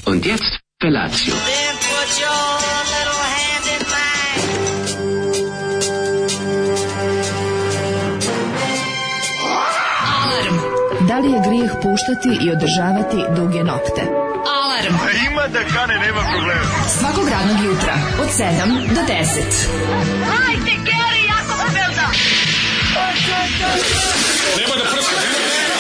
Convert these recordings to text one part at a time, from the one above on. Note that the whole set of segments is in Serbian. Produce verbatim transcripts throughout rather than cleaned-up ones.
Und jetzt Felatio. Then put your little hand in mine. Alarm. Da li je grijeh puštati i održavati duge nokte? Alarm. A ima da kane, nema problema. Svakog radnog jutra od sedam do deset. Hajde, Geri, jako se velda. Nema da prska, nema da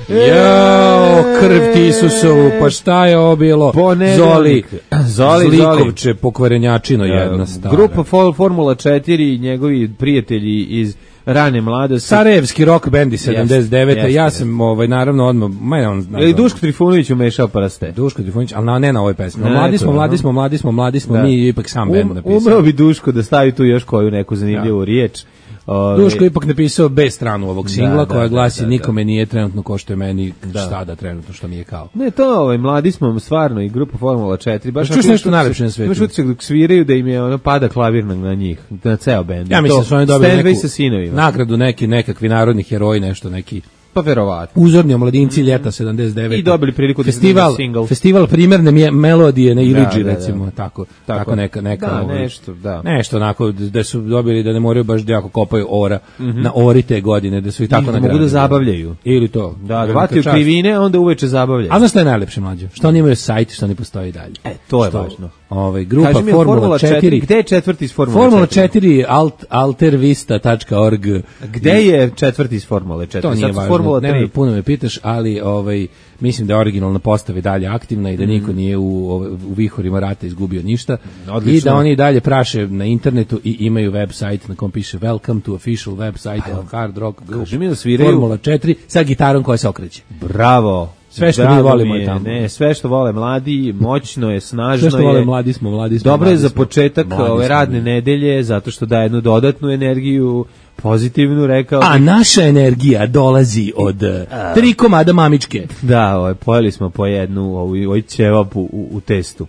Jao, krv ti Isusovu, pa šta je ovo bilo? Zoli, Zoli, Zlikovče, pokvarenjačino jedna stara. Grupa Formula četiri i njegovi prijatelji iz rane mladosti. Sarajevski rock band iz sedamdeset devete. Jeste, Ja jeste. sam ovaj naravno odmah, ma on Je li Duško Trifunović umešao prste? Duško Trifunović, ali na, ne na ovoj pesmi. Ne, Mladi smo, to je, mladi aha. smo, mladi smo, mladi smo, Da. mi je ipak sam band Um, napisao. umeo bi Duško da stavi tu još koju neku zanimljivu riječ. Ove, Duško je ipak napisao B stranu ovog singla, Da, koja da, glasi da, da, nikome nije trenutno ko što je meni, Da. šta da trenutno što mi je kao. Ne, to ovaj, mladi smo stvarno i grupa Formula četiri. Baš Čuješ onako nešto imaš najlepše na utisak- svetu? Imaš utisak dok sviraju da im je ono pada klavir na, na njih, na ceo bend. Ja mislim da su oni dobili Stanway neku sa sinovima. nagradu, neki nekakvi narodni heroji, nešto neki Pa verovatno. uzorni omladinci ljeta sedamdeset devete. I dobili priliku da festival, snime single. festival primerne mje- melodije na Iliđi, Da, da, da. recimo, tako, tako, Tako. neka, neka Da, ovaj, nešto, da. nešto onako, da su dobili da ne moraju baš da jako kopaju ora na ori te godine, da su i tako I da nagradili. mogu da zabavljaju. Ili to. Da, Velika hvati u čast. krivine, onda uveče zabavljaju. A znaš šta je najlepše, mlađe? Što oni imaju sajt, što oni postoji i dalje. E, to je Što, važno. Ovaj, grupa Kaži mi, Formula četiri. Gde je četvrti iz Formula, Formula četiri? četiri alt, altervista tačka org. Gde je četvrti iz Formule četiri? To nije Sad su važno, Formula ne, tri. puno me pitaš, ali ovaj, mislim da je originalna postava i dalje aktivna i da niko nije u, u vihorima rata izgubio ništa. Odlično. I da oni i dalje praše na internetu i imaju website na kom piše Welcome to official website of Hard Rock Group. Kaži mi da sviraju- Formula četiri sa gitarom koja se okreće. Bravo. Sve što Drago mi volimo mi je tamo. Ne, sve što vole mladi, moćno je, snažno Sve što je. vole mladi smo, mladi smo. Dobro je mladi za smo. početak Mladi ove smo radne mi. nedelje, zato što daje jednu dodatnu energiju, pozitivnu, rekao A bih. naša energija dolazi od eh, tri komada mamičke. Da, ovaj, pojeli smo po jednu ovu, ovaj ćevap u, u, u testu.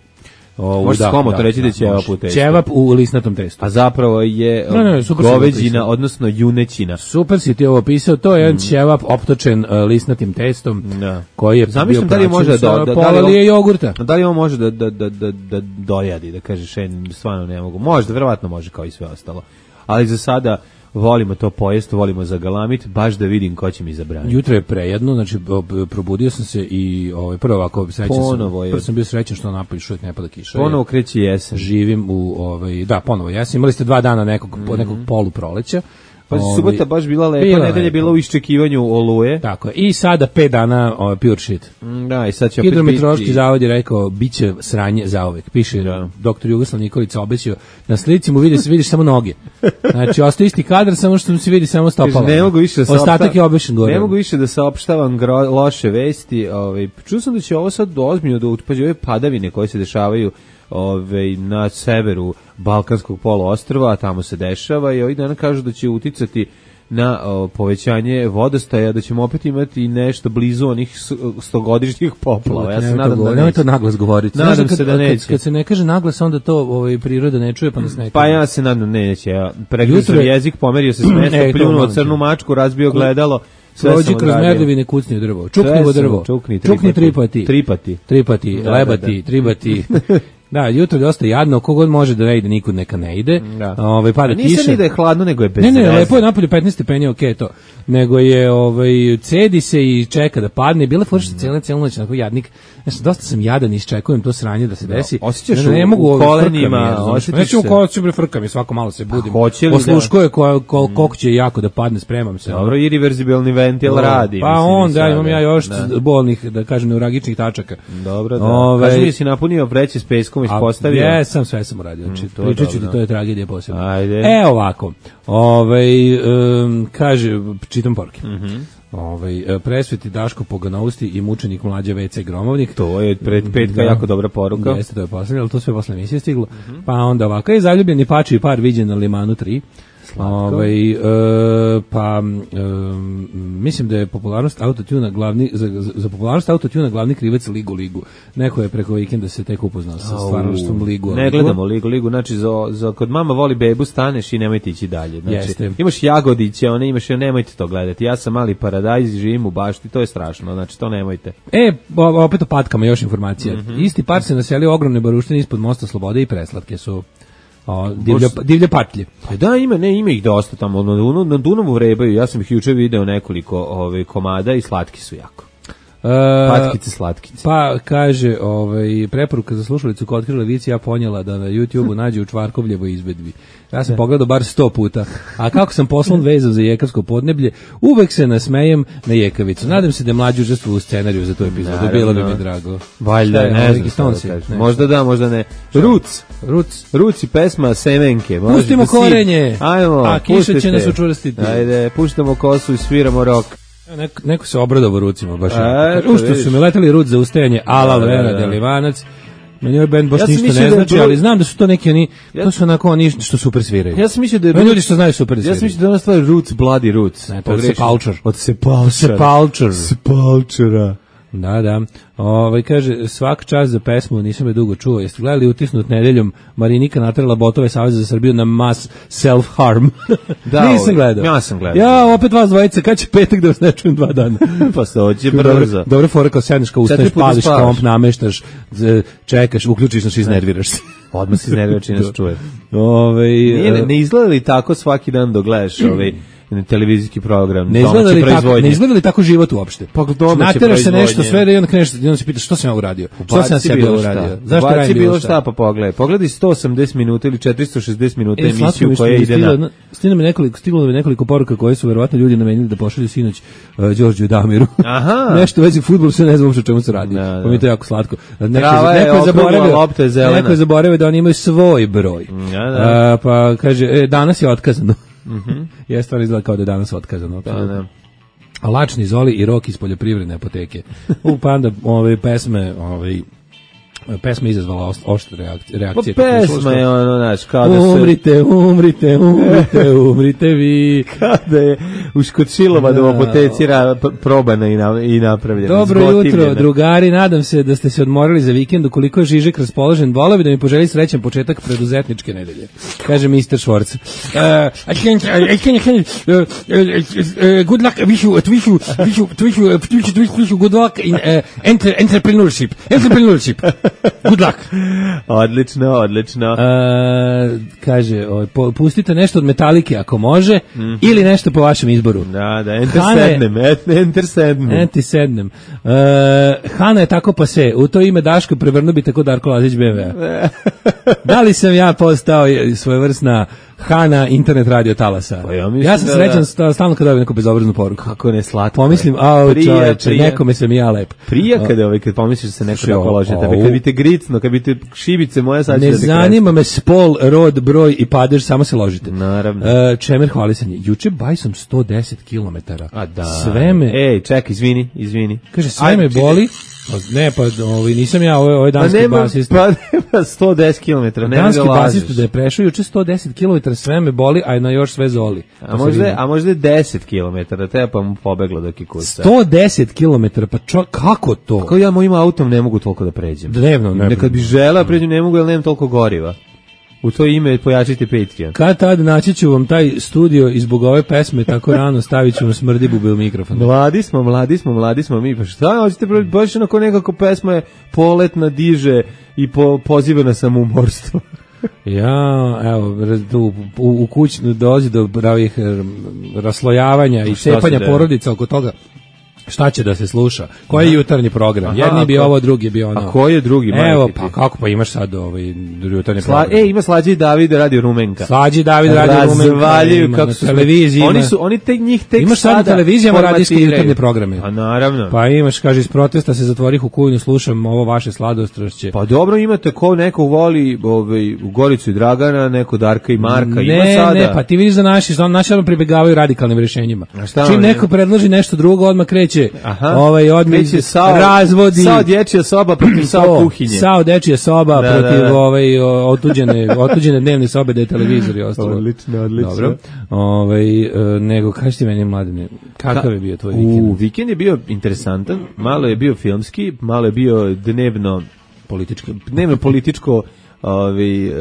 O, Može se komotno reći da je ćevap u testu. Ćevap u lisnatom testu. A zapravo je Ne, ne, super si ovo goveđina, opisao. odnosno junećina. Super si ti ovo opisao, to je jedan ćevap optočen uh, lisnatim testom, Da. koji je Zamišljam bio da li praćen može sa da- da- da pola li on- lije jogurta. A da li on može da, da, da, da, da dojadi, da kaže šen, stvarno ne mogu. Možda, verovatno može kao i sve ostalo. Ali za sada volimo to pojest, volimo zagalamit, baš da vidim ko će mi zabraniti. Jutro je prejedno, znači ob- probudio sam se i ovaj, prvo ovako srećan sam, Ponovo je. prvo sam bio srećan što napolju još uvijek ne pada kiša. Ponovo kreće jesen. Živim u, ovaj, da, ponovo jesen, imali ste dva dana nekog, nekog polu proleća. Pa Ovaj, subota baš bila lepa, bila nedelja je lepa. bila u iščekivanju oluje. Tako je. I sada pet dana ovaj, pure shit. Mm, Da, i sad će opet Hidrometeorološki biti... zavod je rekao biće sranje zauvek. Piše Da. doktor Jugoslav Nikolić obećao. Na slici mu vidi se vidiš samo noge. Znači ostaje isti kadar samo što mu se vidi samo stopala. Kaže, ne mogu više da Ostatak saopštavam- je obešen gore. Ne mogu više da saopštavam gro, loše vesti. Ovaj, čuo sam da će ovo sad ozbiljno da utpađe ove padavine koje se dešavaju ovaj, na severu Balkanskog poluostrva, a tamo se dešava i ovih dana kažu da će uticati na o, povećanje vodostaja, da ćemo opet imati nešto blizu onih s- stogodišnjih poplava. Ja se Nemoj to nadam da govori- nemoj neće. to naglas govoriti. Nadam Znaš, kad, se da kad- neće. Kad se ne kaže naglas, onda to ovaj, priroda ne čuje, pa nas ne Pa ja se nadam neće. Ja pregrizao Jutro je- jezik, pomerio se s mesta, E, to pljunuo molim te. crnu mačku, razbio gledalo. Sve Prođi sam kroz odradio. merdevine, kucni u drvo. Čukni Sve u sam, drvo. čukni Čukni tripati. tripati. Tripati. Tripati, Da, lebati, da, da. tribati. Da, jutro je dosta jadno, kogod može da ne ide, nikud neka ne ide. Da. Ovaj, pada A nisam kiša. ni da je hladno, nego je bez Ne, ne, veze. lepo je napolje petnaest stepeni, okej okay, to. Nego je, ovaj, cedi se i čeka da padne. Bila fora što cijela cijelu noć, onako jadnik. Znači, dosta sam jadan i iščekujem to sranje da se desi. osjećaš ne, ne, ne u- mogu, u ovaj, kolenima, frka mi je, razumeš. osjetiš Neću u se. kolenima, bre, frka mi, svako malo se budim. hoće li da- Osluškuje ko, ko, koliko će jako da padne, spremam se. Dobro, irreverzibilni ventil radi. Pa mislim, onda sada. imam ja još Da. bolnih, da kažem, neuragičnih tačaka. Dobro, da. Ovaj, Kaži mi, si napunio vreće s peskom, ispostavio? A, jesam, sve sam uradio. Znači, Mm, to je pričat ću ti, dobro. to je tragedija posebno. Ajde. E, ovako. Ovaj, um, kaže, čitam poruke. Mhm. Ovaj, presveti Daško Poganovsti i mučenik mlađe ve ce Gromovnik. To je pred petka Da. jako dobra poruka. Jeste, to je poslednje, ali to sve posle emisije stiglo. Pa onda ovako, je zaljubljeni pači par viđen na Limanu tri. Ovaj e, pa e, mislim da je popularnost autotuna glavni za, za, za popularnost autotuna glavni krivac Ligu Ligu. Neko je preko vikenda se tek upoznao sa stvarnošćom Ligu. Ne gledamo Ligu Ligu, znači za, za kod mama voli bebu staneš i nemojte ići dalje. Znači Jeste. Imaš Jagodiće, one imaš, nemojte to gledati. Ja sam mali paradajz, živim u bašti, to je strašno. Znači to nemojte. E, opet o patkama još informacija. Mm-hmm. Isti par se naselio ogromne baruštine ispod mosta Slobode i preslatke su o, divlje, divlje patlje. Pa da, ima, ne, ima ih dosta tamo. Na, Dunavu, na Dunavu vrebaju, ja sam ih juče video nekoliko ove, komada i slatki su jako. Uh, Patkice, slatkice. Pa kaže, ovaj preporuka za slušalicu ko otkrila vic, ja ponijela da na YouTubeu nađe u Čvarkovljevo izvedbi. Ja sam pogledao bar sto puta. A kako sam poslan vezan za jekavsko podneblje, uvek se nasmejem na jekavicu. Nadam se da je mlađi učestvovao u scenariju za tu epizodu. Bilo bi mi drago. Valjda, je, ne ovaj, znam šta da kažem. Možda da, možda ne. Ruc. Ruc. Ruc i pesma Semenke. Pustimo korenje. Ajmo, a kiša će nas učvrstiti. Ajde, puštamo kosu i sviramo rok. Neko, neko se obradovao rucima baš. U što su mi letali ruc za ustajanje Ala Vera Delivanac. Meni ovaj band baš ja ništa ne znači, ali znam da su to neki oni, ja, to su onako oni što super sviraju. Ja sam mislio da je ljudi što znaju super sviraju. Ja sam mislio da je ona stvar Roots, Bloody Roots. Ne, to je Sepulture. Od Sepulture. Sepulture. Sepulture. Da, da. Ovaj kaže svak čas za pesmu, nisam je dugo čuo. Jeste gledali Utisnut nedeljom? Marinika naterala botove Saveza za Srbiju na mass self harm. Da, nisam gledao. Ja sam gledao. Ja opet vas dvojica, kad će petak da vas ne čujem dva dana. Pa se hoće brzo. Dobro fora kao sedneš kao ustaješ, pališ komp, nameštaš, čekaš, uključiš nas i iznerviraš se. Odmah se iznerviraš i nas čuje. Ovaj ne, ne izgleda li tako svaki dan dok gledaš ovaj televizijski program, ne izgleda li tako, ne izgleda li tako život uopšte? Pa nateraš se nešto sve i onda kreneš, onda se pitaš što sam ja uradio? Što sam sebe uradio? Zašto radim bilo šta? Pa pogledaj. Pogledaj sto osamdeset minuta ili četiristo šezdeset minuta emisiju koja ide na. Stiglo mi nekoliko, stiglo mi nekoliko poruka koje su verovatno ljudi namenili da pošalju sinoć Đorđu Damiru. Aha. Nešto u vezi fudbala, sve ne znam uopšte o čemu se radi. Pa mi je to jako slatko. Neko je zaboravio, neko je zaboravio da oni imaju svoj broj. Pa kaže, danas je otkazano. Mhm. Je stvar izgleda kao da je danas otkazano. Da, da. A Lačni Zoli i Rok iz poljoprivredne apoteke. U pa onda ove pesme, ovaj pesma izazvala oštre reakcije. reakcije pa pesma je ono, znaš, kao da se... Umrite, umrite, umrite, umrite vi. Kada je u Škočilova u apoteci probana i, na, i napravljena. Dobro jutro, drugari, nadam se da ste se odmorili za vikend, ukoliko je Žižek raspoložen, voleo bi da mi poželi srećan početak preduzetničke nedelje. Kaže mister Švorc. Uh, I can, I can, I can, uh, uh, good luck, wish you, wish you, wish you, wish you, wish you, wish you good luck in uh, enter, entrepreneurship. Entrepreneurship. Good luck. Odlično, odlično. Uh, kaže, o, pustite nešto od Metalike ako može, mm-hmm. ili nešto po vašem izboru. Da, da, enter sednem, enter sednem. Enter sednem. Uh, Hana je tako pa se, u to ime Daško prevrnu bi tako Darko Lazić be em ve. Da li sam ja postao svojevrsna Hana internet radio talasa? Pa ja, ja sam srećan da... stalno kada dobijem neku bezobraznu poruku. Kako ne slatko. Pomislim, a čoveče, nekome sam ja lep. Prija kada ovaj, kad pomisliš da se neko tako loži tebe, kad bi te gricno, kad bi te šibice moja sad će ne da te zanima me spol, rod, broj i padež, samo se ložite. Naravno. Uh, Čemer hvalisanje. Juče bajsom sto deset kilometara. A da. Sve me... Ej, čekaj, izvini, izvini. Kaže, sve Aj, me boli. Ne, pa ovaj, nisam ja, ovo je danski pa basista. Pa nema sto deset kilometara, nema danski da lažeš. Danski basista da je prešao juče sto deset kilometara, sve me boli, a na još sve zoli. A možda, a možda je deset kilometara, teba pa mu pobeglo dok je kuca. sto deset kilometara, pa čo, kako to? Kako ja mojim autom ne mogu toliko da pređem? Dnevno, ne. Nekad bi žela pređem, ne mogu, jer nemam toliko goriva. U to ime pojačite Patreon. Kad tad naći ću vam taj studio i zbog ove pesme tako rano stavit ću vam smrdi bubil mikrofon. Mladi smo, mladi smo, mladi smo mi. Pa šta, hoćete baš onako nekako pesma je poletna, diže i po, poziva na samoumorstvo. Ja, evo, u, u, u kućnu dolazi do pravih raslojavanja i cepanja porodica oko toga. Šta će da se sluša? Koji je jutarnji program? Aha, jedni bi ovo, drugi bi ono. A koji je drugi? Evo, pa kako pa imaš sad ovaj jutarnji Sla, program? E, ima Slađi i David radio Rumenka. Slađi i David radio Rumenka. Razvaljuju kako su televiziji. Oni su, oni tek njih tek imaš sad na televizijama radijske jutarnje programe. Pa naravno. Pa imaš, kaže, iz protesta se zatvorih u kujnu, slušam ovo vaše sladostrašće. Pa dobro, imate ko neko voli ovaj, u Goricu i Dragana, neko Darka i Marka. Ne, ima sada. Ne, pa ti vidiš da naši, naši ono pribegavaju radikalnim rješenjima. Čim neko predloži nešto drugo, odmah kreće kreće Aha. ovaj odmah Kreće sao- razvodi sao dječja soba protiv sao to, kuhinje. Sao dečija soba Da, protiv da, da. ovaj o- otuđene otuđene dnevne sobe da je televizor i ostalo. Odlično, odlično. Dobro. Ovaj e, nego kaži ti meni mladine, kakav je bio tvoj vikend? U, vikend je bio interesantan, malo je bio filmski, malo je bio dnevno Politički. dnevno političko ovaj e,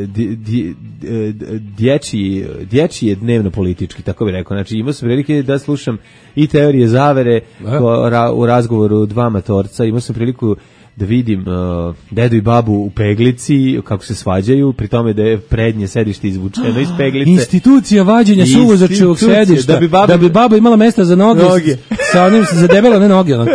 di- di- e, dječji dječji je dnevno politički, tako bih rekao. Znači imao sam prilike da slušam i teorije zavere Da. ko, ra, u razgovoru dva matorca, imao sam priliku da vidim uh, dedu i babu u peglici, kako se svađaju, pri tome da je prednje sedište izvučeno iz peglice. Institucija vađenja suvozačevog Institucija, sedišta, da bi baba- da bi baba imala mesta za noge, Noge. s- sa onim za debelo, ne noge, onako.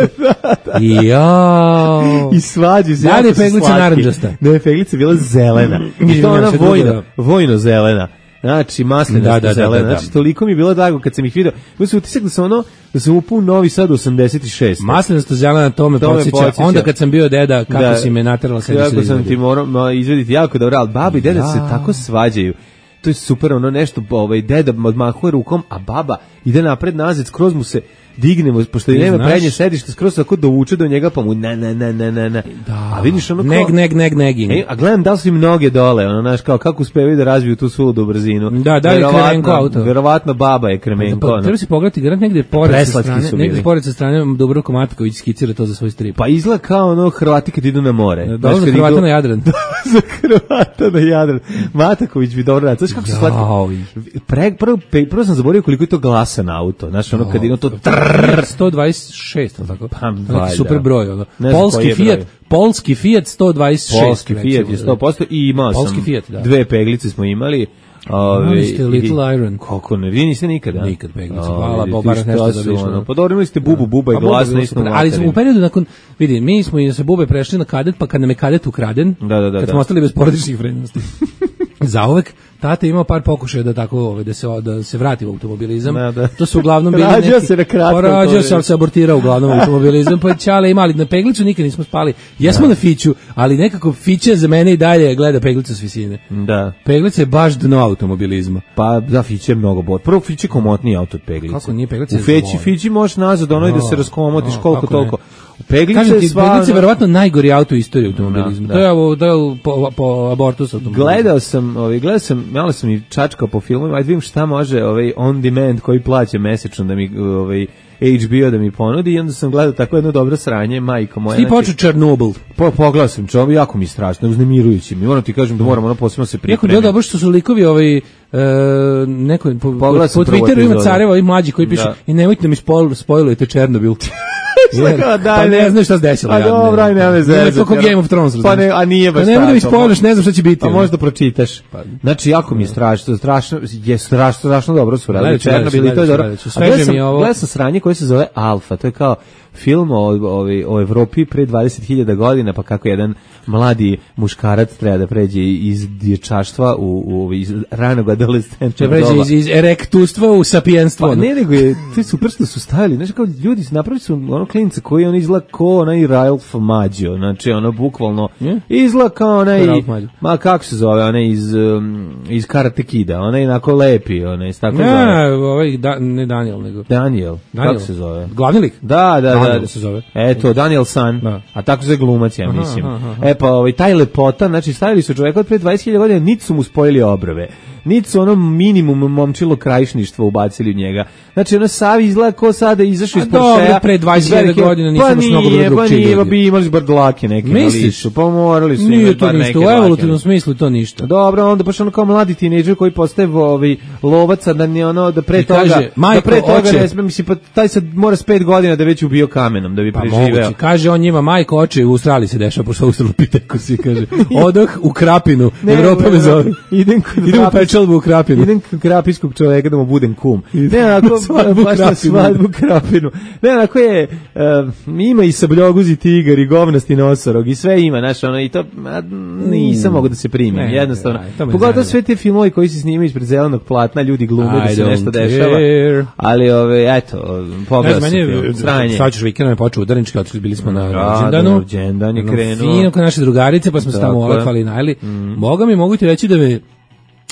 Jao. I svađi se. Da li jako je su peglica slatki. narandžasta? Ne, je peglica bila zelena. I to Izvinjam ona se, drugo, vojna, da. vojno zelena. Znači, maslinasta Da, da, da, zelena. da, da. Znači, toliko mi je bilo drago kad sam ih vidio. Imao sam utisak da sam ono, da sam upao u Novi Sad osamdeset šest. Maslinasto zelena, to me To me podsjeća. podsjeća. Onda kad sam bio deda, kako Da. si me naterala sedi se Kako sam ti morao ma, izvediti jako dobro, ali baba i deda Ja. se tako svađaju. To je super, ono nešto, ovaj, deda odmahuje rukom, a baba ide napred nazad, skroz mu se dignemo, pošto i Ti nema znaš- prednje sedište, skroz tako dovuče do njega, pa mu ne, ne, ne, ne, ne, ne. A vidiš ono kao... Neg, neg, neg, negging. E, a gledam da li su im noge dole, ono, znaš, kao kako uspevaju da razviju tu suludu brzinu. Da, da li je Verovatno- Kremenko auto? Verovatno baba je Kremenko. Pa, ono. treba se pogledati, garant negde pored sa Preslatki strane, su negde bili. pored sa strane Dubravko Matković skicira to za svoj strip. Pa izgleda kao ono Hrvati kad idu na more. Da, Znaš, za kad Hrvata idu- na Jadran. za Hrvata na Jadran. Mataković bi dobro radio. Znaš kako se Jao. slatki? Pre, prvo, pe- prvo sam zaboravio koliko je to glasan auto. Znaš, ono kad ide to trrrr. sto dvadeset šest, al tako. Pa, Neki valjda. super broj, ono. Ne znam Polski koji je broj. Fiat, polski Fiat sto dvadeset šest. Polski Fiat je sto posto i imao Polski sam Fiat, da. dve peglice smo imali. Ove, Imali ste Little i- Iron. Kako ne, vi niste nikada? Nikad peglice. Ove, Hvala, ti Bob, bar šta nešto su, da više, ono, ono. Pa dobro, imali ste bubu, buba i Pa, Buba glas je na bilo istom super. Ali smo u periodu nakon, vidi, mi smo i sa Bube prešli na kadet, pa kad nam je kadet ukraden, Da, da, da, kad da. smo ostali bez porodičnih vrednosti. Zauvek tata je imao par pokušaja da tako ovaj, da se da se vrati u automobilizam. Da, da. To su uglavnom bili Rađao neki se na kratko Pa rađao se, automobil. ali se abortirao uglavnom u automobilizam, pa ćale imali na peglicu nikad nismo spali. Jesmo na fiću, ali nekako fiće za mene i dalje gleda peglicu s visine. Da. Peglica je baš dno automobilizma. Pa da, Fiće je mnogo bolje. Prvo Fiće je komotniji auto od peglice. Kako nije, Peglica U je Feći, zlo. Fići možeš nazad, ono i da se No, raskomotiš no, koliko kako ne. toliko. U Peglice Kažem je ti, sva... Peglica je ono- verovatno najgori auto u istoriji automobilizma. Da, To je ovo, to je ovo po, po abortus automobilizma. Gledao sam, ovaj gledao sam, malo sam i čačkao po filmovima, ajde vidim šta može ovaj on demand koji plaća mesečno da mi ovaj H B O da mi ponudi i onda sam gledao tako jedno dobro sranje, majko moja. Ti znači, počeo Černobil. po, pogledao sam čovjek, jako mi je strašno, uznemirujući mi. Moram ti kažem da moram ono posebno se Jako je bilo pripremiti. dobro što su likovi ovaj, e, neko, po, po, Pogledao sam po prvu Twitteru ima epizodu. careva i mlađi koji piše Da. i nemojte da mi spojl, spojlujete Černobil. Jer, kao, daj, pa ne ne. znaš šta se desilo. A dobro, aj, nema veze. Ne, to kao Game of Thrones. Pa ne, razumeš. a nije baš Pa nemoj da mi tako. spojluješ, ne znam šta će biti. Pa ono. možda pročitaš. Znači, jako mi je strašno, strašno, je strašno, strašno dobro su radili Gledat ću, gledat ću, Černobil i to je gledat ću, dobro. gledat ću. A Sveže gledao sam- mi je ovo. Gledao sam sranje koje se zove Alfa, to je kao film o, o, o Evropi pre dvadeset hiljada godina, pa kako jedan mladi muškarac treba da pređe iz dječaštva u, u iz ranog Če adolescentnog pređe doba. iz, iz erektustva u sapijenstvo. Pa ono. ne, nego je, to je super što su stavili, znači kao ljudi su napravili su ono klinca koji on izgleda kao onaj Ralph Maggio, znači ono bukvalno Je? izgleda kao onaj, Ko je Ralph Maggio? ma kako se zove, onaj iz, um, iz Karate Kida, onaj onako lepi, onaj, tako zove. Ne, ovaj, da, ne Daniel, nego... Daniel, Daniel. kako se zove? Glavni lik? Da, da, Daniel da. se zove. Eto, Daniel San, Da. a tako se zove glumac, ja Aha, mislim. aha, aha. E pa, ovaj, taj lepota, znači stavili su čoveka od pre dvadeset hiljada godina, niti su mu spojili obrve, niti su ono minimum momčilo krajišništva ubacili u njega. Znači, ono Savi izgleda ko sada izašao A iz dobro, Porschea. pre dvadeset hiljada iz velike- godina nisu pa baš mnogo nije, bili pa drugčiji nije, pa ljudi. bi imali bardlake neke na Misliš? licu, pa morali su imati Nije to bar ništa, neke u dlake. evolutivnom smislu to ništa. Dobro, onda baš ono kao mladi tinejdžer koji postaje ovaj lovac, a da ne ono da pre I toga kaže, da majko, pre toga oče. ne sme, mislim pa taj sad mora s pet godina da je već ubio kamenom da bi Pa preživeo. moguće. Kaže on njima, majko, oče, u Australiji se dešava, pošto Australopitekus i kaže, odoh u Krapinu, Evropa me zove. Idem kod Idem u Krapis- Pečalbu u Krapinu. Idem kod krapiskog čoveka da mu budem kum. Ne, onako, Svadbu baš na Krapinu. svadbu Krapinu. Ne, onako je, uh, ima i sabljoguzi tigar i govnasti nosorog i sve ima, znaš, ono, i to, a, nisam mogu da se primim, Ne, jednostavno. aj, to me Pogotovo zanima. sve te filmovi koji se snimaju ispred zelenog platna, ljudi glume da I se don't nešto care. dešava. Ali, ove, eto, Ne pogledao znam, sam meni je, film, sranje. sad ćeš vikendom je počeo udarnički, otišli bili smo na Da, rođendanu. da, rođendan je Jednom krenuo. Fino kod naše drugarice, pa smo se tamo Tako je. olakvali i najeli. Boga mi, mogu ti reći da me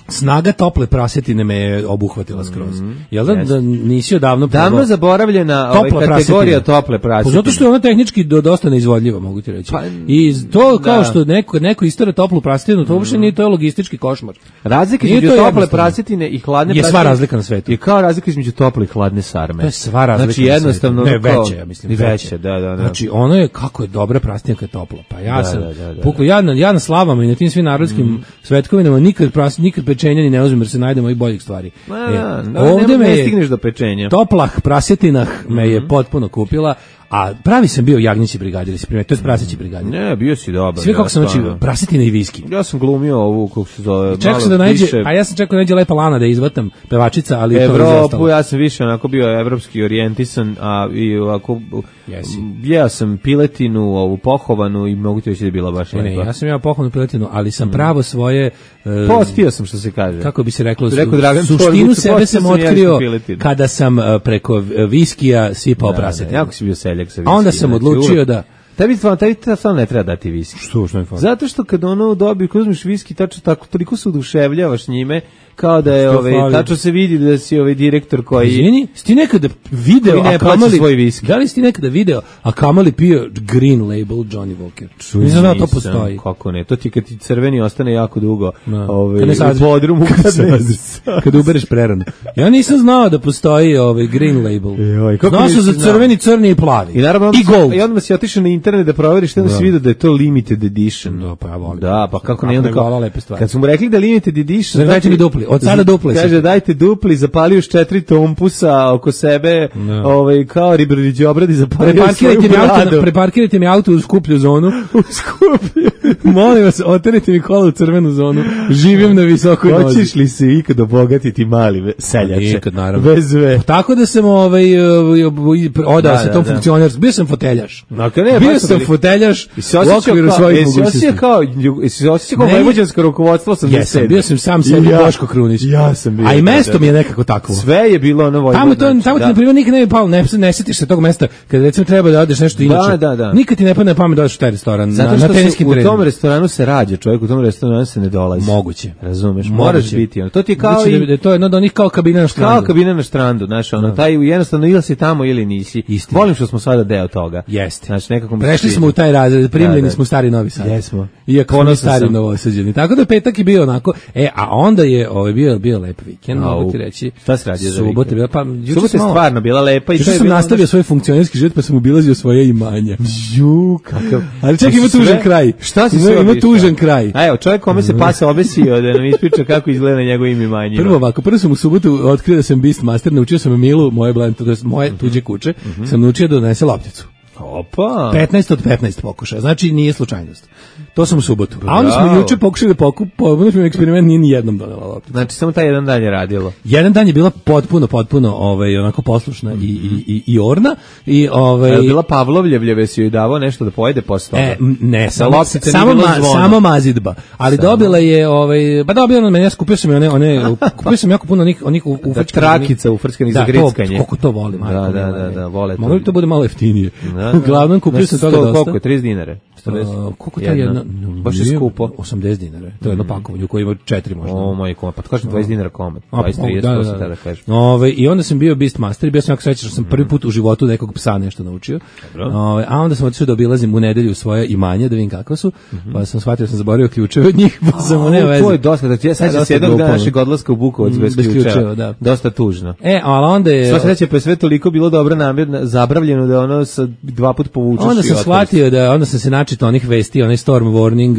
snaga tople prasetine me je obuhvatila skroz. Mm, Jel da, yes. da nisi odavno Davno probao? Zaboravljena ovaj kategorija tople prasetine. Pa zato što je ona tehnički do, dosta neizvodljiva, mogu ti reći. Pa, I to kao da. što neko, neko istore toplu prasetinu, to uopšte nije, to je logistički košmar. Razlika Nije između to tople jednostavno. prasetine i hladne Je sva prasetine razlika na svetu. je kao razlika između tople i hladne sarme. To je sva razlika. Znači na jednostavno svetu. Ne, kao- veće, ja mislim. I veće, da, da, da. Znači, ono je, kako je dobra prasetina kad je topla. Pa ja Da, sam, da, da, da, pukao, ja, na, ja na slavama i na tim svim narodskim mm. svetkovinama nikad, pras, nikad pečenja ni ne uzmem jer se najdemo i boljih stvari. Ma, E, da, da, ovde ne, me ne je stigneš do pečenja. toplah prasetinah me je potpuno kupila, a pravi sam bio jagnjeći brigadir, si primetio, to je praseći brigadir. Ne, bio si dobar. Sve kako ja, sam, znači, stvarno. prasetina i viski. Ja sam glumio ovu, kako se zove, Čekao malo sam da nađe, više a ja sam čekao da nađe Lepa Lana da je izvatam pevačica, ali to je Evropu, izostalo. ja sam više onako bio evropski orijentisan, a i ovako, Jesi. jeo sam piletinu, ovu pohovanu i mogu ti reći da je bila baš Ne, ne, lepa. ja sam ja pohvalnu piletinu, ali sam pravo svoje... e, Postio sam, što se kaže. kako bi se reklo, su- Rekao Dragan suštinu Čorbuć, sebe postio sam sam otkrio jagnječku piletinu. kada sam e, preko e, viskija sipao Da, da, prasetinu. jako si bio seljak sa A onda viskijem, sam znači, odlučio uvek- da... Tebi stvarno, tebi stvarno ne treba dati viski. Što, što mi fali? Zato što kad ono dobi, kad uzmeš viski, tačno tako, toliko se oduševljavaš njime, kao da je, Što ovaj, fali? tačno se vidi da si ovaj direktor koji... Izvini, si ti nekada video, Koji ne a plaća kamali, svoj viski. da li si ti nekada video, a kamali pio Green Label Johnny Walker? Nisam znao da to Nisam, postoji. Kako ne, to ti kad ti crveni ostane jako dugo Da. ovaj, Kad ne u saziš. podrumu. Kad, Kad ne saziš. Kad ubereš prerano. Ja nisam znao da postoji ovaj Green Label. Joj, kako Znao sam nisi za znao? crveni, crni i plavi. I naravno, I gold. I onda si otišao na internet da proveriš, što onda si vidio da je to limited edition. Da, pa ja volim. Da, pa kako Kako ne, onda ne kao, vola lepe stvari. kad su mu rekli da limited edition, Znači, dajte mi dupli, od sada dupli. Kaže, dajte dupli, zapalio još četiri tompusa oko sebe, Da. ovaj, kao Ribrodić obradi, zapalio svoju Preparkirajte mi, auto, bradu. preparkirajte mi auto u skuplju zonu. U skuplju. Molim vas, oterite mi kola u crvenu zonu. Živim na visokoj nozi. Hoćeš li se ikad obogatiti mali ve- seljače? Nikad, naravno. Bez ve. Tako da sam ovaj, ovaj, ovaj, odao Da, se da, tom da. funkcionerskom. Bio sam foteljaš. Dakle, ne, Bio baš sam bili- foteljaš I se u osjećao okviru kao, svojih jesi osjećao mogućnosti. kao, jesi se osjećao kao Meni- vojvođansko rukovodstvo osamdeset Jesam, sedme. bio sam sam sebi I ja- Boško Krunić. Ja sam bio. A i da, mesto da, mi je da. nekako takvo. Sve je bilo ono vojvodno. Tamo to, tamo ti da. na primjer nikad ne bi palo, ne, ne setiš se tog mesta kad recimo treba da odeš nešto inače. da, da. Nikad ti ne padne na pamet da odeš u taj restoran Zato na, što na se teniskim u tom terenima. restoranu se rađa, čovjek u tom restoranu se ne dolazi. Moguće. Razumeš, Moguće. moraš biti ono. To ti je kao Znači da, i da je to jedno od onih kao kabina na štrandu. kao kabina na štrandu, znaš, ono, taj jednostavno ili si tamo ili nisi. Istina. Volim što smo sada deo toga. Jeste. Znači, nekako mi se Prešli sviđa. smo u taj razred, primljeni Da, da. smo u stari Novi Sad. Jesmo. Iako smo mi Ponosan stari sam. Novosađeni. Tako da petak je bio onako, e, a onda je ovaj bio bio lep vikend, Au. mogu ti reći. Šta se radio za Subota vikend? je bila, pa juče Subota je sam malo- stvarno bila lepa i Juče to je sam bilo nastavio ono svoj funkcionerski život, pa sam obilazio svoje imanja. Ju, kakav. Ali čekaj, ima Sve- tužan kraj. Šta si Ima- sve ima obišao? tužan kraj. A evo, čovjek kome se pasa obesio da nam ispriča kako izgleda njegovim imanjima. Prvo ovako, prvo sam u subotu otkrio da sam Beastmaster, naučio sam Milu, moje blend, to jest moje tuđe kuće, sam naučio da donese lopticu. Opa. petnaest od petnaest pokušaja, znači nije slučajnost. To sam u subotu. A onda smo Bravo. juče pokušali da pokup, pokušali eksperiment, nije ni jednom donela lopticu. Znači, samo taj jedan dan je radilo. Jedan dan je bila potpuno, potpuno ovaj, onako poslušna i, i, i, i orna. I, ovaj, A je bila Pavlovljevljeve, si joj davao nešto da pojede posle toga? E, m, ne, samo, loptica nije samo, bilo ma, zvono. samo mazidba. Ali Samo. dobila je, ovaj, ba dobila ona meni, ja skupio sam je one, one, kupio sam jako puno onih, onih u, u Da, trakica ufrčkanih za grickanje. Da, to, koliko to volim. Da, da, da, da, vole to. Mogli bi to bude malo jeftinije. Da, da. Uglavnom, kupio sam Znači, toga sto- dosta. Koliko je, trideset dinara? četrdeset? Uh, koliko to je jedna? Baš je Nije, skupo. osamdeset dinara. To je jedno pakovanje u koje ima četiri možda. O, moj komad. Pa to kažem dvadeset dinara komad. A, dvadeset, trideset, da, to da, se da. tada kaže. Ove, I onda sam bio Beastmaster i bio sam jako srećan što sam prvi put u životu nekog psa nešto naučio. Ove, a onda sam otišao da obilazim u nedelju svoje imanje, da vidim kakva su, pa sam shvatio da sam zaboravio ključeve od njih, pa sam mu ne O, veze. to je dosta, da ti ja sad dosta se jednog glupo, dana ono. našeg odlaska u Bukovac Mm, bez bez ključeva. ključeva, da. Dosta tužno. E, ali onda je... Sva sreća, pa je sve toliko bilo dobro namjerno, zabravljeno da ono sa dva put povučeš Onda i sam otvoriš. shvatio da onda sam se načitao onih vesti, onaj storm warning,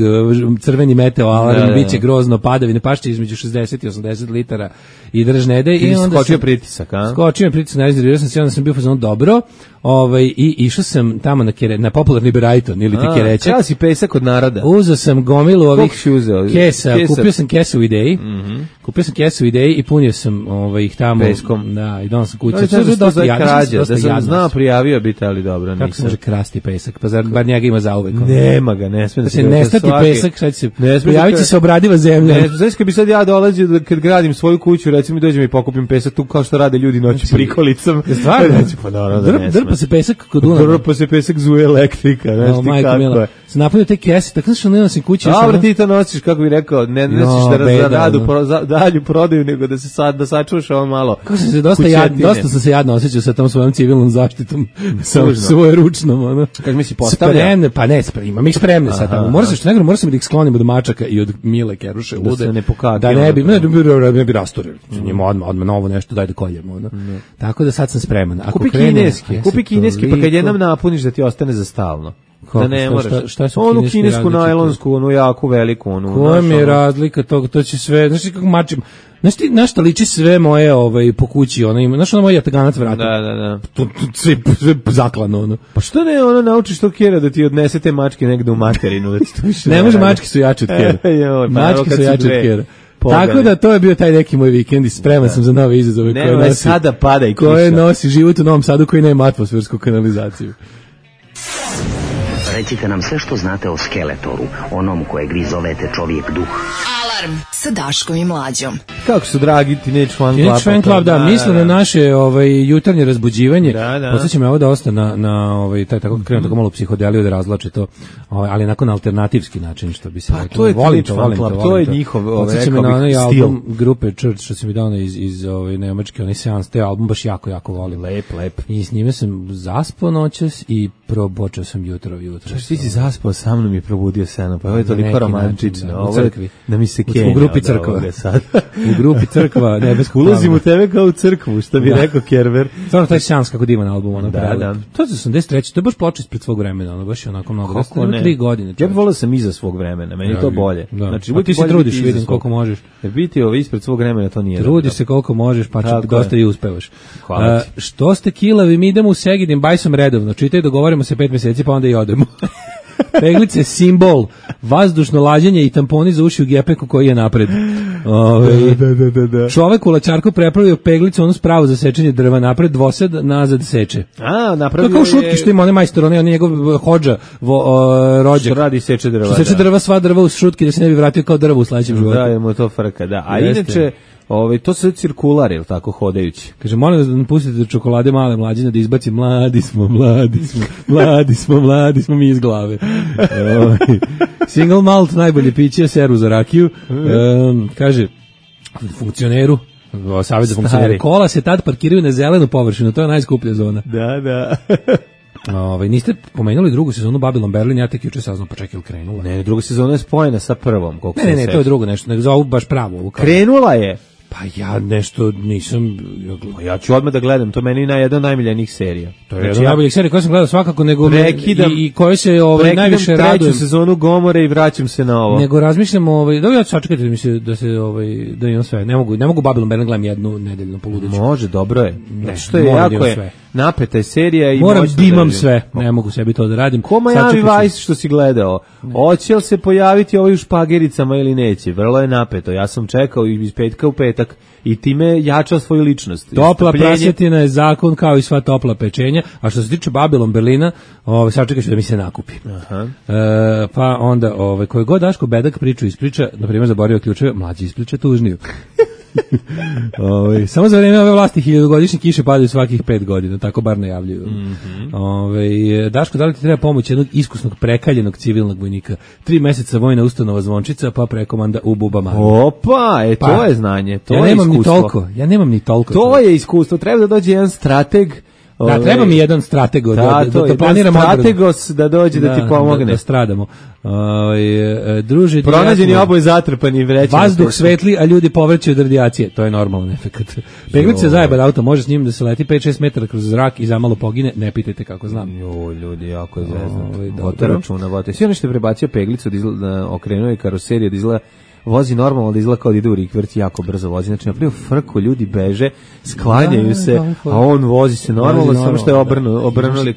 uh, crveni meteo alarm, Da, da, da. biće grozno, padavine, pašće između šezdeset i osamdeset litara i drž ne daj. I onda skočio sam- pritisak, a? Skočio mi pritisak, najzirao sam se, onda sam bio fazon dobro, ovaj, i išao sam tamo na, kere, na popularni Brighton ili ti A, Kerećak. krao si pesak od naroda. Uzeo sam gomilu ovih Koliko si uzeo? kesa, Kesa? kupio sam kesu u Ideji, kupio sam kesu u Ideji i punio sam ovaj, ih tamo. Peskom. Da, i donosam kuće. Da, To je da, dosta da, jadno, krađa, dosta da sam jadno. znao prijavio biti, ali dobro, Kako se nisam. može krasti pesak? Pa zar bar njega ima zauvek? ono? Nema ga, ne sme da Da se ga- nestati svaki- pesak, sad će se Ne sme prijaviti da- se obradiva zemlja. Ne, znaš kad bi sad ja dolazio da kad gradim svoju kuću, recimo dođem i pokupim pesak tu kao što rade ljudi noću prikolicom. Stvarno? Znači, pa naravno da Drp, ne sme. drpa se pesak kod Dunava. Drpa se pesak zuje elektrika, znaš O, ti majko kako mila. je. sam napunio te kese, tako što ne nosim kući. Dobro, ti to nosiš, kako bi rekao, ne nosiš da za radu, pro, za, dalju prodaju, nego da se sad, da sačuvaš ovo malo. Kako sam se dosta, jad, dosta sam se jadno osjećao sa tom svojom civilnom zaštitom, sa svoje ručnom, ono. Kako mi si postavlja? Spremne, pa ne, spremne, imam ih spremne sad tamo. Moram se što nego, moram sam da ih sklonim od mačaka i od Mile Keruše, da lude, se ne pokaže. Da ne bi, ne, ne bi, ne bi rasturili. Njima odmah, odmah novo nešto, daj da koljemo, ono. Mm. Tako da sad sam spreman. Ako kupi krene, kineski, kupi kineski, pa kad jednom napuniš da ti ostane za stalno. Kako, da ne moraš. Šta, šta su onu kinesku najlonsku, onu jako veliku, onu. Koja mi je razlika toga, to će sve, znaš kako mačim, znaš ti, znaš šta liči sve moje ovaj, po kući, ona ima, znaš ona moja jataganac vrata. Da, da, da. To, to, sve, sve zaklano, ono. Pa što ne, ono naučiš to kjera da ti odnese te mačke negde u materinu, da ti to više ne može, mačke su jače od kjera. Joj, pa mačke su jače od kjera. Tako da to je bio taj neki moj vikend i spreman da. sam za nove izazove ne, koje nosi, sada pada i kiša. Koje nosi život u Novom Sadu koji nema atmosfersku kanalizaciju. Recite nam sve što znate o Skeletoru, onom kojeg vi zovete čovjek duh. Alarm sa Daškom i Mlađom. Kako su dragi Teenage Fan Club? Teenage Fan Club, da, da misle da, da. na naše ovaj, jutarnje razbuđivanje. Da, da. Podsjeća me ovo da osta na, na ovaj, taj tako krenu tako malo psihodeliju da razlače to, ovaj, ali nakon alternativski način, što bi se pa, to je volim to, volim Club, to, to je to. njihov, ovaj, rekao bih, na onaj stil. album grupe Church, što sam mi dao iz, iz ovaj, nemačke, onaj seans, te album baš jako, jako volim. Lep, lep. I s njime sam zaspao noćas i probočao sam jutro, jutro. Što ti si zaspao sa mnom i probudio se na, pa ovo je toliko romantično. Da, ovo je da mi se kenja. U grupi crkva. U grupi crkva nebeskog. Ulazim u tebe kao u crkvu, što bi da. rekao Kerber. Stvarno taj seans kako divan album, ono. Da, da. To je osamdeset treće, to je baš ploča ispred svog vremena, ono baš je onako mnogo. Kako ne? tri godine. Ja bih volio sam iza svog vremena, meni je to bolje. Da. Znači, ti se trudiš, vidim koliko možeš. Jer biti ovo ispred svog vremena to nije. Trudiš se koliko možeš, pa čak dosta i uspevaš. Hvala ti. Što ste kilavi, mi idemo u Segedin bajsom redovno. Čitaj, dogovorimo se pet mjeseci, pa onda i odemo. Peglice simbol, vazdušno lađenje i tamponi za uši u gepeku koji je napred. Ove, da, da, da, da. Čovek u lačarku prepravio peglicu, onu spravu za sečenje drva, napred dvosed, nazad seče. A, napravio je... To kao šutki što ima onaj majstor, onaj njegov hođa, vo, o, rođak. Što radi seče drva. Što seče da. drva, sva drva u šutki da se ne bi vratio kao drvo u sledećem životu. Da, je mu to frka, da. A Jeste. inače... Ovaj to se cirkular je tako hodajući. Kaže molim vas da nam pustite čokolade male mlađine da izbaci mladi smo, mladi smo, mladi smo, mladi smo mi iz glave. Ovaj single malt najbolje piće, seru za rakiju. Um, kaže funkcioneru savjet za funkcionere. Kola se tad parkiraju na zelenu površinu, to je najskuplja zona. Da, da. Ovaj niste pomenuli drugu sezonu Babylon Berlin, ja tek juče saznao, pa čekaj, krenula. Ne, druga sezona je spojena sa prvom, koliko ne, ne, ne, to je drugo nešto, nego za ovu baš pravo ovu. Krenula je. Pa ja nešto nisam... Ja, ja ću odmah da gledam, to meni je jedna od najmiljenijih serija. To je jedna od najboljih serija koje sam gledao svakako, nego prekidam, i, i koje se ovaj, najviše radujem. Prekidam treću sezonu Gomore i vraćam se na ovo. Nego razmišljam, ovaj, da ja ću sačekati da mi se, da se ovaj, da imam sve. Ne mogu, ne mogu Babylon Berlin gledam jednu nedeljnu poludeću. Može, dobro je. Ne, što je jako je sve. Napeta je serija i moram da imam sve. Ne mogu sebi to da radim. Ko Miami Vice što si gledao? Hoće li se pojaviti ovaj u špagericama ili neće? Vrlo je napeto. Ja sam čekao iz petka u petak i time jača svoju ličnost. Topla prasetina je zakon kao i sva topla pečenja, a što se tiče Babylon Berlina, ovaj sačekaj da mi se nakupi. Aha. E, pa onda ovaj koji god Daško bedak priču ispriča, na primjer zaboravio ključeve, mlađi ispriča tužniju. Ove, samo za vreme ove vlasti hiljadugodišnje kiše padaju svakih pet godina, tako bar najavljuju. Mm-hmm. Ove, Daško, da li ti treba pomoć jednog iskusnog prekaljenog civilnog vojnika? Tri meseca vojna ustanova Zvončica, pa prekomanda u Bubama. Opa, e, to pa, je znanje, to ja je nemam iskustvo. Ni toliko, ja nemam ni toliko. To, to je iskustvo, treba da dođe jedan strateg. Da, treba mi jedan strateg da, da, da, da, da planiram odbranu. Strategos da dođe da, da ti pomogne. Da, da stradamo. Ove, druže, pronađeni oboje zatrpani vrećama. Vazduh svetli, a ljudi povraćaju od radijacije. To je normalan efekat. Peglica zajeba auto, može s njim da se leti pet šest metara kroz zrak i zamalo pogine, ne pitajte kako znam. Jo, ljudi, jako je zezno. Vote računa, vote. Sve ono što je prebacio peglicu, da izgleda, okrenuo je karoseriju, da izgleda vozi normalno, da izgleda kao da ide u rikverc, jako brzo vozi. Znači, napravio frku, ljudi beže, sklanjaju se, a on vozi se normalno, samo što je obrnu, obrnuli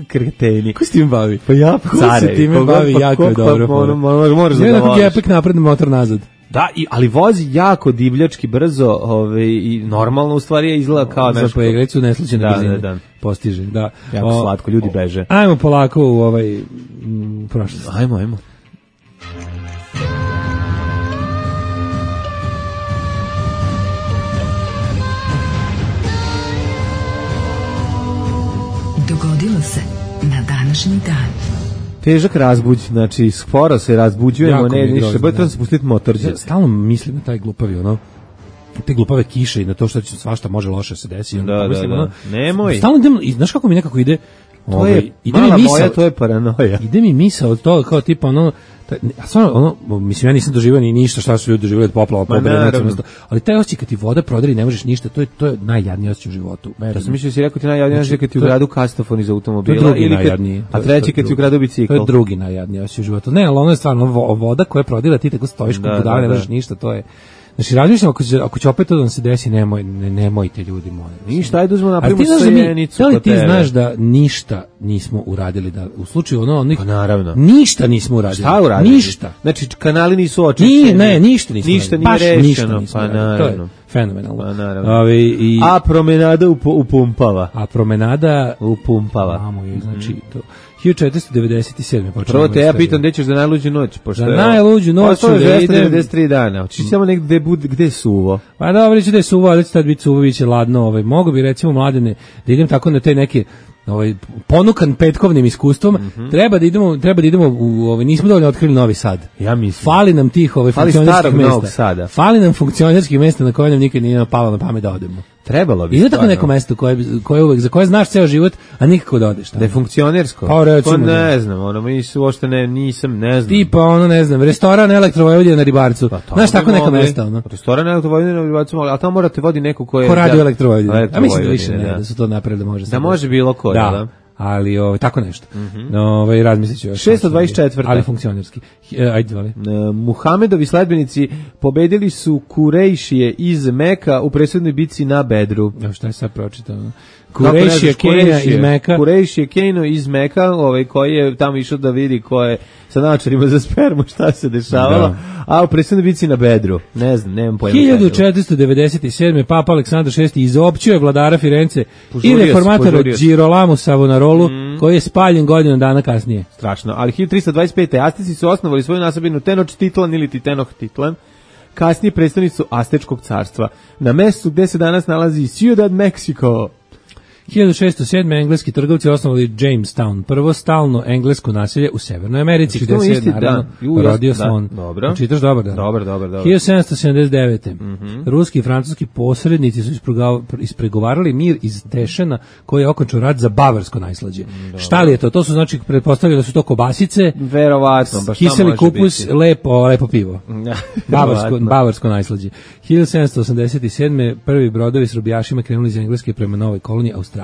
kreteni. Ko se tim bavi? Pa ja, pa care. Ko se time bavi, jako je dobro. Moraš da ga voliš. Je gepek napred, motor nazad. Da, i, ali vozi jako divljački brzo, ove, i normalno u stvari je izgleda kao za peglicu neslučajne da, brzine. Da, da. Postiže, da. Jako o, slatko, ljudi beže. Ajmo polako u ovaj m, prošlost. Ajmo, ajmo. Dogodilo se na današnji dan. Težak razbuđ, znači sporo se razbuđujemo, Jako ne, mi je ništa, grozno, bolje da. treba se pustiti motorđe. Ja stalno mislim na taj glupavi, ono, te glupave kiše i na to što će svašta može loše se desi. Da, da, mislim, da. ono, Nemoj. Stalno idem, i znaš kako mi nekako ide, To ovaj, je, ide mala mi misao, moja, to je paranoja. ide mi misao od toga kao tipa ono, taj- a stvarno, ono, mislim, ja nisam doživio ni ništa šta su ljudi doživjeli od poplava, Ma, pobere, naravno. nacionalno, ali taj osjećaj kad ti voda prodari ne možeš ništa, to je, to je najjadniji osjećaj u životu. Ja sam mislio da si rekao ti najjadnije Znači, kad ti u to je- gradu kastofon iz To je automobila, drugi ili kad, najjadniji. a treći kad ti u gradu bicikl. To je drugi najjadniji osjećaj u životu. Ne, ali ono je stvarno vo- voda koja prodira, ti tako stojiš kod Da, budala, da, ne da. možeš ništa, to je. Znači, razmišljam, ako će, ako će opet to da nam se desi, nemoj, ne, nemojte ljudi moji. Ništa, ajde uzmemo Ali napravimo ti znaš da mi, sajenicu da li kod ti tebe. znaš da ništa nismo uradili, da u slučaju ono, onih, Pa naravno. ništa nismo uradili. Šta uradili? Ništa. Znači, kanali nisu očišćeni. Ni, ne, ništa nismo Ništa uradili. nije Baš ništa rešeno. nismo Pa uradili. To je naravno. fenomenalno. Pa naravno. Ovi, i, A promenada upu- upumpava. a promenada Upumpava. Mamo je, znači to. hiljadu četiristo devedeset sedme počeo. Prvo te ja pitam gde ćeš za najluđu noć, pošto Za je- najluđu noć Ostalo je ću da dvesta idem- devedeset tri dana. Hoćeš samo negde gde bude gde je suvo. Pa dobro, će da je suvo, ali će tad biti suvo, bit će ladno. Ovaj. Mogu bi, recimo, mladene, da idem tako na te neke ovaj ponukan petkovnim iskustvom, treba da idemo, treba da idemo u ovaj nismo dovoljno otkrili Novi Sad. Ja mislim. Fali nam tih ovaj Fali funkcionerskih starog Novog mesta. Sada. Fali nam funkcionerskih mesta na koje nam nikad nije palo na pamet da odemo. Trebalo bi. Ima tako stvarno. neko mesto koje bi- koje uvek za koje znaš ceo život, a nikako da odeš tamo. Da je funkcionersko. Pa, recimo, To da. ne znam, ono mi su uopšte ne nisam, ne znam. Tipa ono, ne znam, restoran Elektrovojvodina na Ribarcu. Pa, tamo Znaš, tako bi neka mogli. mesta, ono. Restoran Elektrovojvodina na Ribarcu, ali tamo morate vodi neko ko je Ko radi u da- Elektrovojvodini. A mislim da Elektrovojvodina, više ne, da. da su to napravili, može Da sad može bilo ko, da. da. Ali ovaj tako nešto. Mm ovaj razmislit ću još. šesto dvadeset četvrta. Ali funkcionerski. E, ajde, vali. E, Muhamedovi sledbenici pobedili su Kurejšije iz Meka u presudnoj bici na Bedru. Evo šta je sad pročitao. Kako ne Kurešija znaš, Kenja Kurešije? iz Meka. Kurešije Keno iz Meka, ovaj, koji je tamo išao da vidi ko je sa naočarima za spermu šta se dešavalo, Da. a u presudnoj bici na Bedru. Ne znam, nemam pojma. hiljadu četiristo devedeset sedme Papa Aleksandar šesti izopćio je vladara Firence Požurio i se, reformatora požurio se. Girolamo Savonarolu, koji je spaljen godinu dana kasnije. Strašno. Ali hiljadu tristo dvadeset pete. Azteci su osnovali svoju nasabinu Tenochtitlan ili Tenochtitlan, kasnije predstavnicu Aztečkog carstva, na mestu gde se danas nalazi Ciudad Mexico. hiljadu šesto sedme engleski trgovci osnovali Jamestown, prvo stalno englesko naselje u Severnoj Americi, Znači, gde to je se isti naravno dan. Ju, ja- rodio da, slon. dobro. Čitaš dobar dan. Dobar, dobar, dobar. hiljadu sedamsto sedamdeset devete Ruski i francuski posrednici su isprega- ispregovarali mir iz Tešena koji je okončao rat za bavarsko najslađe. Šta li je to? To su znači pretpostavljali da su to kobasice, Verovatno, baš šta kiseli može kupus, biti? lepo, lepo pivo. Bavarsko, Verovatno. bavarsko najslađe. hiljadu sedamsto osamdeset sedme prvi brodovi s robijašima krenuli iz Engleske prema novoj koloniji Australiji.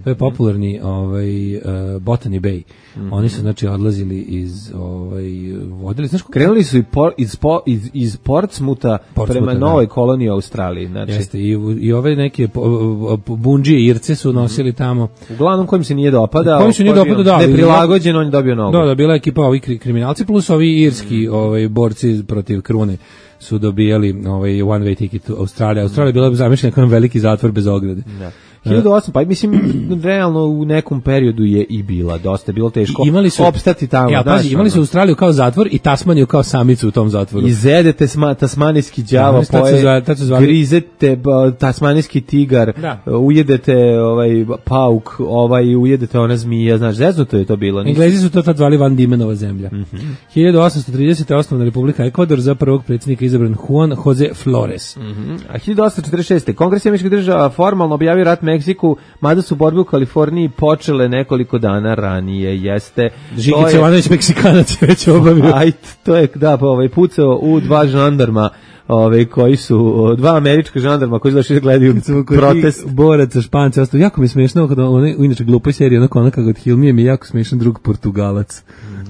To je popularni ovaj uh, Botany Bay. Oni su znači odlazili iz ovaj vodili, znaš kako Krenuli su i por, iz, po, iz, iz Portsmuta Portsmuta, prema da. novoj koloniji u Australiji. Znači, jeste i, i ove neke po- po- bundžije Irce su nosili tamo. uglavnom kojim se nije dopadao. Kojim se nije ko je bio dopadao, da, ali- neprilagođen, on je dobio nogu. Da, da, bila je ekipa ovi kri- kriminalci plus ovi irski ovaj borci protiv krune su dobijali ovaj one way ticket u Australiju. Australija je bila zamišljena kao jedan veliki zatvor bez ograde. Da. hiljadu osam, pa mislim, realno u nekom periodu je i bila, dosta je bilo teško I imali su opstati tamo. Ja, znaš, pazi, imali su ono. Australiju kao zatvor i Tasmaniju kao samicu u tom zatvoru. Izedete sma, tasmanijski đavo, Znaš, tad su poje, zvali- tad su zvali- grizete ba, tasmanijski tigar, Da. ujedete ovaj pauk, ovaj ujedete ona zmija, znaš, zeznuto je to bilo. nisu- Englezi su to tad zvali Van Diemenova zemlja. hiljadu osamsto tridesete osnovna Republika Ekvador, za prvog predsjednika izabran Juan Jose Flores. A hiljadu osamsto četrdeset šeste. Kongres američkih država formalno objavio rat Meksiku, mada su borbe u Kaliforniji počele nekoliko dana ranije. Jeste. Žikić To je- Jovanović Meksikanac je već obavio. Aj, to je, da, pa, ovaj, pucao u dva žandarma, ovaj, koji su, o, dva američka žandarma koji su došli da gledaju protest. Boraca, Španca, ostao jako mi je smešno kada onaj u inače glupoj seriji onako onaka od Hilmije mi je jako smešan drug Portugalac.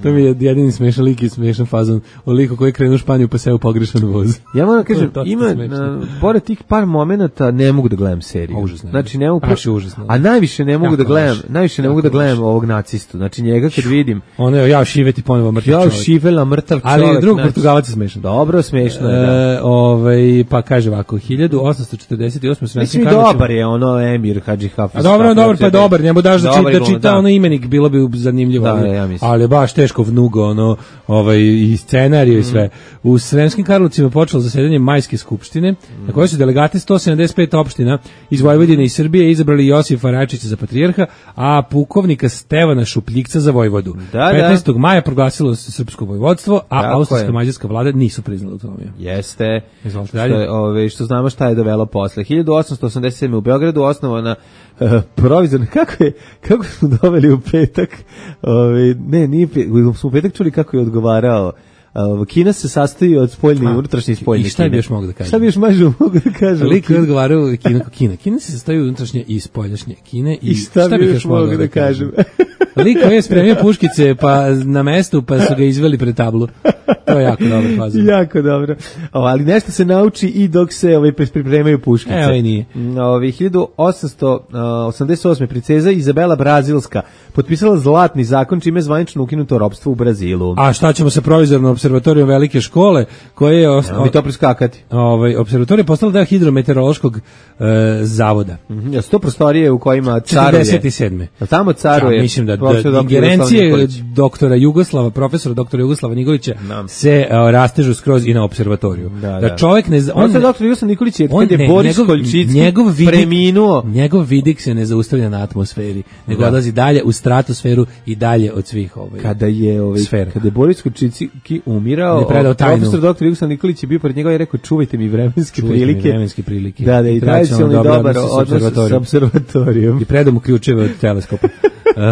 To mi je jedini smešan lik i smešan fazon o liku koji krenu u Španiju pa se u pogrešan voz. Ja moram da kažem, To je ima, dosta smešno. na, pored tih par momenata ne mogu da gledam seriju. A, užasno je. Znači, ne mogu, Baš je užasno. a najviše ne mogu Jako da gledam, loše. najviše ne Jako mogu da gledam loše. ovog nacistu. Znači, njega kad vidim, Ono je ja šiveti ponovo mrtav ja čovjek. šivela mrtav čovjek. Ali drug znači, Portugalac je smešan. Dobro, smešno je, da. E, ovaj, pa kaže ovako, hiljadu osamsto četrdeset osme Mislim i dobar je ono Emir Hadži Hafiz. A dobro, dobro, pa dobar, njemu daš da čita, Dobar čita da. ono imenik, bilo bi zanimljivo. Da, ali, ja mislim. ali je baš teško vnugo, ono, ovaj, i scenariju i sve. U Sremskim Karlovcima počelo zasedanje Majske skupštine, na kojoj su delegati sto sedamdeset pet opština iz Vojvodine i Srbije izabrali Josifa Račića za patrijarha, a pukovnika Stevana Šupljikca za vojvodu. Da, da. petnaestog maja proglasilo se srpsko vojvodstvo, a Tako austrijska je. mađarska vlada nisu priznala autonomiju. Jeste. Izvolite Što, dalje. je, ove, što znamo šta je dovelo posle. hiljadu osamsto osamdeset sedme u Beogradu osnovana uh, provizorna. Kako je, kako smo doveli u petak? Ove, ne, nije pe, smo u petak čuli kako je odgovarao. Uh, Kina se sastoji od spoljne i unutrašnje i spoljne I šta bi Kine. još mogu da kažem? Šta bi još mažu mogu da kažem? Lik je odgovarao Kina kao Kina. Kina se sastoji od unutrašnje i spoljašnje Kine. I, I šta, bi još mogu da kažem? Lik je spremio puškice pa na mestu, pa su ga izveli pred tablu. To je jako dobro fazon. Jako dobro. O, ali nešto se nauči i dok se ovaj pripremaju puškice. E, ovaj nije. Ovaj hiljadu osamsto osamdeset osme princeza Izabela Brazilska potpisala zlatni zakon čime je zvanično ukinuto ropstvo u Brazilu. A šta ćemo sa provizornom observatorijom velike škole, koje je os- Evo mi to preskakati. ovaj observatorij je postala deo hidrometeorološkog e, zavoda. Mhm. Ja, su to prostorije u kojima caruje. četrdeset sedme A tamo caruje. Ja, mislim da, profesor da doktor ingerencije Jugoslav Nikolić. doktora Jugoslava, profesora doktora Jugoslava Nikolića Da. se uh, rastežu skroz i na observatoriju. Da, Da, da. čovjek ne... zna- On se doktor Jugoslav Nikolić je on kad je ne, Boris njegov- Koljčicki njegov vidik- preminuo. Njegov vidik se ne zaustavlja na atmosferi, nego Da. odlazi dalje u stratosferu i dalje od svih ovaj. Kada je ovaj Sfera. kada je Boris Koljčicki umirao, On je predao tajnu. profesor doktor Jugoslav Nikolić je bio pred njega i rekao čuvajte mi vremenske Čuvajte mi prilike. vremenske prilike. Da, da, i tradicionalno dobar dobar odnos sa odnos sa observatorijom. observatorijom. I predao mu ključeve od teleskopa.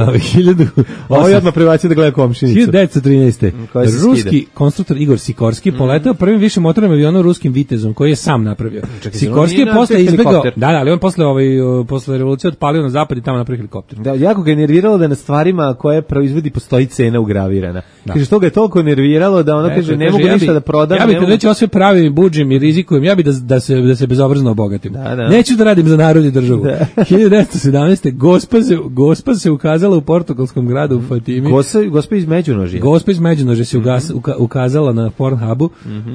Uh, hiljadu Ovo je odmah prebacio da gleda komšinicu. hiljadu devetsto trinaeste. Koja se Ruski skida. konstruktor Igor Sikorski poletao prvim višim motornim avionom ruskim Vitezom koji je sam napravio. Čekaj, Sikorski on je nije posle napravio izbegao, helikopter? da, da, ali on posle ovaj uh, posle revolucije otpalio na zapad i tamo napravio helikopter. Da, jako ga je nerviralo da na stvarima koje proizvodi postoji cena ugravirana. Da. Kaže, što ga je toliko nerviralo da ono Eto, kaže, ne kaže, mogu ja ništa bi- da prodam. Ja bih ne kad mogu- već ovo sve pravim, budžim i rizikujem, ja bih da, da, se, da se bezobrazno obogatim. Da, da. Neću da radim za narod i državu. hiljadu devetsto sedamnaeste. Gospa se, gospa se ukazala u portugalskom gradu u Fatimi. Gosa, gospa iz Međunožja. Gospa iz Međunožja se ugas, uka, ukazala na Pornhubu.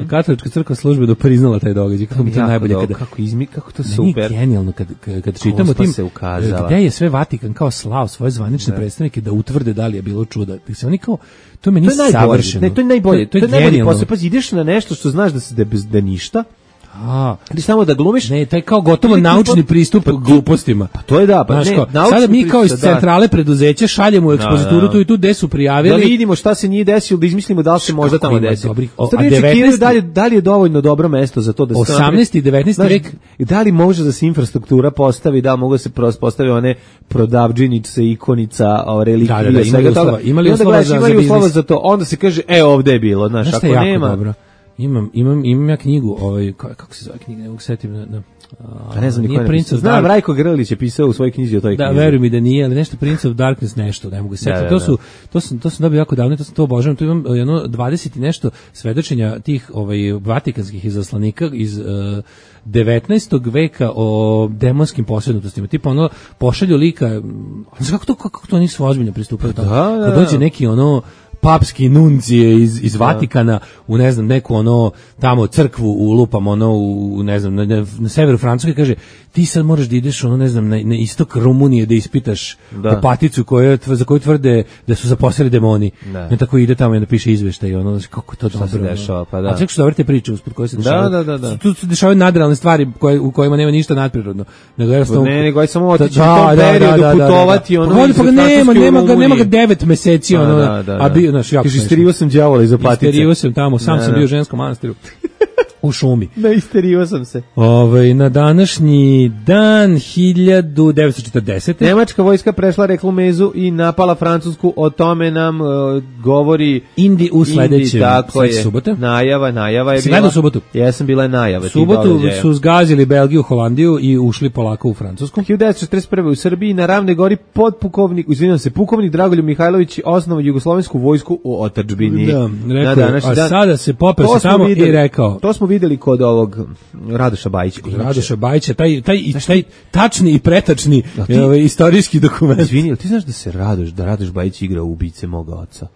Katolička crkva službeno priznala taj događaj. Kako mi to Jako najbolje dobro, kada... kako izmi, kako to Meni je super. genijalno kad, kad, kad čitamo Gospa tim se ukazala. gde je sve Vatikan kao slao svoje zvanične predstavnike da utvrde da li je bilo čuda. Da se oni kao to meni To je najbolje. savršeno. Ne, to je najbolje. To, to je, najbolji genijalno. posao. Pazi, ideš na nešto što znaš da se da, bez- da ništa. A, Ili samo da glumiš. ne, taj kao gotovo Ili ti naučni pot- pristup glupostima. Pa to je da, pa Znaš ne, kao, naučni sada mi kao iz pristup, da. centrale preduzeća šaljemo u ekspozituru da. tu i tu gde su Da prijavili. vidimo šta se nije desilo, da izmislimo da li se možda Kako tamo ima desilo. dobrih- o, Stvari a čekiraju devetnaesti da li, da li je dovoljno dobro mesto za to da se to napravi. osamnaesti i devetnaesti Znaš, vek. i da li može da se infrastruktura postavi, da li mogu da se pros- postave one prodavdžinice, ikonica, o, relikvije, Da, da, da, imali svega uslova- toga. imali I onda uslova gledaš, za- imali za uslova biznis. za to, onda se kaže, e, ovde je bilo, znaš, Znaš šta ako je jako nema... dobro? Imam, imam, imam ja knjigu, ovaj, ka- kako se zove knjiga, ne mogu setim na... na a, Pa ne znam ni ko nije je Prince napisao. of Znam, Dark- Rajko Grlić je pisao u svojoj knjizi o toj Da, knjizi. veruj mi da nije, ali nešto Prince of Darkness nešto, ne mogu se setiti. Da, da, To da. su to sam to sam dobio jako davno, to sam to obožavam. Tu imam jedno dvadeset i nešto svedočenja tih ovaj vatikanskih izaslanika iz uh, devetnaestog veka o demonskim posrednostima. Tipa ono pošalju lika, mm, znaš kako to kako to nisu ozbiljno pristupaju tamo. Da, da, Kad da. dođe neki ono papski nuncije iz, iz Vatikana u ne znam neku ono tamo crkvu u lupam ono u ne znam na, na, na severu Francuske, kaže ti sad moraš da ideš ono ne znam na, na istok Rumunije da ispitaš Da. opaticu koja tv- za koju tvrde da su zaposlili demoni. Da. I tako ide tamo i napiše izveštaj ono znaš, kako to dobro. se ono. dešava, pa da. A čak što dobro te priče usput koje se Da, dešavaju. da, da, da. Tu se dešavaju nadrealne stvari koje, u kojima nema ništa nadprirodno. Nego jednostavno Ne, nego aj samo otići Da, u tom da, da, periodu, da, da, da. putovati, ono, Pa, iz pa ga nema, Francuske u nema ga, nema ga Rumuniji. devet meseci, Da, ono, da, da, a da. bio, znaš, jako Kaže, smešno. isterio sam đavola iz opatice. Isterio sam tamo, sam Da, sam da. bio u ženskom manastiru. U šumi. Da, isterio sam se. Ovaj na današnji dan hiljadu devetsto četrdesete. Nemačka vojska prešla reklu Mezu i napala Francusku, o tome nam uh, govori Indi u sledećem Indi, tako sledeće je. subote. Najava, najava je Si bila. gledao subotu? Jesam, bila je najava. U tih subotu događaja. su zgazili Belgiju, Holandiju i ušli polako u Francusku. hiljadu devetsto četrdeset prve u Srbiji na Ravnoj gori podpukovnik, izvinjavam se, pukovnik Dragoljub Mihajlović osnovao jugoslovensku vojsku u otadžbini. Da, rekao, Na današnji a dan. sada se popeo To se smo tamo videli- i rekao. To smo videli kod ovog Radoša Bajića. Radoša Bajića, taj, taj, taj tačni i pretačni ti- ovaj, istorijski dokument. Izvini, jel ti znaš da se Radoš, da Radoš Bajić igra u ubice moga oca?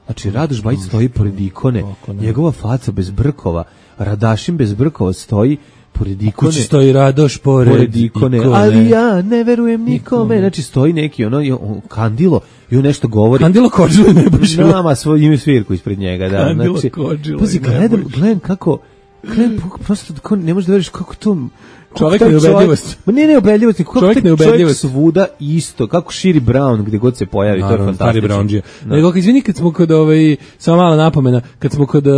Znači, Radoš Bajić stoji pored ikone, njegova faca bez brkova, Radašin bez brkova stoji pored ikone. Kući stoji Radoš pored, pored ikone, ikone, ali ja ne verujem nikome. Znači, stoji neki ono, on, Kandilo, i on nešto govori. Kandilo Kođilo i Nebojšilo. Nama svoj ime svirku ispred njega. Da. Kandilo znači, Kođilo pazi, i Nebojšilo. gledam, gledam kako, gledam, prosto kako, ne možeš da veriš kako to... Čovjek neubedljivost. Ma ne neubedljivost, kako čovjek čovjek neubedljivost. Svuda isto, kako širi Brown gde god se pojavi, naravno, to je fantastično. Stari Brownđija. Nego, izvini, kad smo kod, ovaj, samo mala napomena, kad smo kod, uh,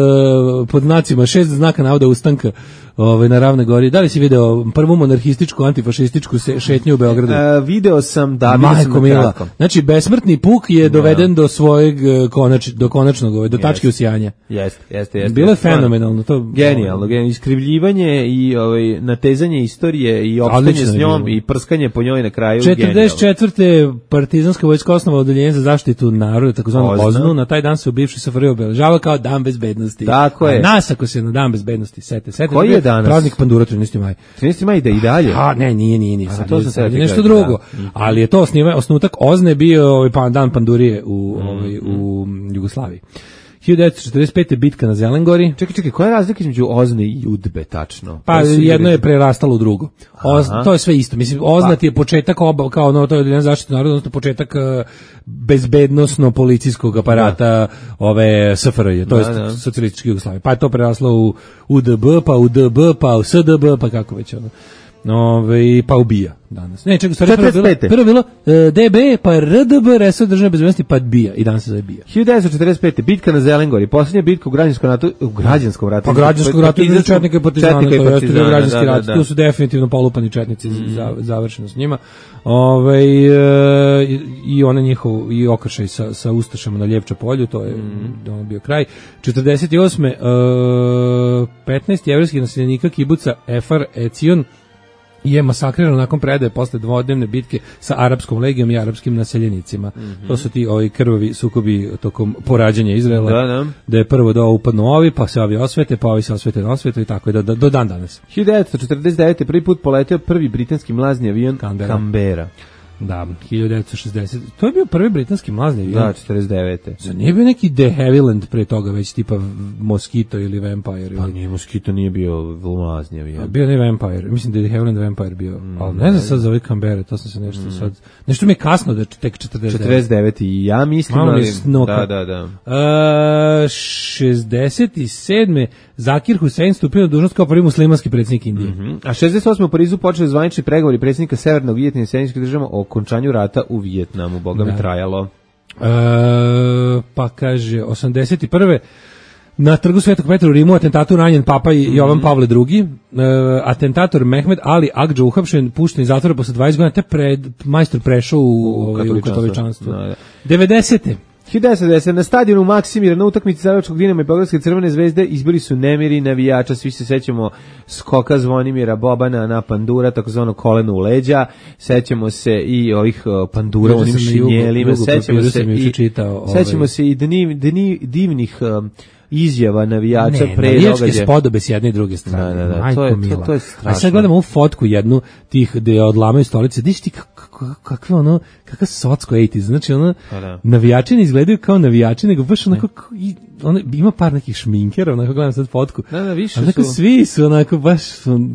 pod znacima, šest znaka navoda ustanka, ovaj, na Ravnoj Gori, da li si video prvu monarhističku, antifašističku se, šetnju u Beogradu? E, video sam, da, video sam na kratko. Znači, besmrtni puk je doveden da. do svojeg konač, do konačnog, ovaj, do tačke usijanja. Jeste, jeste, jeste. Bilo je fenomenalno. To, genijalno, genijalno. Iskrivljivanje i ovaj, natezanje istorije i opštanje s njom i prskanje po njoj na kraju. četrdeset četvrte partizanska vojska osnova odeljenje za zaštitu naroda, takozvano OZNU, na taj dan se u bivšoj S F R I obeležava kao dan bezbednosti. Tako je. A nas ako se na dan bezbednosti sete, sete. Koji je danas? Praznik pandura trinaesti maj. trinaesti maj da i dalje. A ne, nije, nije, nije. Sad, to je, sad je nešto drugo. Da. Ali je to osniva, osnutak OZNE bio ovaj pa dan pandurije u mm, ovaj u Jugoslaviji. hiljadu devetsto četrdeset pete bitka na Zelengori. Čekaj, čekaj, koja je razlika između OZNE i UDBE tačno? Pa jedno je prerastalo u drugo. Oz, to je sve isto. Mislim, OZNA ti je početak oba, kao ono, to je odeljenje zaštite naroda, odnosno početak uh, bezbednosno-policijskog aparata da. ove S F R J, to je da, socijalističke Jugoslavije. Pa je to preraslo u U D B, pa u D B, pa u S D B, pa kako već ono. Ove, pa ubija danas. Ne, čekaj, stvari prvo bilo, prvo bilo uh, D B, pa R D B, resor državne bezbednosti, pa bija. I danas se zove bija. hiljadu devetsto četrdeset pete bitka na Zelengori, posljednja bitka u građanskom ratu, u građanskom ratu. Pa građanskom ratu između četnika i partizana, to jeste bio građanski rat. Tu su definitivno polupani četnici, mm. za, završeno s njima. Ove, e, i ona njihov, i okršaj sa, sa Ustašama na Ljevča polju, to je mm. ono bio kraj. četrdeset osme E, petnaest jevrejskih naseljenika kibuca Efar Ecion je masakrirano nakon predaje posle dvodnevne bitke sa arapskom legijom i arapskim naseljenicima. Mm-hmm. To su ti ovi krvavi sukobi tokom porađanja Izraela. Da, da. Da je prvo do upadnu ovi, pa se ovi osvete, pa ovi se osvete na osvetu i tako je do, do, do dan danas. hiljadu devetsto četrdeset devete prvi put poleteo prvi britanski mlazni avion Canberra. Canberra. Da, hiljadu devetsto šezdeset To je bio prvi britanski mlazni avion. Da, četrdeset devete Zar nije bio neki De Havilland pre toga, već tipa Mosquito ili Vampire? Ili... Pa nije, Mosquito nije bio mlazni avion. A bio ne Vampire, mislim da je De Havilland Vampire bio. Mm, ali ne znam sad za ovaj Canberra, to sam se nešto mm. sad... Nešto mi je kasno da je tek četrdeset devete četrdeset devete i ja mislim, malo ali... Da, da, da. Uh, šezdeset sedme Zakir Hussein stupio na dužnost kao prvi muslimanski predsjednik Indije. Mm-hmm. A šezdeset osme u Parizu počeli zvanični pregovori predsjednika Severnog Vijetnama i Sjedinjenih Država o okončanju rata u Vijetnamu. Boga mi trajalo. E, pa kaže, osamdeset prve na trgu Svetog Petra u Rimu atentatu ranjen Papa mm-hmm. Jovan Pavle drugi. E, atentator Mehmed Ali Agdža uhapšen, pušten iz zatvora posle dvadeset godina, te pred, majstor prešao u, u, u katoličanstvo. Da, da. devedesete hiljadu devetsto devedeset na stadionu Maksimira na utakmici Zagrebačkog Dinama i Beogradske Crvene zvezde izbili su nemiri navijača, svi se sećamo skoka Zvonimira Bobana na pandura, takozvano koleno u leđa, sećamo se i ovih pandura u onim šinjelima, sećamo se i čitao, sećamo ovaj. se i dniv, dniv, divnih um, izjava navijača ne, pre navijačke događaja. spodobe s jedne i druge strane. Da, da, da, to, je, to, to je strašno. A sad gledamo ovu fotku jednu tih gde odlamaju stolice. Diš ti kakve ono, kakav socko osamdesetih. Znači ono, da. Navijači ne izgledaju kao navijači, nego baš onako, ono, ima par nekih šminkera, onako gledam sad fotku. Da, da, više onako su. Svi su onako baš su,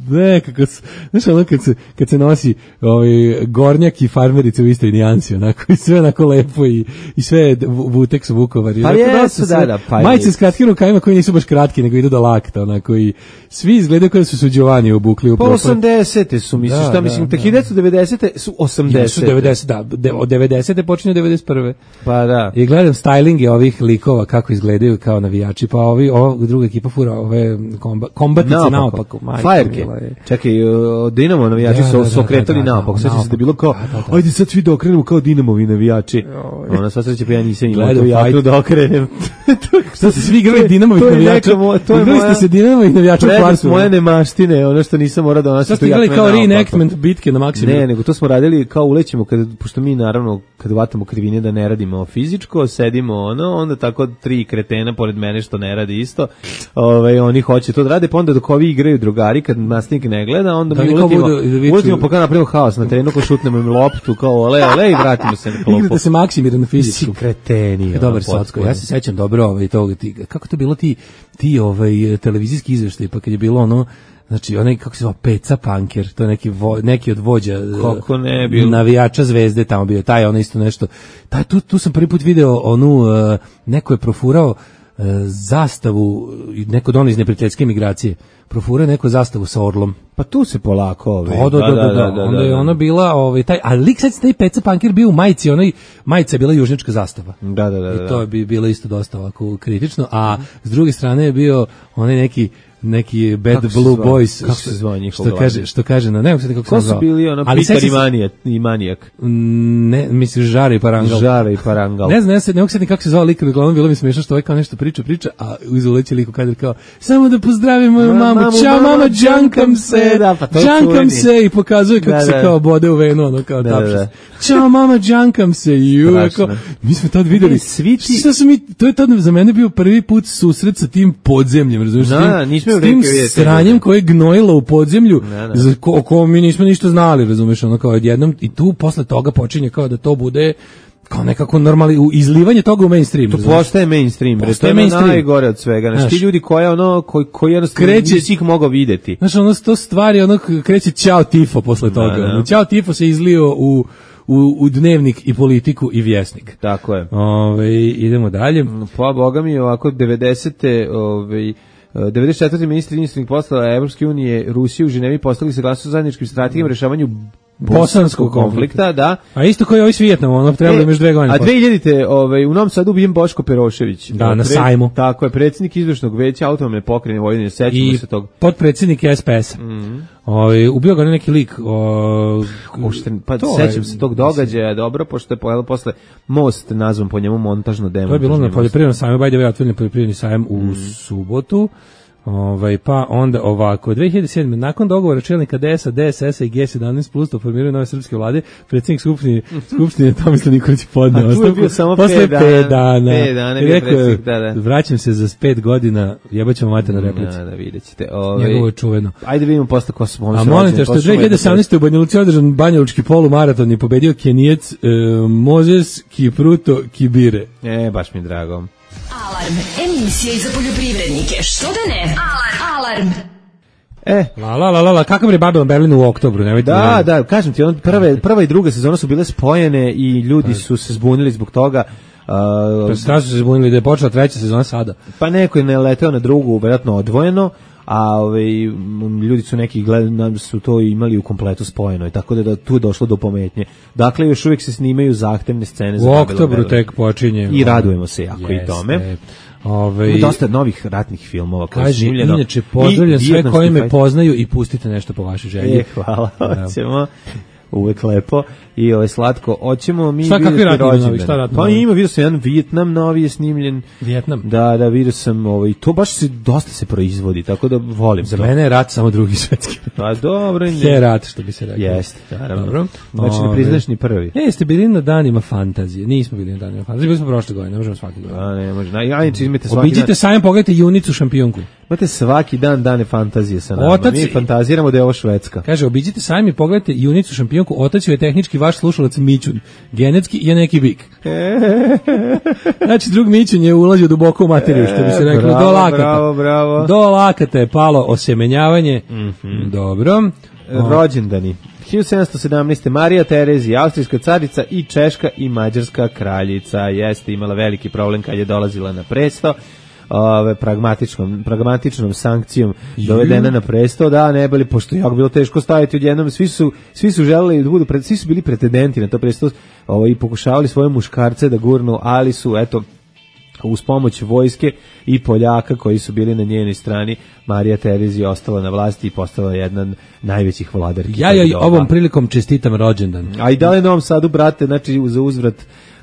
ne, kako se, znaš ono kad se, kad se nosi ovaj, gornjak i farmerice u istoj nijansi, onako, i sve onako lepo i, i sve Vutex u Vukovar. Pa jesu, da, da, pa majice s kratkim rukavima koji nisu baš kratki, nego idu do lakta, onako, i svi izgledaju kao da su suđovani obukli u pa osamdesete su, misliš, da, šta, mislim, da, hiljadu devetsto devedesete su osamdesete devedeset da, de, od devedesete počinju devedeset prve Pa da. I gledam stylinge ovih likova, kako izgledaju kao navijači, pa ovi, ova druga ekipa fura, ove komba, kombatice naopako. Fajerke. Čekaj, Dinamo navijači da, su da, okretali da, da, naopako, sveća se da bilo kao, da, da, da. Ajde sad svi da okrenemo kao Dinamovi navijači. Ona sva sreća, pa ja nisam imao to jako da okrenem. Što se svi igrali Dinamovih navijača. Igrali ste se Dinamovih navijača u kvartu. Moje nemaštine, ono što nisam morao donositi. Što ste igrali kao reenactment bitke na Maksimiru? Ne, nego to smo radili kao ulećemo, kad, pošto mi naravno kad vatamo krivine da ne radimo fizičko, sedimo ono, onda tako tri kretena pored mene što ne radi isto, ove, oni hoće to da rade, pa onda dok ovi igraju drugari, kad nastavnik ne gleda, onda da mi uletimo, uletimo pa kao napravimo haos na terenu, ko šutnemo im loptu, kao ole, ole i vratimo se na klopu. Igrate se Maksimira na fizičku. Kreteni. Dobar Socko, ja se sećam dobro ovaj, toga, ti, kako to bilo ti, ti ovaj, televizijski izveštaj, pa kad je bilo ono, znači onaj kako se zove Peca Panker, to je neki vo, neki od vođa kako ne bilo navijača Zvezde tamo bio, taj on isto nešto. Taj tu tu sam prvi put video onu uh, neko je profurao uh, zastavu, neko don iz neprijateljske migracije. Profurao neko zastavu sa orlom. Pa tu se polako ovaj. Da, da, da, da, da, onda je ona bila ovaj taj, a lik sad taj Peca Panker bio u majici, onaj majica je bila južnička zastava. Da, da, da. I to bi bilo isto dosta ovako kritično, a s druge strane je bio onaj neki neki Bad kako Blue Boys, kako se zvao njihov što kaže, što kaže na, ne mogu se kako ko su bili ono Peter i Manijak, i Manijak. Ne, misliš Žare i Parangal. Žare i Parangal. Ne znam, ja se ne mogu se kako se zvao lik, uglavnom bilo mi smešno što ovaj kao nešto priča, priča, a uz uleće lik kadar kao samo da pozdravim moju mamu, čao mama, džankam se, da, pa džankam se i pokazuje kako da, se kao bode u venu, ono kao da, tapšis. Da, da. Čao mama, džankam se i ju, kao, mi smo tad videli, svi ti... Šta su mi, to je tad za mene bio prvi put susret sa tim podzemljem, razumiješ? Da, nismo s tim sranjem koje je gnojilo u podzemlju, ne, ne. za ko, ko mi nismo ništa znali, razumeš, ono kao odjednom, i tu posle toga počinje kao da to bude kao nekako normali u izlivanje toga u mainstream. To razumeš? Postaje mainstream, bre, to je mainstream. Najgore od svega. Znači ti ljudi koji ono koji koji jednostavno nisi ih mogao videti. Znaš, ono to stvari, ono kreće ćao tifo posle toga. Da, da. Ćao tifo se izlio u U, u dnevnik i politiku i vjesnik. Tako je. Ove, idemo dalje. Pa, boga mi, ovako, devedesete Ove, devedeset četvrte ministri inostranih poslova Evropske unije Rusije u Ženevi postigli saglasnost o zajedničkim strategijama rešavanju bosanskog konflikta, da. A isto kao i ovaj s Vijetnamom, ono trebalo e, još dve godine. A dve hiljadite ovaj, u Novom Sadu ubijen Boško Perošević. Da, na Pre, sajmu. Tako je, predsjednik izvršnog veća autonomne pokrajine Vojvodine, sećamo se tog. I potpredsjednik S P S-a. Mm. Ovaj ubio ga neki lik. O, Ušten, pa sećam se tog događaja, dobro, pošto je pojelo posle most nazvan po njemu montažno demo. To je bilo na poljoprivrednom sajmu, by the way, otvoreni poljoprivredni sajam u mm. subotu. Ovaj pa onda ovako dve hiljade sedme nakon dogovora čelnika D S A, D S S-a i G sedamnaest plus o formiranju nove srpske vlade, predsjednik skupštine skupštine Tomislav Nikolić podneo ostavku posle pet dana. pet dana je rekao, da, da. Vraćam se za pet godina, jebaćemo mater na replici. Da, da videćete. Ovaj njegovo čuveno. Ajde vidimo posle ko su. A molim te što je dve hiljade sedamnaeste u Banja Luci održan banjalučki polumaraton i pobedio Kenijec e, Moses Kipruto Kibire. E, baš mi drago. Alarm, emisija za poljoprivrednike, što da ne? Alarm, alarm. E, la la la la, kakav je Babylon Berlin u oktobru, nemojte. Da, ne... da, kažem ti, on prve prva i druga sezona su bile spojene i ljudi su se zbunili zbog toga. Uh, pa sad su se zbunili da je počela treća sezona sada. Pa neko je naleteo na drugu, vjerojatno odvojeno. A ovaj ljudi su neki gledali su to imali u kompletu spojeno i tako da, da tu je došlo do pometnje. Dakle još uvijek se snimaju zahtevne scene za u oktobru tek počinje i radujemo se jako jeste. I tome. Ovaj ima dosta novih ratnih filmova koji kaže, snimljeno. Inače pozdravljam sve koji me poznaju i pustite nešto po vašoj želji. E, hvala. Hoćemo. Uvek lepo i ovo je slatko. Hoćemo mi šta, vidjeti rođendan. Šta ratno? Pa ima, vidio sam jedan Vijetnam novi je snimljen. Vijetnam? Da, da, vidio sam ovaj, to baš se dosta se proizvodi, tako da volim. Za to. Mene je rat samo drugi svetski. Pa dobro. Je rat, što bi se rekao. Jeste, naravno. Dobro. Znači ne priznaš ni prvi. Ne, jeste bili na danima fantazije. Nismo bili na danima fantazije, bili smo prošle godine, ne možemo svaki dan. A ne, može. Ja nič izmete svaki Obiđite dan. Sajam, pogledajte Junicu šampionku. Imate svaki dan dane fantazije sa nama. Otac, mi fantaziramo da je ovo Švedska. Kaže, obiđite sajam i pogledajte Junicu šampionku. Otac je tehnički vaš slušalac Mićun. Genetski je neki bik. Znači, drug Mićun je ulazio duboko u materiju, što bi se reklo, bravo, do lakata. Bravo, bravo. Do lakata je palo osemenjavanje. Mm-hmm. Dobro. Rođendani. hiljadu sedamsto sedamnaeste. Marija Terezija, austrijska carica i češka i mađarska kraljica. Jeste imala veliki problem kad je dolazila na presto. Ove pragmatičnom pragmatičnom sankcijom dovedena na presto, da ne bili, pošto je jako bilo teško staviti odjednom, svi su svi su želeli da budu pred, svi su bili pretendenti na to presto, ovaj i pokušavali svoje muškarce da gurnu, ali su eto uz pomoć vojske i Poljaka koji su bili na njenoj strani, Marija Terezija ostala na vlasti i postala jedna od najvećih vladarki. Ja joj ovom prilikom čestitam rođendan. A i da li Novom Sadu, brate, znači za uzvrat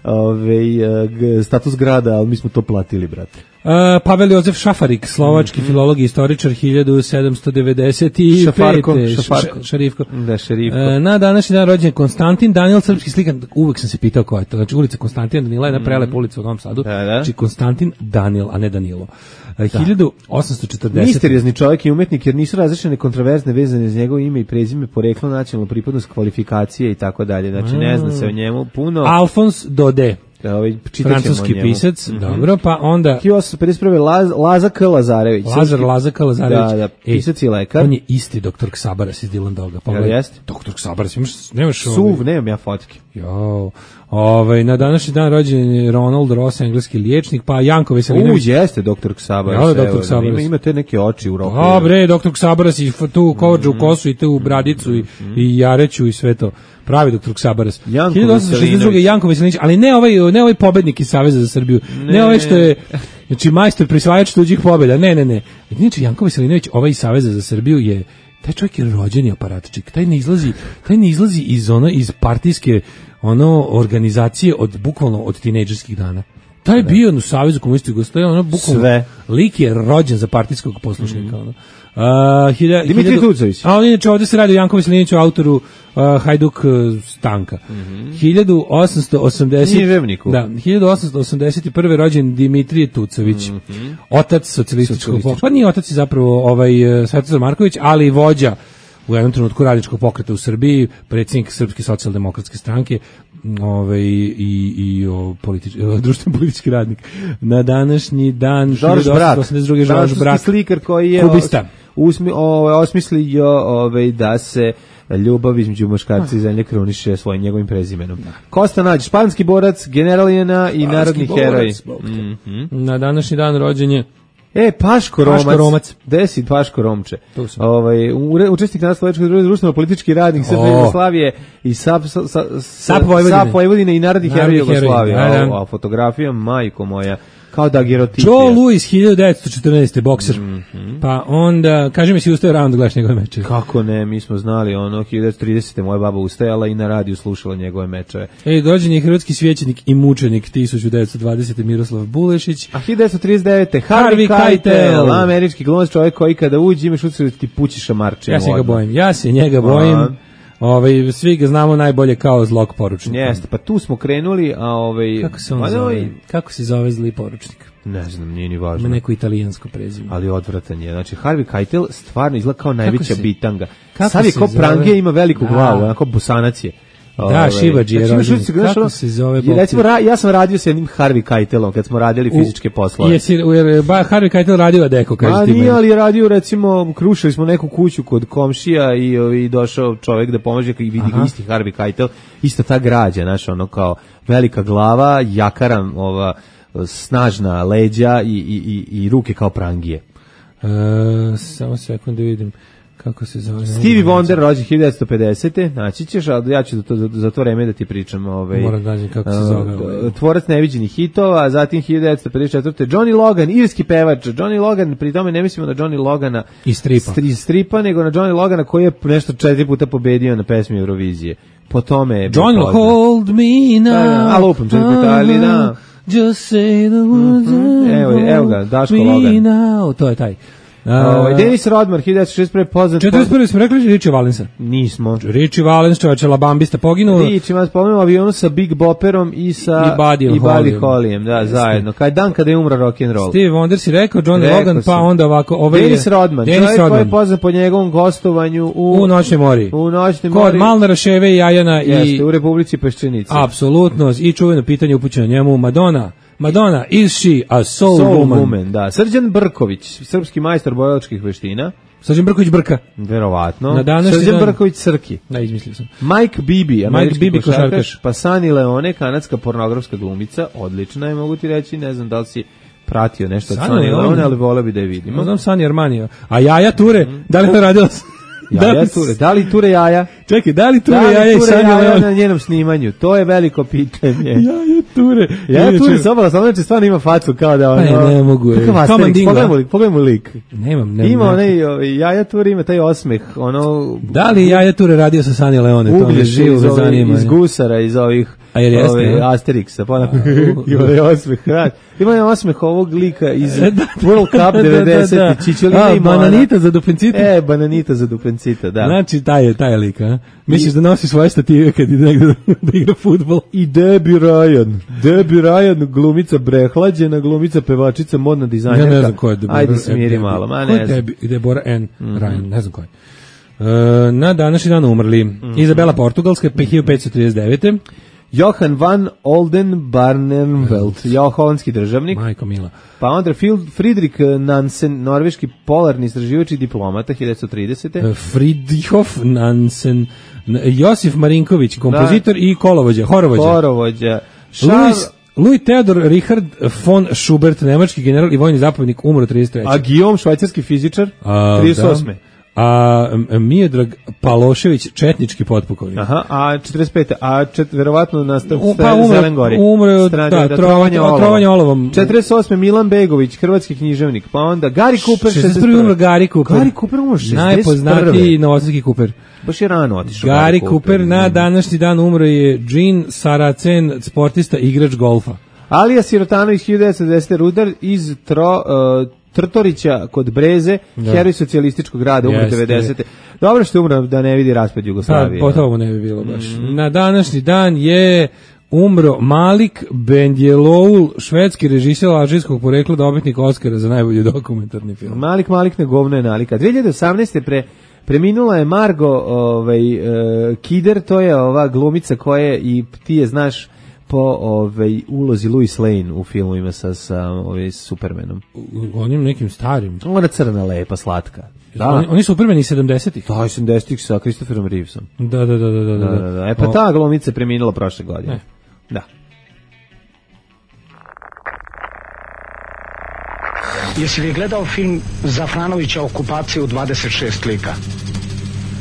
ovaj, g- status grada, ali mi smo to platili, brate. Uh, Pavel Jozef Šafarik, slovački mm-hmm. filolog i istoričar hiljadu sedamsto devedeset pete. Šafarko, Šafarko. Š, šarifko. Da, šerifko. Uh, na današnji dan rođen Konstantin Danil, srpski slikan. Uvek sam se pitao ko je to. Znači, ulica Konstantina Danila je jedna prelepa ulica u Novom Sadu. Da, da. Znači, Konstantin Danil, a ne Danilo. Uh, hiljadu osamsto četrdeset. Misteriozni čovjek i umetnik, jer nisu različene kontroverzne vezane za njegovo ime i prezime, poreklo, nacionalnu pripadnost, kvalifikacije i tako dalje. Znači, ne zna se o njemu puno. Alfons Daudet. Ovaj, francuski pisac, mm-hmm. dobro, pa onda hiljadu osamsto pedeset prve. Laz, Laza K. Lazarević. Lazar Laza K. Lazarević. Da, da, pisac i lekar. On je isti doktor Ksabaras iz Dylan Doga. Pa jel jeste? Doktor Ksabaras, imaš, nemaš Suv, ovaj... nemam ja fotke. Jo, ovaj, na današnji dan rođen je Ronald Ross, engleski liječnik, pa Janko Veselinović. U, jeste doktor Ksabaras. Ja, doktor Ksabaras. Ima, ima te neke oči u roku. Dobre, doktor Ksabaras i tu kođu u kosu i tu u bradicu i, i jareću i sve to. Pravi doktor Ksabaras. hiljadu osamsto šezdeset druge. Janko Veselinović, ali ne ovaj, ne ovaj pobednik iz Saveza za Srbiju. Ne, ne ovaj što je, znači majstor prisvajač tuđih pobjeda. Ne, ne, ne. Znači Janko Veselinović, ovaj iz Saveza za Srbiju je, taj čovjek je rođeni aparatčik. Taj ne izlazi, taj ne izlazi iz ono iz partijske ono organizacije od bukvalno od tinejdžerskih dana. Taj je bio u Savezu komunista Jugoslavije, ono bukvalno sve. Lik je rođen za partijskog poslušnika, mm. ono. Uh, hilja, Dimitri hiljadu, Tucović. A on inače ovdje se radi o Janku Veselinoviću, autoru uh, Hajduk uh, Stanka. Mm-hmm. hiljadu osamsto osamdeset Književniku. Da, hiljadu osamsto osamdeset prve rođen Dimitrije Tucović, mm-hmm. otac socijalističkog pokreta. Pa nije otac, je zapravo ovaj, uh, Svetozar Marković, ali vođa u jednom trenutku radničkog pokreta u Srbiji, predsjednik Srpske socijaldemokratske stranke, ovaj i i o politički društveni politički radnik. Na današnji dan hiljadu osamsto osamdeset druge. Žorž Brak, slikar koji je kubista. Usmi, ovaj osmislio ovaj da se ljubav između muškarca i zemlje kruniše svojim njegovim prezimenom. Kosta Nađ, španski borac, generalijena i narodni heroj. Mm-hmm. Na današnji dan rođen je E, Paško Romac. Paško Romac. Desi Paško Romče. Ovaj, učesnik nastavljačkog društveno politički radnik Srbije oh. Jugoslavije i SAP sa, sa, SAP Vojvodine. SAP Vojvodine i narodni heroj Jugoslavije. Da, da. A fotografija, majko moja, kao da gerotipija. Joe Louis, hiljadu devetsto četrnaeste. bokser. Mm-hmm. Pa onda, kaži mi si ustao rano da gledaš njegove mečeve. Kako ne, mi smo znali, ono, hiljadu devetsto tridesete. moja baba ustajala i na radiju slušala njegove mečeve. Ej, dođen je hrvatski svećenik i mučenik hiljadu devetsto dvadesete. Miroslav Bulešić. A hiljadu devetsto trideset devete. Harvey Keitel, američki glumac, čovjek koji kada uđe imaš utisak da ti pući šamarče. Ja se njega bojim, ja se njega bojim. Aha. Ovaj, svi ga znamo najbolje kao zlog poručnika. Jeste, pa tu smo krenuli, a ovaj... Kako se on zove? Kako se zove zli poručnik? Ne znam, nije ni važno. Ima neko italijansko prezime. Ali odvratan je. Znači, Harvey Keitel stvarno izgleda kao najveća se, bitanga. Sad je kao prangija, ima veliku da. glavu, onako bosanac je. Da, Šibađi je rođen. Kako se zove? I recimo, ja sam radio s jednim Harvey Keitelom kad smo radili fizičke poslove. Jesi, jer ba, Harvey Keitel radio Adeko, kaže Ma, ti nije, ali je radio, recimo, krušili smo neku kuću kod komšija i, i došao čovjek da pomože i vidi ga isti Harvey Keitel, ista ta građa, znaš, ono kao velika glava, jakaran, ova, snažna leđa i, i, i, i ruke kao prangije. E, samo sekundu vidim. Kako se zove? Stevie Wonder, rođen hiljadu devetsto pedesete. Naći ćeš, ali ja ću za to, za to vreme da ti pričam. Ovaj, Moram da nađem kako se zove. Uh, tvorac neviđenih hitova, zatim hiljadu devetsto pedeset četvrte. Johnny Logan, irski pevač. Johnny Logan, pri tome ne mislimo na Johnny Logana iz stripa. Stri, stripa, nego na Johnny Logana koji je nešto četiri puta pobedio na pesmi Eurovizije. Po tome je Johnny Hold Me Now. A lupam četiri puta, ali da. Just say the words. Mm-hmm. Evo, evo ga, Daško Logan. Now. To je taj. Uh, uh, Dennis Rodman, hiljadu devetsto šezdeset prve. poznat... četrdeset prve smo rekli Richie Valensa. Nismo. Richie Valens, čovječe, Labambista poginuo. Richie Valens poginuo avionu sa Big Bopperom i sa... I Buddy Hollyem. Hollyem, da, Jeste. zajedno. Kaj dan kada je umra rock'n'roll. Steve Wonder si rekao, Johnny rekao Logan, si. Pa onda ovako... Ovaj Dennis Rodman, Dennis čovjek Rodman. koji je poznat po njegovom gostovanju u... U Noćnoj mori. U Noćnoj mori. Kod Malnara, Ševe i Jajana. Jeste, i... u Republici Peščenici. Apsolutno. I čuveno pitanje upućeno njemu, Madonna. Madonna, is she a soul, soul woman? woman? Da. Srđan Brković, srpski majstor bojlačkih veština. Srđan Brković Brka. Verovatno. Na Srđan dan... Brković Srki. Da, izmislio sam. Mike Bibi, američki Mike Bibi košarkaš. Pa Sunny Leone, kanadska pornografska glumica. Odlična je, mogu ti reći. Ne znam da li si pratio nešto od Sunny Leone, ali voleo bi da je vidimo. Ne znam Sunny Armanija. A Jaja Ture, mm. da li je radila... Jaja Ture, da li Ture Jaja? Čekaj, da li Ture Da li Jaja i Ture Sanja Jaja Leon? na njenom snimanju? To je veliko pitanje. Jaja Ture. Jaja Ture Inače- sa obala, samo znači stvarno ima facu kao da ono... Pa ne, ne mogu, je. Kakav Kao Asterix, Mandingo. pogledaj mu lik, pogledaj mu lik. Nemam, nemam. Ima nemam. onaj, ovaj, Jaja Ture ima taj osmeh, ono... Da li Jaja Ture radio sa Sanja Leone? To me Uglješ živo iz, me ovih- zanima. iz gusara, iz ovih A jer jeste, ove, ne? Asterixa, pa onako, ima onaj osmeh, rad. Ima onaj osmeh ovog lika iz World Cup devedeset. Čičelina A, i Moana. bananita za dupencita. E, bananita za dupencita, da. Znači, taj je, taj je lik, a? Misliš da nosi svoje stative kad ide negde da, da igra fudbal? I Debbie Ryan. Debbie Ryan, glumica brehlađena, glumica pevačica, modna dizajnerka. Ja ne znam ko je Deborah. Ajde, smiri malo, ma Ko je ne znam. Debi- Deborah N. Ryan, ne znam ko je. E, na današnji dan umrli Izabela Portugalska, hiljadu petsto trideset devete. Johan van Oldenbarnevelt, ja, holandski državnik. Majko Mila. Pa onda Phil- Friedrich Nansen, norveški polarni istraživač i diplomata, hiljadu devetsto tridesete. E, Friedrichhof Nansen, N- Josif Marinković, kompozitor i kolovođa, horovođa. Horovođa. Louis, Charles, Louis Theodor Richard von Schubert, nemački general i vojni zapovjednik, umro trideset treće. a Guillaume, švajcarski fizičar, A, trideset osme. da. A M- Miodrag Palošević, četnički potpukovnik. Aha, a četrdeset pete. A čet, verovatno na st U- pa umro- Zelen Gori. umro je od- Strane- da, trovanje- od trovanja olovom. četrdeset osme. Milan Begović, hrvatski književnik. Pa onda Gary Cooper, šezdeset prvi umro Gary Cooper. Gary Cooper umro šezdeset prve. Najpoznatiji novosadski Cooper. Baš je rano otišao. Gary Cooper, na današnji dan umro je Gene Saracen, sportista, igrač golfa. Alija Sirotanović, hiljadu devetsto desete. Rudar iz Tro, uh, Trtorića kod Breze, Da. heroj socijalističkog rada, umro Jeste. devedesete. Dobro što je umro da ne vidi raspad Pa, Jugoslavije. po tomu ne bi bilo baš. Na današnji dan je umro Malik Bendjeloul, švedski režiser alžirskog porekla, dobitnik Oskara za najbolji dokumentarni film. Malik Malik ne govno je nalika. dve hiljade osamnaeste. pre preminula je Margo ovaj uh, Kider, to je ova glumica koja je, i ti je znaš po ovaj ulozi Lois Lane u filmovima sa sa ovaj Supermanom. U onim nekim starim. Ona crna, lepa, slatka. Da. Oni, oni su Supermani sedamdesetih. Da, osamdesetih sa Christopherom Reevesom. Da, da, da, da, da. Da, da, da. E pa O, ta glumica je preminula prošle godine. Ne. Da. Jesi li gledao film Zafranovića Okupacija u dvadeset šest lika?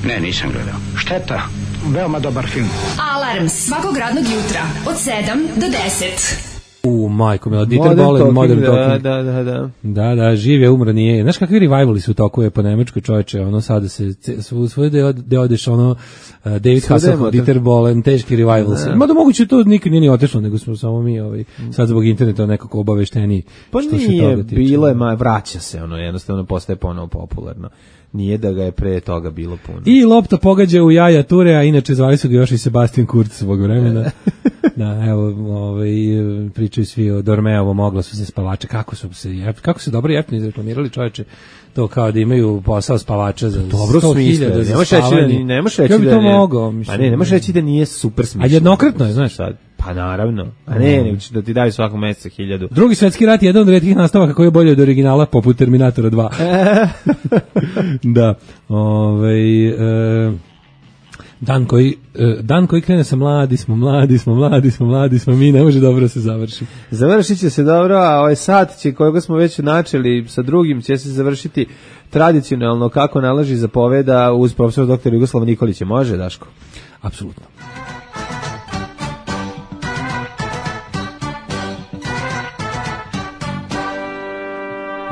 Ne, nisam gledao. Šteta, veoma dobar film. Alarm svakog radnog jutra od sedam do deset. U, majko, mila, Dieter Modern Bohlen, Talking, Modern da, Talking. da, da, da. Da, da, živ je, umro nije. Znaš kakvi revivali su u toku je po Nemačkoj, čoveče, ono sada se, svu, svoje deo, deo odeš, ono, uh, David Svuda je Hasselhoff, motor. Dieter Bohlen, teški revivals. Da. Mada moguće to nikad nije ni otišlo, nego smo samo mi, ovaj, sad zbog interneta nekako obavešteni. Pa što se nije, toga tiče. bilo je, ma, vraća se, ono, jednostavno postaje ponovo popularno. Nije da ga je pre toga bilo puno. I lopta pogađa u jaja Ture, a inače zvali su ga još i Sebastian Kurz svog vremena. Da, evo, ovaj, pričaju svi o Dormeovom oglasu za spavače, kako su se, jep, kako se dobro jeftino izreklamirali, čoveče, to kao da imaju posao spavača za Dobro sto smisle, hiljada za ne možeš reći da, spavanje. ne možeš reći Ja bi da to ne, mogao, pa mislim. ne, ne možeš reći da nije super smišljeno. A jednokratno je, znaš. Sad, pa naravno, a ne, nego će da ti daju svakog meseca hiljadu. Drugi svetski rat je jedan od retkih nastavaka koji je bolji od originala, poput Terminatora dva. Da, ovaj... E, dan koji, e, dan koji krene sa mladi smo, mladi smo, mladi smo, mladi smo, mi ne može dobro da se završi. Završit će se dobro, a ovaj sat će, kojega smo već načeli sa drugim, će se završiti tradicionalno kako nalaži zapoveda uz profesor doktor Jugoslava Nikolića. Može, Daško? Apsolutno.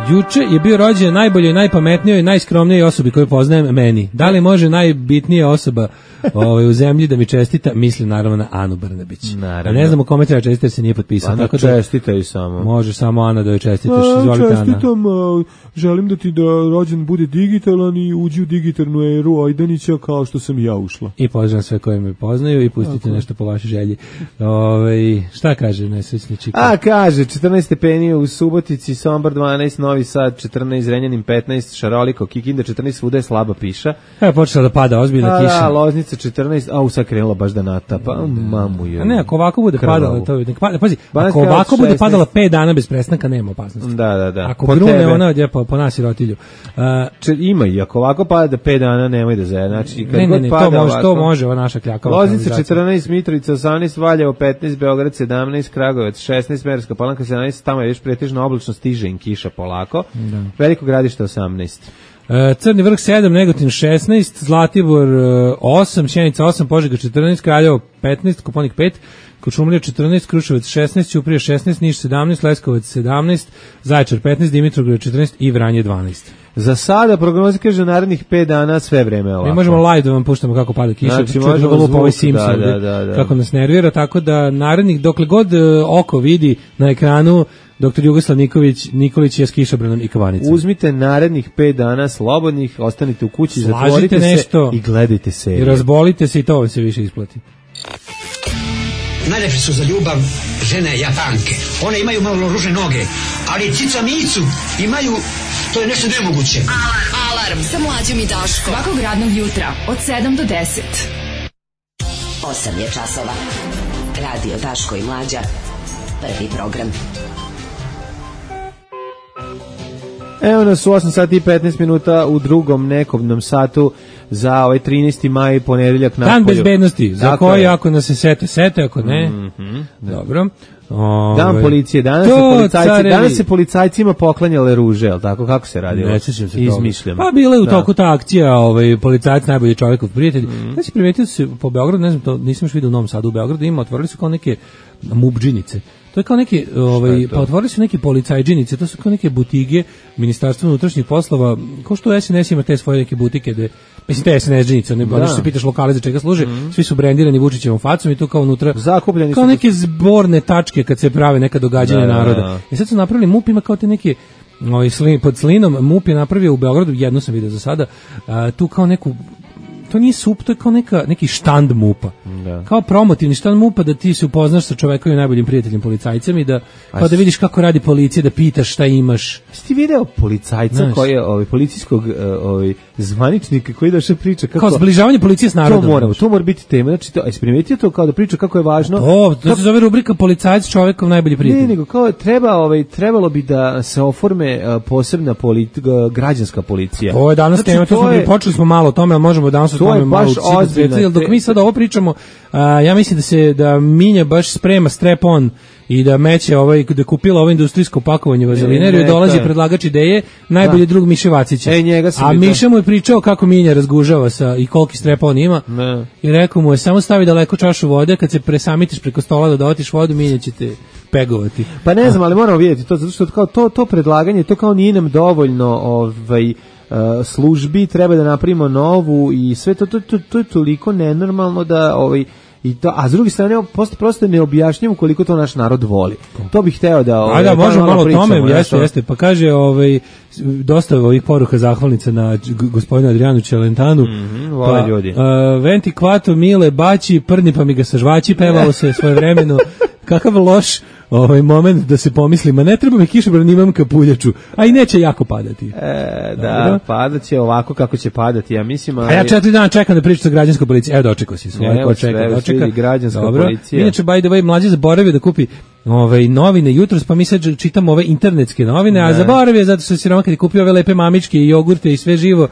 Juče je bio rođen najboljoj, najpametnijoj, najskromnijoj osobi koju poznajem, meni. Da li može najbitnija osoba ovaj, u zemlji da mi čestita? Mislim naravno na Anu Brnabić. Naravno. A ne znam u kome treba čestiti jer se nije potpisao. Ana, tako da čestitaj samo. može samo Ana da joj čestitaš. Izvolite, Ana. Čestitam, a, želim da ti da rođen bude digitalan i uđi u digitalnu eru Ajdanića kao što sam i ja ušla. I pozdravljam sve koji me poznaju i pustite nešto po vašoj želji. Ove, šta kaže nesrećni čika? A, kaže, četrnaest stepeni u Subotici, Sombor dvanaest, Novi Sad četrnaest, Zrenjanin petnaest, Šaroliko, Kikinda četrnaest, svuda je slaba piša. Evo počela da pada ozbiljna A, kiša. da, Loznica četrnaest, a u sad krenula baš da natapa, mamu je. A ne, ako ovako bude krvavu. padala, to nek pada, pazi, Banatska ako ovako bude šesnaest. padala pet dana bez prestanka, nema opasnosti. Da, da, da. Ako Po grune tebe. ona odje po, po nas i rotilju. Uh, Če, ima i ako ovako pada da pet dana nemoj da zaje. Znači, kad ne, ne, god ne, pada to može, ovako, to može, ova naša kljakava. Loznica kanalizacija. četrnaest, Mitrovica osamnaest, Valjevo petnaest, Beograd sedamnaest, Kragujevac šesnaest, Merska Palanka sedamnaest, tamo je još pretežno oblačno, stiže im kiša polako. Da. Veliko Gradište osamnaest. E, Crni vrh sedam, Negotin šesnaest, Zlatibor e, osam, Sjenica osam, Požega četrnaest, Kraljevo petnaest, Koponik pet, Kočumlija četrnaest, Kruševac šesnaest, Ćuprija šesnaest, Niš sedamnaest, Leskovac sedamnaest, Zaječar petnaest, Dimitrovgrad četrnaest i Vranje dvanaest. Za sada prognoza kaže narednih pet dana sve vreme ovako. Mi možemo live da vam puštamo kako pada kiša, znači, možemo zvuk, zvuk, ovaj Simpson, da, da, da. kako nas nervira, tako da narednih, dokle god uh, oko vidi na ekranu, doktor Jugoslav Nikolić, Nikolić je s kišobranom i kavanicom. Uzmite narednih pet dana slobodnih, ostanite u kući, Slažite zatvorite nešto, se i gledajte seriju. I razbolite se i to vam se više isplati. Najlepše su za ljubav žene Japanke. One imaju malo ružne noge, ali cica micu imaju, to je nešto nemoguće. Alarm, alarm sa Mlađom i Daškom. Svakog radnog jutra od sedam do deset. osam je časova. Radio Daško i Mlađa. Prvi program. Evo nas u osam sati i petnaest minuta u drugom nekobnom satu za ovaj trinaesti maj, ponedeljak napolju. Dan bezbednosti, za Tako koji je. ako nas se sete, sete, ako ne. Mm-hmm. Dobro. Dan Ove, policije, danas se, to, policajci, carevi. danas se policajcima poklanjale ruže, jel tako? Kako se radilo? Ne sjećam se Izmišljamo. toga. Pa bila je u Da. toku ta akcija, ovaj, policajac najbolji čovjekov prijatelj. Mm. Ja si primetio da se po Beogradu, ne znam, to nisam još vidio u Novom Sadu, u Beogradu ima, otvorili su kao neke mubdžinice. To je kao neke, ovaj, pa otvorili su neke policajđinice, to su kao neke butige Ministarstva unutrašnjih poslova, kao što S N S ima te svoje neke butike, gde, mislim te S N S džinice, ne da. Se pitaš lokale za čega služe, mm. svi su brendirani Vučićevom facom i to kao unutra, zakupljeni kao su neke zborne tačke kad se prave neka događanja da, naroda. Da, da. I sad su napravili, MUP ima kao te neke, ovaj, slin, pod slinom, MUP je napravio u Beogradu, jedno sam vidio za sada, a, tu kao neku, to nije sup, to je kao neka, neki štand MUP-a. Da. Kao promotivni štand MUP-a da ti se upoznaš sa čovekovim najboljim prijateljem policajcem i da, kao da vidiš kako radi policija, da pitaš šta imaš. Jesi ti video policajca Znaš. koji je ovaj, policijskog ovaj, zvaničnika koji došao priča kako... Kao zbližavanje policije s narodom. To mora, to mora biti tema. Znači, to, jesi primetio to kao da priča kako je važno... To, to se zove rubrika policajac čovekov najbolji prijatelj. Ne, nego kao treba, ovaj, trebalo bi da se oforme uh, posebna politi, uh, građanska policija. To je danas znači, tema, to, to smo, je, počeli smo malo o tome, ali možemo danas o tome malo učiti. Jer dok mi sad ovo pričamo, uh, ja mislim da se da Minja baš sprema strep-on i da meće ovaj, da kupila ovo industrijsko pakovanje vazelineriju, dolazi predlagač ideje, najbolji da. drug Miše Vacića. E, njega A Miša mu je pričao kako Minja razgužava sa, i koliki strepa on ima. Ne. I rekao mu je, samo stavi daleko čašu vode, kad se presamitiš preko stola da dotiš vodu, Minja će te pegovati. Pa ne znam, ali moramo vidjeti to, zato što kao to, to predlaganje, to kao nije nam dovoljno ovaj, uh, službi, treba da napravimo novu i sve to, to, to, to je toliko nenormalno da... Ovaj, I to, a s druge strane, prosto, prosto ne objašnjamo koliko to naš narod voli. To bih hteo da... Ovaj, a da, možemo malo o tome, jeste, jeste. Pa kaže, ovaj, dosta ovih poruka zahvalnica na gospodinu Adrianu Čelentanu. Mm-hmm, vole pa, ljudi. Uh, Venti kvato, mile, baći, prni pa mi ga sa žvaći, pevalo se svoje vremeno. Kakav loš ovaj moment da se pomisli, ma ne treba mi kišobran, imam kapuljaču, a i neće jako padati. E, da, padat će ovako kako će padati, ja mislim. Ali... A ja četiri dana čekam da pričam sa građanskom policijom. Evo, dočekao si svoje, ko čeka, dočeka. Građanska Dobro. policija. Inače, by the way, mlađi zaboravio da kupi ovaj, novine jutros, pa mi sad čitamo ove internetske novine, ne. A zaboravio zato što si Roma kad je kupio ove lepe mamičke i jogurte i sve živo,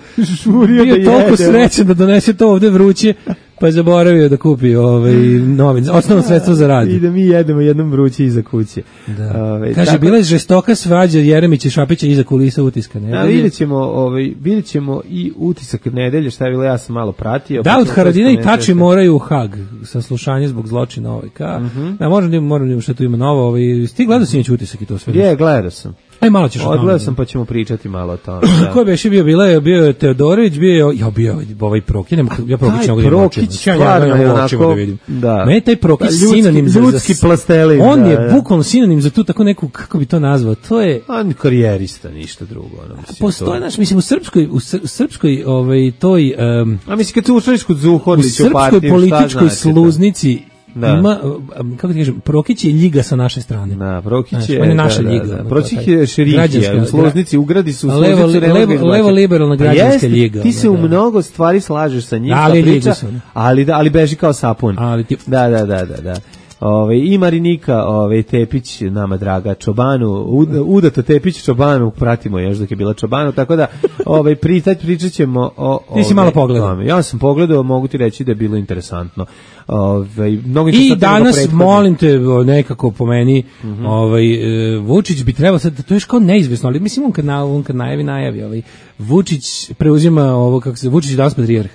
bio da toliko srećan da donese to ovde vruće, pa je zaboravio da kupi ovaj novine, osnovno sredstvo za rad. I da mi jedemo jednom vruće iza kuće. Da. Ove, Kaže, tako... bila je žestoka svađa Jeremića i Šapića iza kulisa utiska nedelje. A vidjet ćemo, ovaj, vidjet ćemo i utisak nedelje, šta je bilo, ja sam malo pratio. Da, od Haradina i Tači moraju u Hag, saslušanje zbog zločina ovaj ka. Mm-hmm. Da, moram da moram šta tu ima novo, ovaj, ti gledao si utisak i to sve? Je, gledao sam. Aj malo ćeš o tome. Odgledao sam pa ćemo pričati malo o tome. Da. Ko je beše bio, bila je, bio je Teodorović, bio je, ja bio ovaj Prokić, nema, ja Prokić ne mogu da stvarno je onako, da vidim. Da. Meni taj Prokić sinonim za... Ljudski plastelin. On da, je da. bukvalno sinonim za tu tako neku, kako bi to nazvao, to je... On karijerista, ništa drugo. Ono, mislim, postoje, znaš, mislim, u srpskoj, u srpskoj, ovaj, toj... Um, A mislim, kad se ušliš kod Zuhorlića u srpskoj političkoj sluznici, da. Ima, kako ti kažem, Prokić je ljiga sa naše strane. Da, Prokić je, on je naša da, ljiga. Da, da. Prokić je šerifija, u sluznici ugradi su u levo, levo, levo liberalna građanska ljiga. Ti se da, u mnogo stvari slažeš sa njim, ali, priča, ali, ali beži kao sapun. Ali ti... Da, da, da, da, da. Ove, i Marinika ove, Tepić, nama draga Čobanu, Udato Tepić Čobanu, pratimo još dok je bila Čobanu, tako da ove, pričat, pričat ćemo o... Ti si malo pogledao. Ja sam pogledao, mogu ti reći da je bilo interesantno. Ove, mnogo I danas, molim te, nekako po meni, mm-hmm. ovaj, Vučić bi trebao sad, to je još kao neizvesno, ali mislim on kad, na, on kad najavi, najavi, ovaj, Vučić preuzima ovo, kako se, Vučić je danas patrijarh.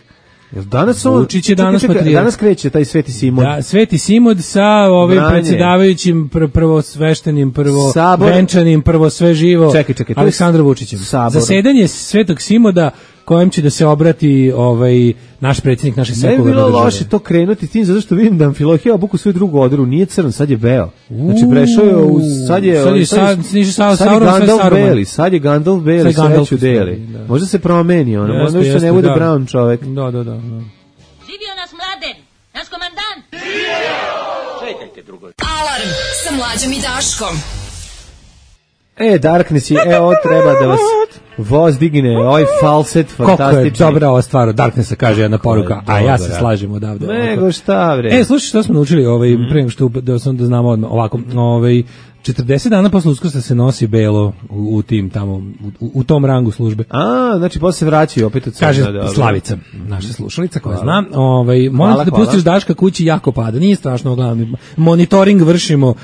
Danas on, Vučić je danas čekaj, čekaj, danas kreće taj Sveti Simon. Da, Sveti Simon sa ovim Branje. predsjedavajućim pr prvo sveštenim, prvo Sabor. venčanim, prvo sve živo čekaj, čekaj, Aleksandrom Vučićem. Sabor. Zasedanje Svetog Simoda kojem će da se obrati ovaj naš predsjednik naše sekularne države. Ne bi bilo loše to krenuti tim, zato što vidim da Amfilohije obuku svoju drugu odru, nije crn, sad je beo. Znači prešao je u, sad je, sad je, sad, sad, sad je Gandalf Beli, sad je Gandalf Beli, sreću deli. Da. Možda se promeni, ono, jeste, možda više jeste, ne bude da. Brown čovek. Da, da, da. da. Živio nas Mladen, naš komandant! Čekajte drugo. Alarm sa Mlađom i Daškom. E, Darkness je, e, ovo treba da vas voz digne, ovaj falset fantastični. Koliko je dobra ova stvar, Darknessa kaže jedna poruka, a ja se slažem odavde. Nego šta, bre. E, slušaj, što smo naučili, ovaj, mm. pre nego što da, sam, da znamo odmah, ovako, ovaj, četrdeset dana posle Uskrsa se nosi belo u, u tim tamo, u, u tom rangu službe. A, znači posle se vraćaju opet od Kaže da, Slavica, naša slušalica koja hvala. Zna, ovaj, molim te da hvala. Pustiš Daška kući jako pada, nije strašno, gledam, monitoring vršimo uh,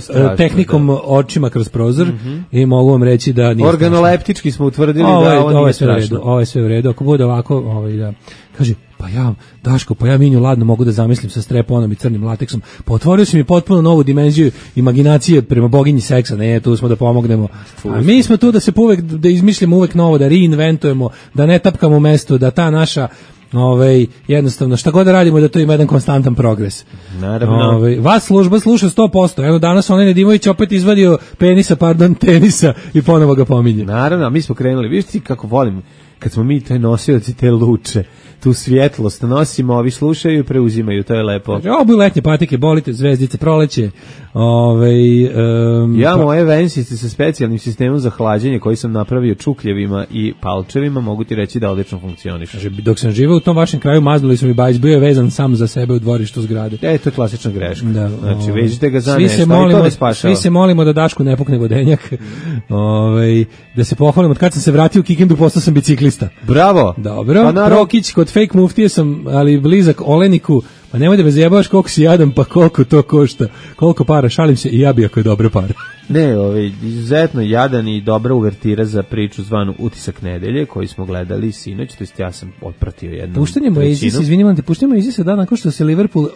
strašno, tehnikom da. Očima kroz prozor mm-hmm. i mogu vam reći da nije organoleptički smo utvrdili ovo, da ovo nije ovo sve u redu, ovo je sve u redu, ako bude ovako, ovaj, da, kaže, pa ja, Daško, pa ja Minju ladno mogu da zamislim sa streponom i crnim lateksom. Pa otvorio si mi potpuno novu dimenziju imaginacije prema boginji seksa. Ne, tu smo da pomognemo. A mi smo tu da se uvek, da izmišljamo uvek novo, da reinventujemo, da ne tapkamo mesto, da ta naša ovaj jednostavno šta god da radimo da to ima jedan konstantan progres. Naravno. Ovaj vas služba sluša sto posto. Evo danas onaj Nedimović opet izvadio penisa, pardon, tenisa i ponovo ga pominje. Naravno, mi smo krenuli. Vidiš ti kako volim kad smo mi taj nosioci te luče, tu svjetlost nosimo, ovi slušaju i preuzimaju, to je lepo. Ovo bi letnje patike, bolite, zvezdice, proleće. Ove, um, ja pa... moje vensice sa specijalnim sistemom za hlađenje koji sam napravio čukljevima i palčevima, mogu ti reći da odlično funkcioniše. Dok sam živeo u tom vašem kraju, maznuli su mi bajs, bio je vezan sam za sebe u dvorištu zgrade. E, to je klasična greška. Da, znači, ove, vežite ga za svi nešto, se molimo, to ne spašava. Svi se molimo da Dašku ne pukne vodenjak. Ove, da se pohvalim, od kad sam se vratio u Kikindu, postao sam biciklista. Bravo. Dobro. Pa Prokić, kod fake muftije sam, ali blizak Oleniku. Pa nemoj da me zajebavaš koliko si jadan, pa koliko to košta. Koliko para, šalim se i ja bi ako je dobre pare. Ne, ovaj, izuzetno jadan i dobra uvertira za priču zvanu Utisak nedelje, koju smo gledali sinoć, to jest ja sam otpratio jednu puštanje Moises, izvinite, puštanje Moises dan nakon što se Liverpool,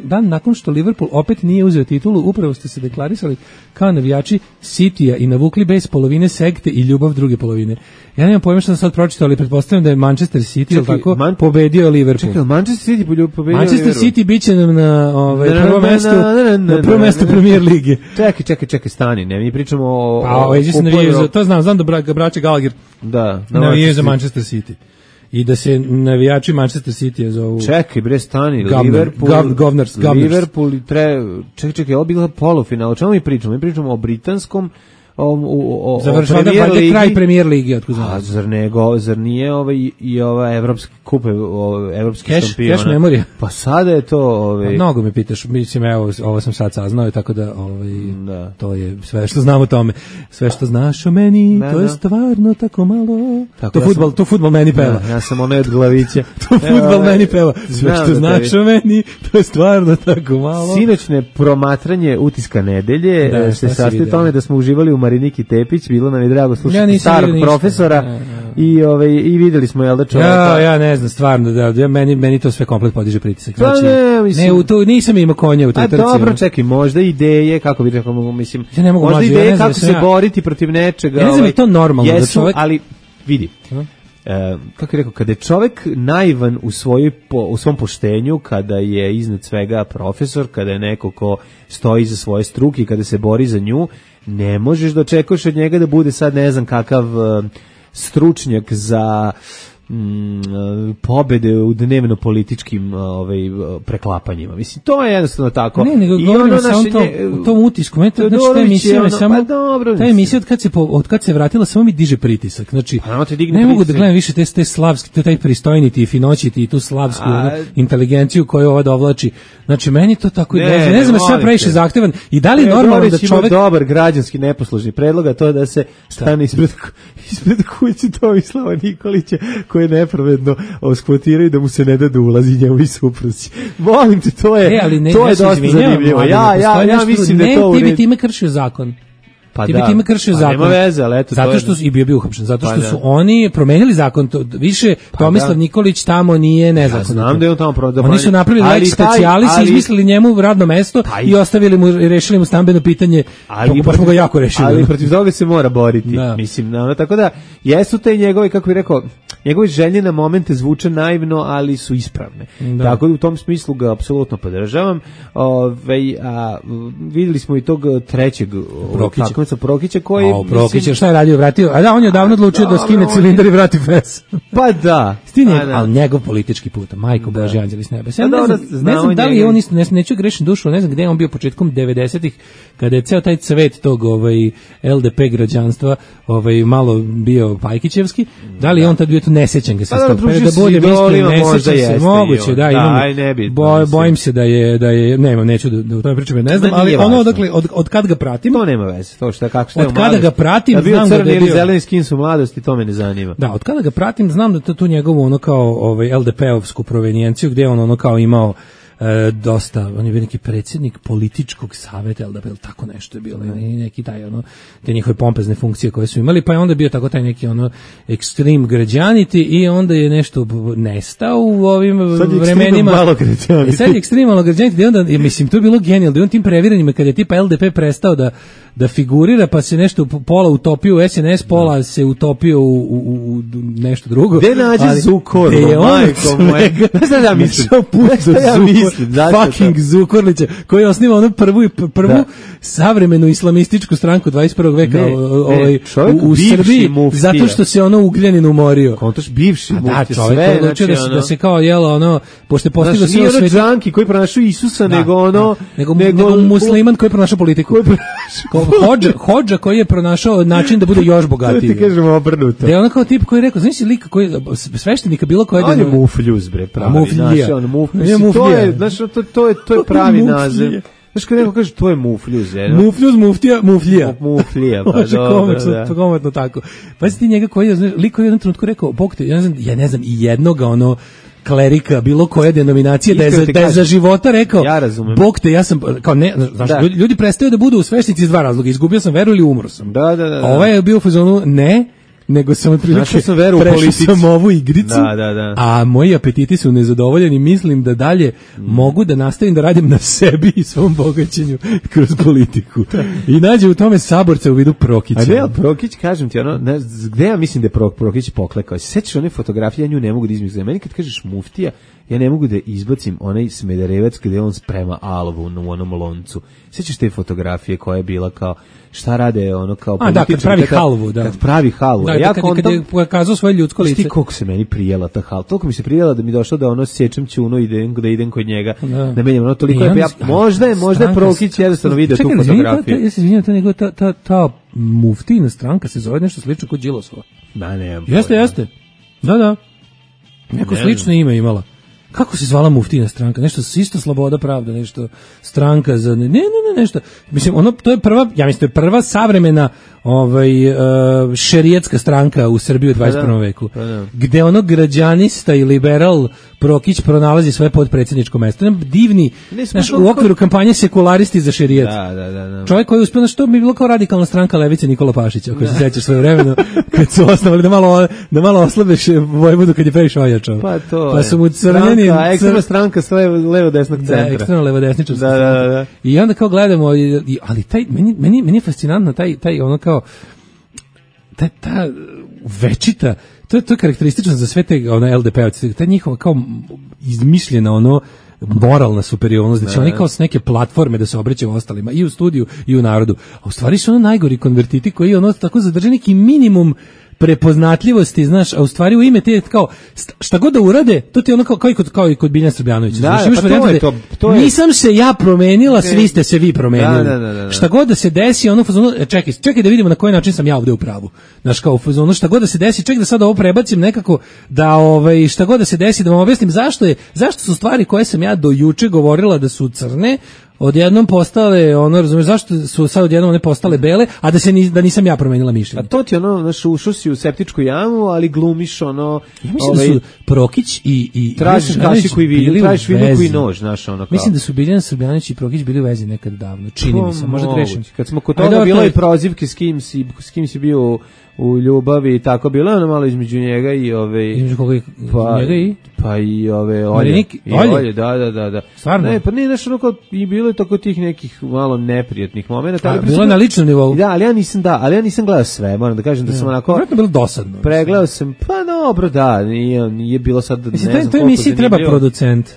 dan nakon što Liverpool opet nije uzeo titulu, upravo ste se deklarisali kao navijači Citya i navukli bez polovine sekte i ljubav druge polovine. Ja nemam pojma što sam sad pročitao, ali pretpostavljam da je Manchester City, čekaj, tako, man, pobedio Liverpool. Čekaj, Manchester City pobedio Manchester Liverpool. City biće nam na, ovaj, prvo mesto, na prvo mesto Premier lige. Čekaj, čekaj, čekaj, stani, ne, mi pričamo o... Pa, o, o, navijaju, to znam, znam da bra, braće Gallagher da, navijaju za Manchester City. I da se navijači Manchester City zovu... Čekaj, bre, stani, Governor, Liverpool... Gov, governors, governors. Liverpool i tre... Čekaj, čekaj, ovo bila polufinal. O čemu mi pričamo? Mi pričamo o britanskom... O, o, o, završava da je kraj Premier lige, otkud znam. A zar nego, zar nije ovaj i ova evropski kupe, evropski cash, šampiona. Cash memorija. Pa sada je to, ovaj. Pa mnogo me pitaš, mislim evo, ovo sam sad saznao, tako da ovaj da. To je sve što znam o tome. Sve što znaš o meni, da, to je stvarno tako malo. Tako, to ja fudbal, sam, to fudbal meni peva. Da, ja sam onaj od glavića. To fudbal meni peva. Sve što da znaš o meni, to je stvarno tako malo. Sinoćne promatranje Utiska nedelje da, se sastoji tome da smo uživali u Mariniki Tepić, bilo nam je drago slušati ja starog profesora ja, ja. i ovaj i videli smo jel da čovjeka. Ja, ja ne znam stvarno da ja, meni meni to sve komplet podiže pritisak. Znači, ne, mislim, ne u to nisam imao konja u toj trci. Dobro, čekaj, možda ideje kako bi rekao, mislim, ja ne mogu možda mlađi, ideje ja kako se ja. boriti protiv nečega. Ja ne znam ovaj, je to normalno jesu, da čovjek, ali vidi. Uh, E, kako je rekao, kada je čovjek naivan u, svojoj, po, u svom poštenju, kada je iznad svega profesor, kada je neko ko stoji iza svoje struke i kada se bori za nju, ne možeš da očekuješ od njega da bude sad ne znam kakav uh, stručnjak za mm, pobede u dnevno političkim ovaj preklapanjima. Mislim to je jednostavno tako. Ne, nego I govorim ono samo naše to, nje, u tom utisku. Meni to, znači, ta emisija ono, samo, pa dobro, ta emisija od kad se po, od kad se vratila samo mi diže pritisak. Znači pa, ne pritisak. Mogu da gledam više te te slavski, taj pristojniti i finoćiti i tu slavsku A, inteligenciju koju ova dovlači. Znači meni to tako ne, ne, ne znam, sve previše zahtevan i da li je normalno da čovjek dobar građanski neposlušni predlog, a to da se stane ispred ispred kuće Tomislava Nikolića koji nepravedno oskvotiraju da mu se ne da da ulazi njemu i supruzi. Molim te, to je, e, ne, to je dosta zanimljivo. Ja, ja, ja mislim da to... Ne, ti bi time kršio zakon. Pa ti da, bi time kršio pa zakon. Nema veze, ali eto, zato što su, i bio bio uhapšen, zato što pa su oni promenili zakon, to, više pa Tomislav da. Nikolić tamo nije nezakonito. Ja znam da je on tamo prodao. Oni su napravili lex specialis, ali, izmislili njemu radno mesto pa i ostavili mu, rešili mu stambeno pitanje, ali pa smo ga jako rešili. Ali protiv toga se mora boriti, da. Mislim, no, tako da, jesu te njegove, kako bih rekao, njegove želje na momente zvuče naivno, ali su ispravne. Da. Tako da u tom smislu ga apsolutno podržavam. Ove, a, videli smo i tog trećeg takmica Prokića koji O, Prokić, šta je radio, vratio? A da, on je davno odlučio da skine cilindar i vrati fes. Pa da. Stine, ali njegov politički put, majko da. Božji anđeli s neba. Ja ne, znam, ne znam da li je on isto, ne, neću grešiti dušu, ne znam gde je on bio početkom devedesetih, kada je ceo taj cvet tog ovaj, L D P građanstva ovaj, malo bio Pajkićevski, da li je on tad bio tu nesećan ga se pa, stop, da bolje mislim, nesećan se, moguće, da, imam, da, ne bi, boj, bojim se da je, da je, nema, neću da, da u tome pričam, ne znam, ali ono odakle, od, od kad ga pratim, to nema veze, to šta, kako šta je od kada ga pratim, da znam da je bio crni ili zeleni skin su mladosti, to me ne zanima. Da, od kada ga pratim, znam da to tu njegovu ono kao ovaj L D P-ovsku provenijenciju, gdje on ono kao imao e, dosta, on je bio neki predsjednik političkog savjeta L D P, tako nešto je bilo, mm. i neki taj ono, te njihove pompezne funkcije koje su imali, pa je onda bio tako taj neki ono ekstrem građaniti i onda je nešto nestao u ovim vremenima. Malo građaniti. E, sad je ekstrem malo građaniti, i onda, mislim, to je bilo genijalno, da je on tim previranjima, kada je tipa L D P prestao da da figurira, pa se nešto pola utopio u S N S, pola se utopio u, u, u nešto drugo. Gde nađe Zukor, majko moje? Ne znam da ja mislim. Ja mislim, fucking Zukorlića, koji osniva onu prvu, prvu da. savremenu islamističku stranku dvadeset prvog veka ne, ovaj, ne, u, u Srbiji, muftija. Zato što se ono Ugljanin umorio. Kontaš bivši muftija. Da, čovjek je odlučio da, da se kao jelo ono, pošto je postigao sve u svetu. Nije ono džanki koji pronašao Isusa, da, nego ono... Nego, nego, nego musliman koji pronašao politiku. Hodža, hodža koji je pronašao način da bude još bogatiji. Ti kažemo obrnuto. Da je ono kao tip koji je rekao, znaš lika koji sveštenika bilo koje... On je mufljuz, bre, pravi. Mufljija. On mufljuz. To je, znaš, to, to, je, to je pravi naziv. Znaš, kad neko kaže, to je mufljuz. Je, no? Mufljuz, muftija, mufljija. Mufljija, pa dobro, da. Komentno tako. Pa si ti njega koji je, lik koji je u jednom trenutku rekao, Bog te, ja ne znam, ja ne znam, i jednoga ono, klerika, bilo koje denominacije, da je, za, da je za života rekao, ja razumem. Bog te, ja sam, kao ne, znaš, da. ljudi, ljudi prestaju da budu sveštenici iz dva razloga, izgubio sam veru ili umro sam. Da, da, da. A ovaj je bio u fazonu, ne, nego sam otprilike prešao sam ovu igricu, da, da, da. a moji apetiti su nezadovoljeni, mislim da dalje mm. mogu da nastavim da radim na sebi i svom bogaćenju kroz politiku. I nađe u tome saborca u vidu Prokića. A ne, Prokić, kažem ti, ono, ne, gde ja mislim da je Prokić poklekao? Sećaš one fotografije, ja nju ne mogu da izmislim. Meni kad kažeš muftija, ja ne mogu da izbacim onaj Smederevac gde on sprema alvu u onom loncu. Sećaš te fotografije koja je bila kao šta rade ono kao političar? A da, kad pravi kada, halvu, da. Kad pravi halvu. Da, ja kad, kad je pokazao svoje ljudsko lice. Ti koliko se meni prijela ta halva. Toliko mi se prijela da mi došlo da ono sečem ćuno i idem, da idem kod njega. Da, da menjam ono toliko. Ja, možda je, možda je Prokić jednostavno video tu fotografiju. Ja se izvinjam, ta njegova, ta, ta, ta muftina stranka se zove nešto slično kod Đilasova. Da, ne. Jeste, jeste. Da, da. Neko slično ime imala. Kako se zvala muftina stranka? Nešto isto Sloboda pravda, nešto stranka za ne ne ne nešto. Mislim ono to je prva, ja mislim to je prva savremena ovaj uh, šerijatska stranka u Srbiji u dvadeset prvom veku. Pa da. Gde ono građanista i liberal Prokić pronalazi svoje podpredsjedničko mesto. Divni, naš, u okviru kampanje sekularisti za šerijat. Da, da, da, da. Čovjek koji je uspio, što bi bilo kao radikalna stranka levice Nikola Pašića, ako se sećaš svoje vremeno, kad su osnovali da malo, da malo oslabeš Vojvodu kad je previše ojačao. Pa to pa su mu crveni... Stranka, ekstremna stranka s levo-desnog centra. Da, ekstremno levo-desničarska da, stranka. Da, da. I onda kao gledamo, ali taj, meni, meni, meni je fascinantno taj, taj ono kao, ta, ta večita, to je, to je karakteristično za sve te ono, L D P-ovci, ta njihova kao izmišljena ono moralna superiornost, da će oni kao s neke platforme da se obraćaju ostalima i u studiju i u narodu, a u stvari su ono najgori konvertiti koji ono tako zadrže neki minimum prepoznatljivosti, znaš, a u stvari u ime te kao šta god da urade, to ti je ono kao, kao i kod, kao i kod Biljana Srbljanovića. Da, znaš, imaš pa to je to, to je... Nisam se ja promenila, svi ste se vi promenili. Da, da, da, da. Šta god da se desi, ono fazonu, čekaj, čekaj da vidimo na koji način sam ja ovde u pravu. Znaš, kao u fazonu, šta god da se desi, čekaj da sad ovo prebacim nekako, da ovaj, šta god da se desi, da vam objasnim zašto je, zašto su stvari koje sam ja do juče govorila da su crne, odjednom postale, ono, razumiješ, zašto su sad odjednom one postale bele, a da se ni, da nisam ja promenila mišljenje. A to ti ono, znaš, ušao si u septičku jamu, ali glumiš ono... Ja mislim ovaj, da su Prokić i... i tražiš kašiku i vilju, tražiš vilju i nož, znaš, ono kao. Mislim da su Biljana Srbljanović i Prokić bili u vezi nekad davno, čini mi se, možda grešim. Kad smo kod toga bilo i prozivke s kim si, s kim si bio u ljubavi i tako, bilo je ono malo između njega i ove... Između koga i pa, njega i? Pa i ove Olje. I Olje, da, da, da. da. Stvarno? Ne, pa nije nešto ono kao, i bilo je tako tih nekih malo neprijatnih momenta. A, bilo je na ličnom nivou? Da, ali ja nisam, da, ali ja nisam gledao sve, moram da kažem da sam onako... Vjerojatno bilo dosadno. Pregledao sam, pa dobro, da, nije, nije bilo sad, ne mislim, znam koliko to emisiji treba zanimljivo. Producent.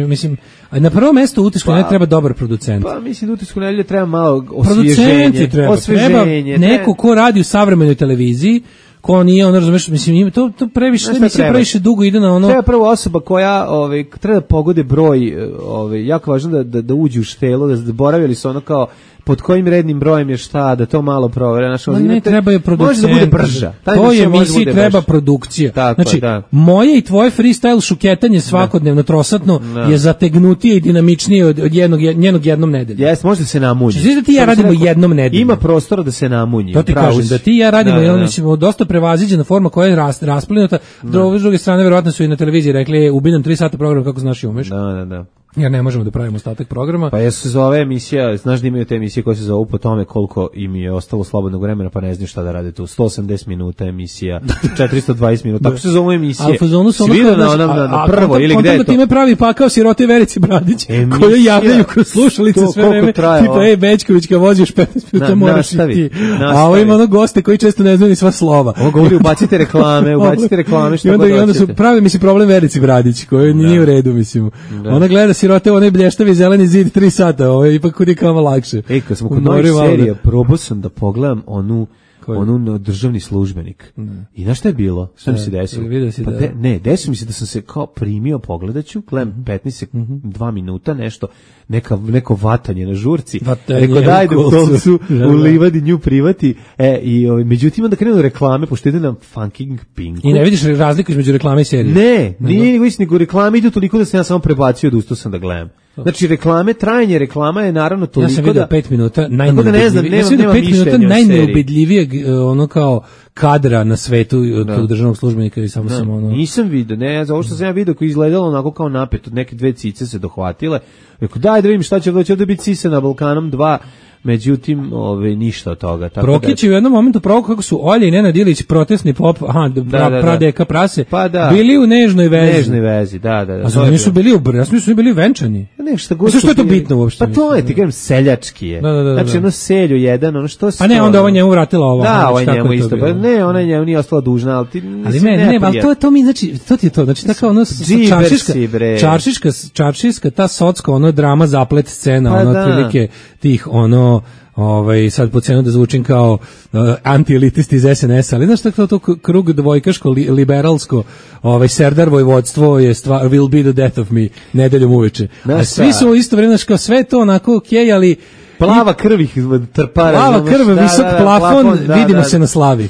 Mislim, a na prvo mesto u utisku pa, ne treba dobar producent. Pa mislim da utisku nedelje treba malo osvježenje. Treba, osvježenje. Treba neko ko radi u savremenoj televiziji, ko nije, ono, razumeš, mislim, to, to previše, ne mislim, previše dugo ide na ono... Treba prvo osoba koja, ovaj, treba da pogode broj, ovaj, jako važno da, da, da uđe u štelo, da zaboravili su ono kao pod kojim rednim brojem je šta, da to malo provere. Znaš, Ma ne, treba je producent. Može da bude brža. To je emisiji treba brža. Produkcija. Tako, znači, da. moje i tvoje freestyle šuketanje svakodnevno, trosatno, da. Je zategnutije i dinamičnije od, od jednog, njenog jednom nedelja. Jes, može da se namunji. Znači, da ti ja radimo rekao, jednom nedelju. Ima prostora da se namunji. To ti kažem, da ti ja radimo, da, da, da. Dosta prevaziđena forma koja je ras, rasplinuta. Da. S druge strane, verovatno su i na televiziji rekli, ubinem tri sata program kako znaš i umeš. Da, da, da. Jer ne možemo da pravimo ostatak programa. Pa jesu se zove emisija, znaš da imaju te emisije koje se zovu po tome koliko im je ostalo slobodnog vremena, pa ne znaš šta da rade tu. sto osamdeset minuta emisija, četiristo dvadeset minuta, tako se zovu emisije. Svi vidio na onom, na, na prvo, a, ili gde je to? Time pravi pakao sirote Verici Bradić, koju javljaju kroz slušalice sve vreme, tipa, ej, Bečković, kad voziš petnaest minuta, moraš i ti. A ovo ima ono goste koji često ne znaju ni sva slova. Ovo govori, ubacite reklame, ubacite reklame, što god hoćete. I onda su pravi, mislim, problem Verici Bradić, koji nije u redu, mislim. Ona gleda sirote, onaj blještavi zeleni zid tri sata, ovo je ipak kudi kao lakše. Ej, kad smo kod novih serija, probao sam da pogledam onu, onu državni službenik. Ne. I znaš šta je bilo? Šta mi se desilo? Pa de, ne, desilo mi se da sam se kao primio, pogledaću, gledam petnaest sekund, dva minuta, nešto, neka, neko vatanje na žurci. Vatanje Reko daj da u kolcu u livadi nju privati. E, i, o, međutim, onda krenu reklame, pošto ide na Funking Pinku. I ne vidiš razliku između reklame i serije? Ne, nije nego nego reklame idu toliko da sam ja samo prebacio da ustao sam da gledam. Znači reklame, trajanje reklama je naravno toliko da... Ja sam vidio pet minuta najneubedljivijeg. Ja sam vidio pet minuta najneubedljivijeg ono kao kadra na svetu od da. Tog državnog službenika i samo da. sam ono... Nisam vidio, ne, za ovo što sam ja vidio koji izgledalo onako kao napet, od neke dve cice se dohvatile. Rekao, daj da vidim šta će doći, da biti Cise na Balkanom dva, međutim, ove, ništa od toga. Tako Prokić da... je u jednom momentu provukao kako su Olja i Nenad Ilić, protestni pop, aha, da, pra, da, pradeka prase, pa da. Bili u nežnoj vezi. Nežnoj vezi, da, da. da. A znači nisu bili u ja sam su bili venčani. Ne, šta god. Što je to bitno uopšte? Pa to je, ti kažem, seljački je. Da, da, da, znači, da. ono selju jedan, ono što... Pa ne, onda ova njemu vratila ovo. Da, ova njemu isto. Pa ne, ona njemu nije ostala dužna, ali ti... Ali ne, ne, ali to, to mi, znači, to ti je to, znači, tako ono, čaršiška, čaršiška, čaršiška, ta socka, ono, drama, zaplet scena, ono, otprilike tih, ono, ovaj sad po cenu da zvučim kao uh, antielitist iz es en es, ali znaš tako to krug dvojkaško li, liberalsko, ovaj Serdar vojvodstvo je stvar will be the death of me nedeljom uveče. A svi su isto vremena kao sve to onako okej, ali plava krv ih trpara. Plava krv, da, visok da, da, plafon, plafon da, vidimo da, se na slavi.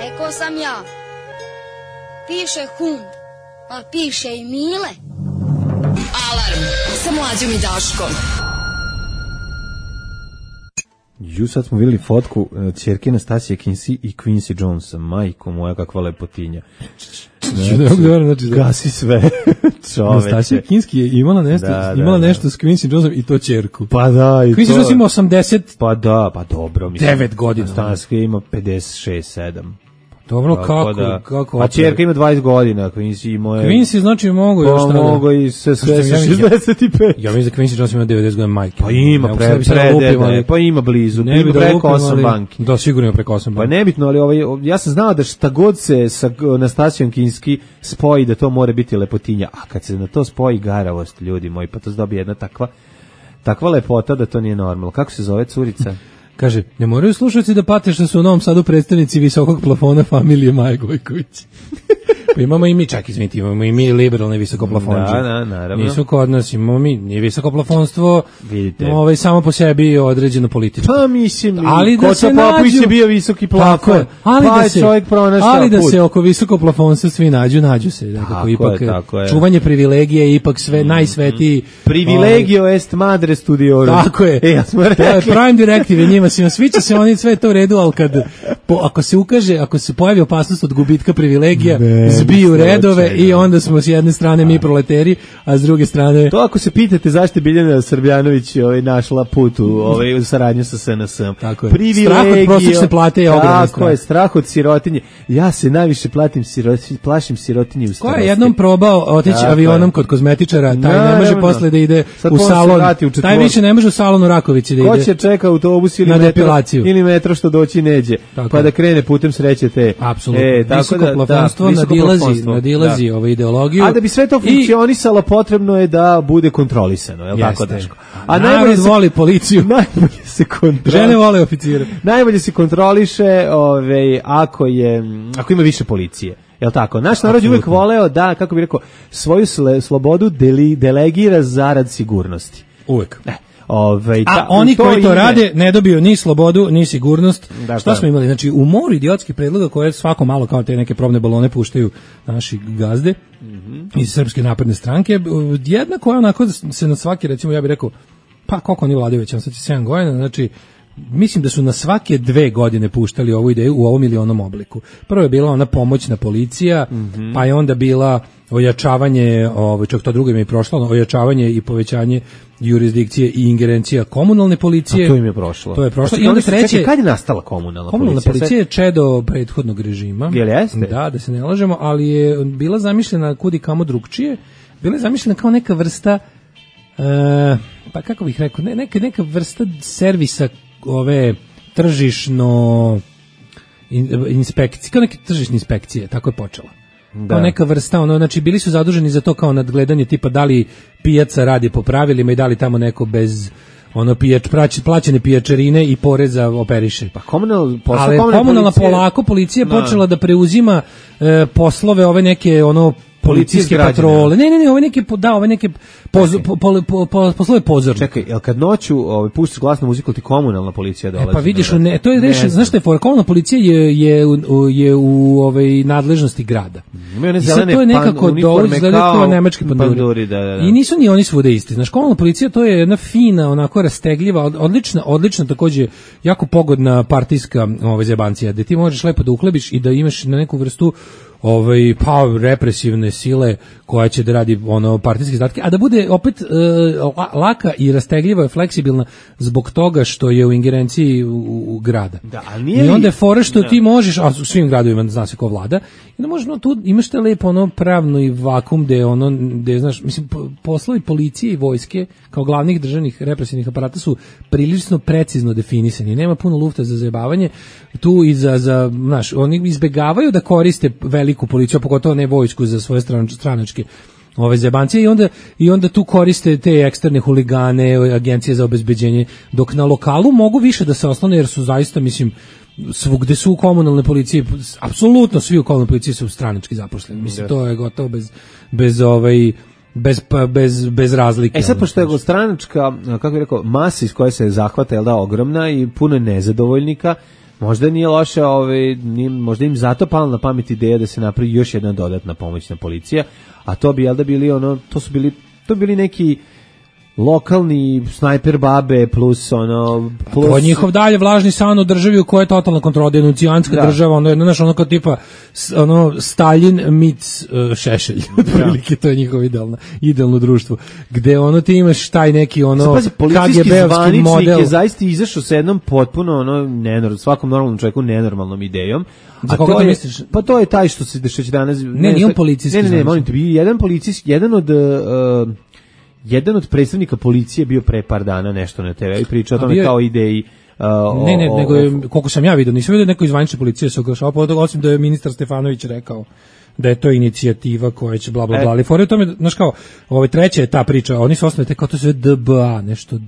Rekao sam ja. Piše Hun, a piše i Mile. Alarm sa Mlađom i Daškom. Ju, sad smo vidjeli fotku uh, ćerke Nastasije Kinsey i Quincy Jonesa. Majko moja, kakva lepotinja. Znači, znači, gasi sve. Nastasija Kinsey je imala nešto, da, imala da, nešto da. S Quincy Jonesom i to ćerku. Pa da, i Quincy Jones ima osamdeset Pa da, pa dobro. Mislim, devet godina. Nastasija ima pedeset šest sedam Dobro, kako, da, kako? A ćerka ima dvadeset godina, Quincy ima... Quincy znači mogu još tada. Mogu i sve sve šezdeset pet Ja mislim da Quincy Jones ima devedeset godina majke. Pa ima, pre, pre, pa ima blizu, ne ima da preko osam banki. Da, sigurno ima preko osam banki. Pa nebitno, ali ovaj, ja sam znao da šta god se sa Nastasijom Kinsey spoji, da to more biti lepotinja. A kad se na to spoji garavost, ljudi moji, pa to se dobije jedna takva, takva lepota da to nije normalno. Kako se zove curica? Kaže, ne moraju slušati da pate što su u Novom Sadu predstavnici visokog plafona familije Maje Gojković. Pa imamo i mi, čak izvinite, imamo i mi liberalne visokoplafonđe. Da, da, naravno. Nisu kod nas, imamo mi, nije visokoplafonstvo, vidite. Ovaj, samo po sebi određeno političko. Pa mislim, ali da se Popović nađu, je bio visoki plafon, je, ali pa da je se, čovjek pronašao ali da put. se oko visokoplafonstva svi nađu, nađu se. Dakako, ipak, je, tako je. Čuvanje privilegije je ipak sve mm, najsvetiji. Privilegio ovaj, est madre studiorum. Tako je. E, ja smo rekli. To je prime directive njima, svima sviđa se oni sve to u redu, ali kad, po, ako se ukaže, ako se pojavi opasnost od gubitka privilegija, ne, zbiju redove i onda smo s jedne strane mi proleteri, a s druge strane... To ako se pitate zašto je Biljana Srbljanović ovaj, našla put u, ovaj, u saradnju sa S N S-om. Tako je. Strah od prosječne plate je ogroman strah. Tako je, strah od sirotinje. Ja se najviše platim sirotinje, plašim sirotinje u starosti. Ko je jednom probao otići tako avionom je. Kod kozmetičara, taj no, ne može no, posle da ide sad u salon. U taj više ne može u salon u Rakovici da ide. Ko će čeka autobus ili metro, ili metro što doći neđe, tako pa da krene putem sreće te. Apsolutno. E, visokoplafonstvo da, nadilazi, nadilazi da. Ove ideologiju. A da bi sve to funkcionisalo, potrebno je da bude kontrolisano, je li tako Daško? A najbolje se voli policiju. Najbolje se kontroliše. Žene vole oficire. Najbolje se kontroliše, ovaj ako je ako ima više policije. Jel tako? Naš narod je uvijek voleo da, kako bih rekao, svoju sle, slobodu deli, delegira zarad sigurnosti. Uvijek. Ne. Ove, ta, a oni to koji to ime... rade ne dobiju ni slobodu, ni sigurnost. Da, šta smo imali? Znači, u moru idiotskih predloga koje svako malo kao te neke probne balone puštaju naši gazde mm-hmm. iz Srpske napredne stranke, jedna koja onako se na svaki, recimo ja bih rekao, pa koliko oni vladaju već, sad će sedam godina, znači mislim da su na svake dve godine puštali ovu ideju u ovom ili onom obliku. Prvo je bila ona pomoćna policija, mm-hmm. pa je onda bila ojačavanje, ovaj čak to drugo im je prošlo, ojačavanje i povećanje jurisdikcije i ingerencija komunalne policije. A to im je prošlo. To je prošlo. I onda treće, čekaj, kad je nastala komunalna, komunalna policija? Komunalna policija je čedo prethodnog režima. Jel jeste? Da, da se ne lažemo, ali je bila zamišljena kudi kamo drugčije. Bila je zamišljena kao neka vrsta, e, pa kako bih rekao, ne, neka, neka vrsta servisa ove tržišno in, inspekcije, kao neke tržišne inspekcije, tako je počela. Da. Kao neka vrsta, ono, znači bili su zaduženi za to kao nadgledanje tipa da li pijaca radi po pravilima i da li tamo neko bez ono pijač, plaćene pijačarine i poreza operiše. Pa komunal, posla, ali komunalna komunalna policija, polako policija no. počela da preuzima e, poslove ove neke ono policijske patrole. Ne, ne, ne, ove neke da, ove neke poz, po, po, po, po, poslove pozornika. Čekaj, jel kad noću ovaj puštiš glasnu muziku, ti komunalna policija dolazi? E pa vidiš, ne, to je rešeno, znaš šta je for komunalna policija je je u, je u ovaj nadležnosti grada. I sad to je nekako dolazi kao nemački panduri. Da, da, da. I nisu ni oni svuda isti. Znaš, komunalna policija to je jedna fina, onako rastegljiva, odlična, odlična takođe jako pogodna partijska ovaj zebancija, da ti možeš lepo da uhlebiš i da imaš na neku vrstu ovaj pa represivne sile koja će da radi ono partijske zadatke, a da bude opet e, laka i rastegljiva i fleksibilna zbog toga što je u ingerenciji u, u grada. Da, a nije I onda je fora što da. Ti možeš, a u svim gradovima zna se ko vlada, i da možeš no, tu imaš te lepo ono pravno i vakum gde ono gde znaš, mislim poslovi policije i vojske kao glavnih državnih represivnih aparata su prilično precizno definisani. Nema puno lufta za zajebavanje tu i za za znaš, oni izbegavaju da koriste veliku policiju, pogotovo ne vojsku za svoje stranačke ove zebancije i onda i onda tu koriste te eksterne huligane, agencije za obezbeđenje, dok na lokalu mogu više da se oslone jer su zaista mislim svugde su u komunalne policije, apsolutno svi u komunalnoj policiji su stranački zaposleni. Mislim to je gotovo bez bez ovaj bez bez bez razlike. E sad pošto je stranačka, kako bih rekao, masa iz koje se zahvata, jel da, ogromna i puno nezadovoljnika, možda nije loše, ovaj, nije, možda im zato pala na pamet ideja da se napravi još jedna dodatna pomoćna policija, a to bi, jel da, bili ono, to su bili, to bili neki lokalni snajper babe plus ono plus to je njihov dalje vlažni san u državi u kojoj je totalna kontrola, denuncijanska da. Država, ono je znaš ono kao tipa ono Stalin meets uh, Šešelj, otprilike to je njihovo idealno idealno društvo gde ono ti imaš taj neki ono K G B-ovski model je zaista izašao sa jednom potpuno ono nenormalnom, svakom normalnom čovjeku nenormalnom idejom. Za koga to misliš? Pa to je taj što se dešava danas. Ne, ne, nije on policijski. Ne, ne, ne, molim te, jedan policijski, jedan od uh, jedan od predstavnika policije bio pre par dana nešto na te ve i pričao o tome kao ideji. Uh, ne, ne, o, nego je, koliko sam ja vidio, nisam vidio neko iz zvanične policije se oglašavao, osim da je ministar Stefanović rekao da je to inicijativa koja će bla bla bla, ali fore u tome, znaš kao, ovaj treća je ta priča, oni su osnovali te kao to sve D B A, nešto,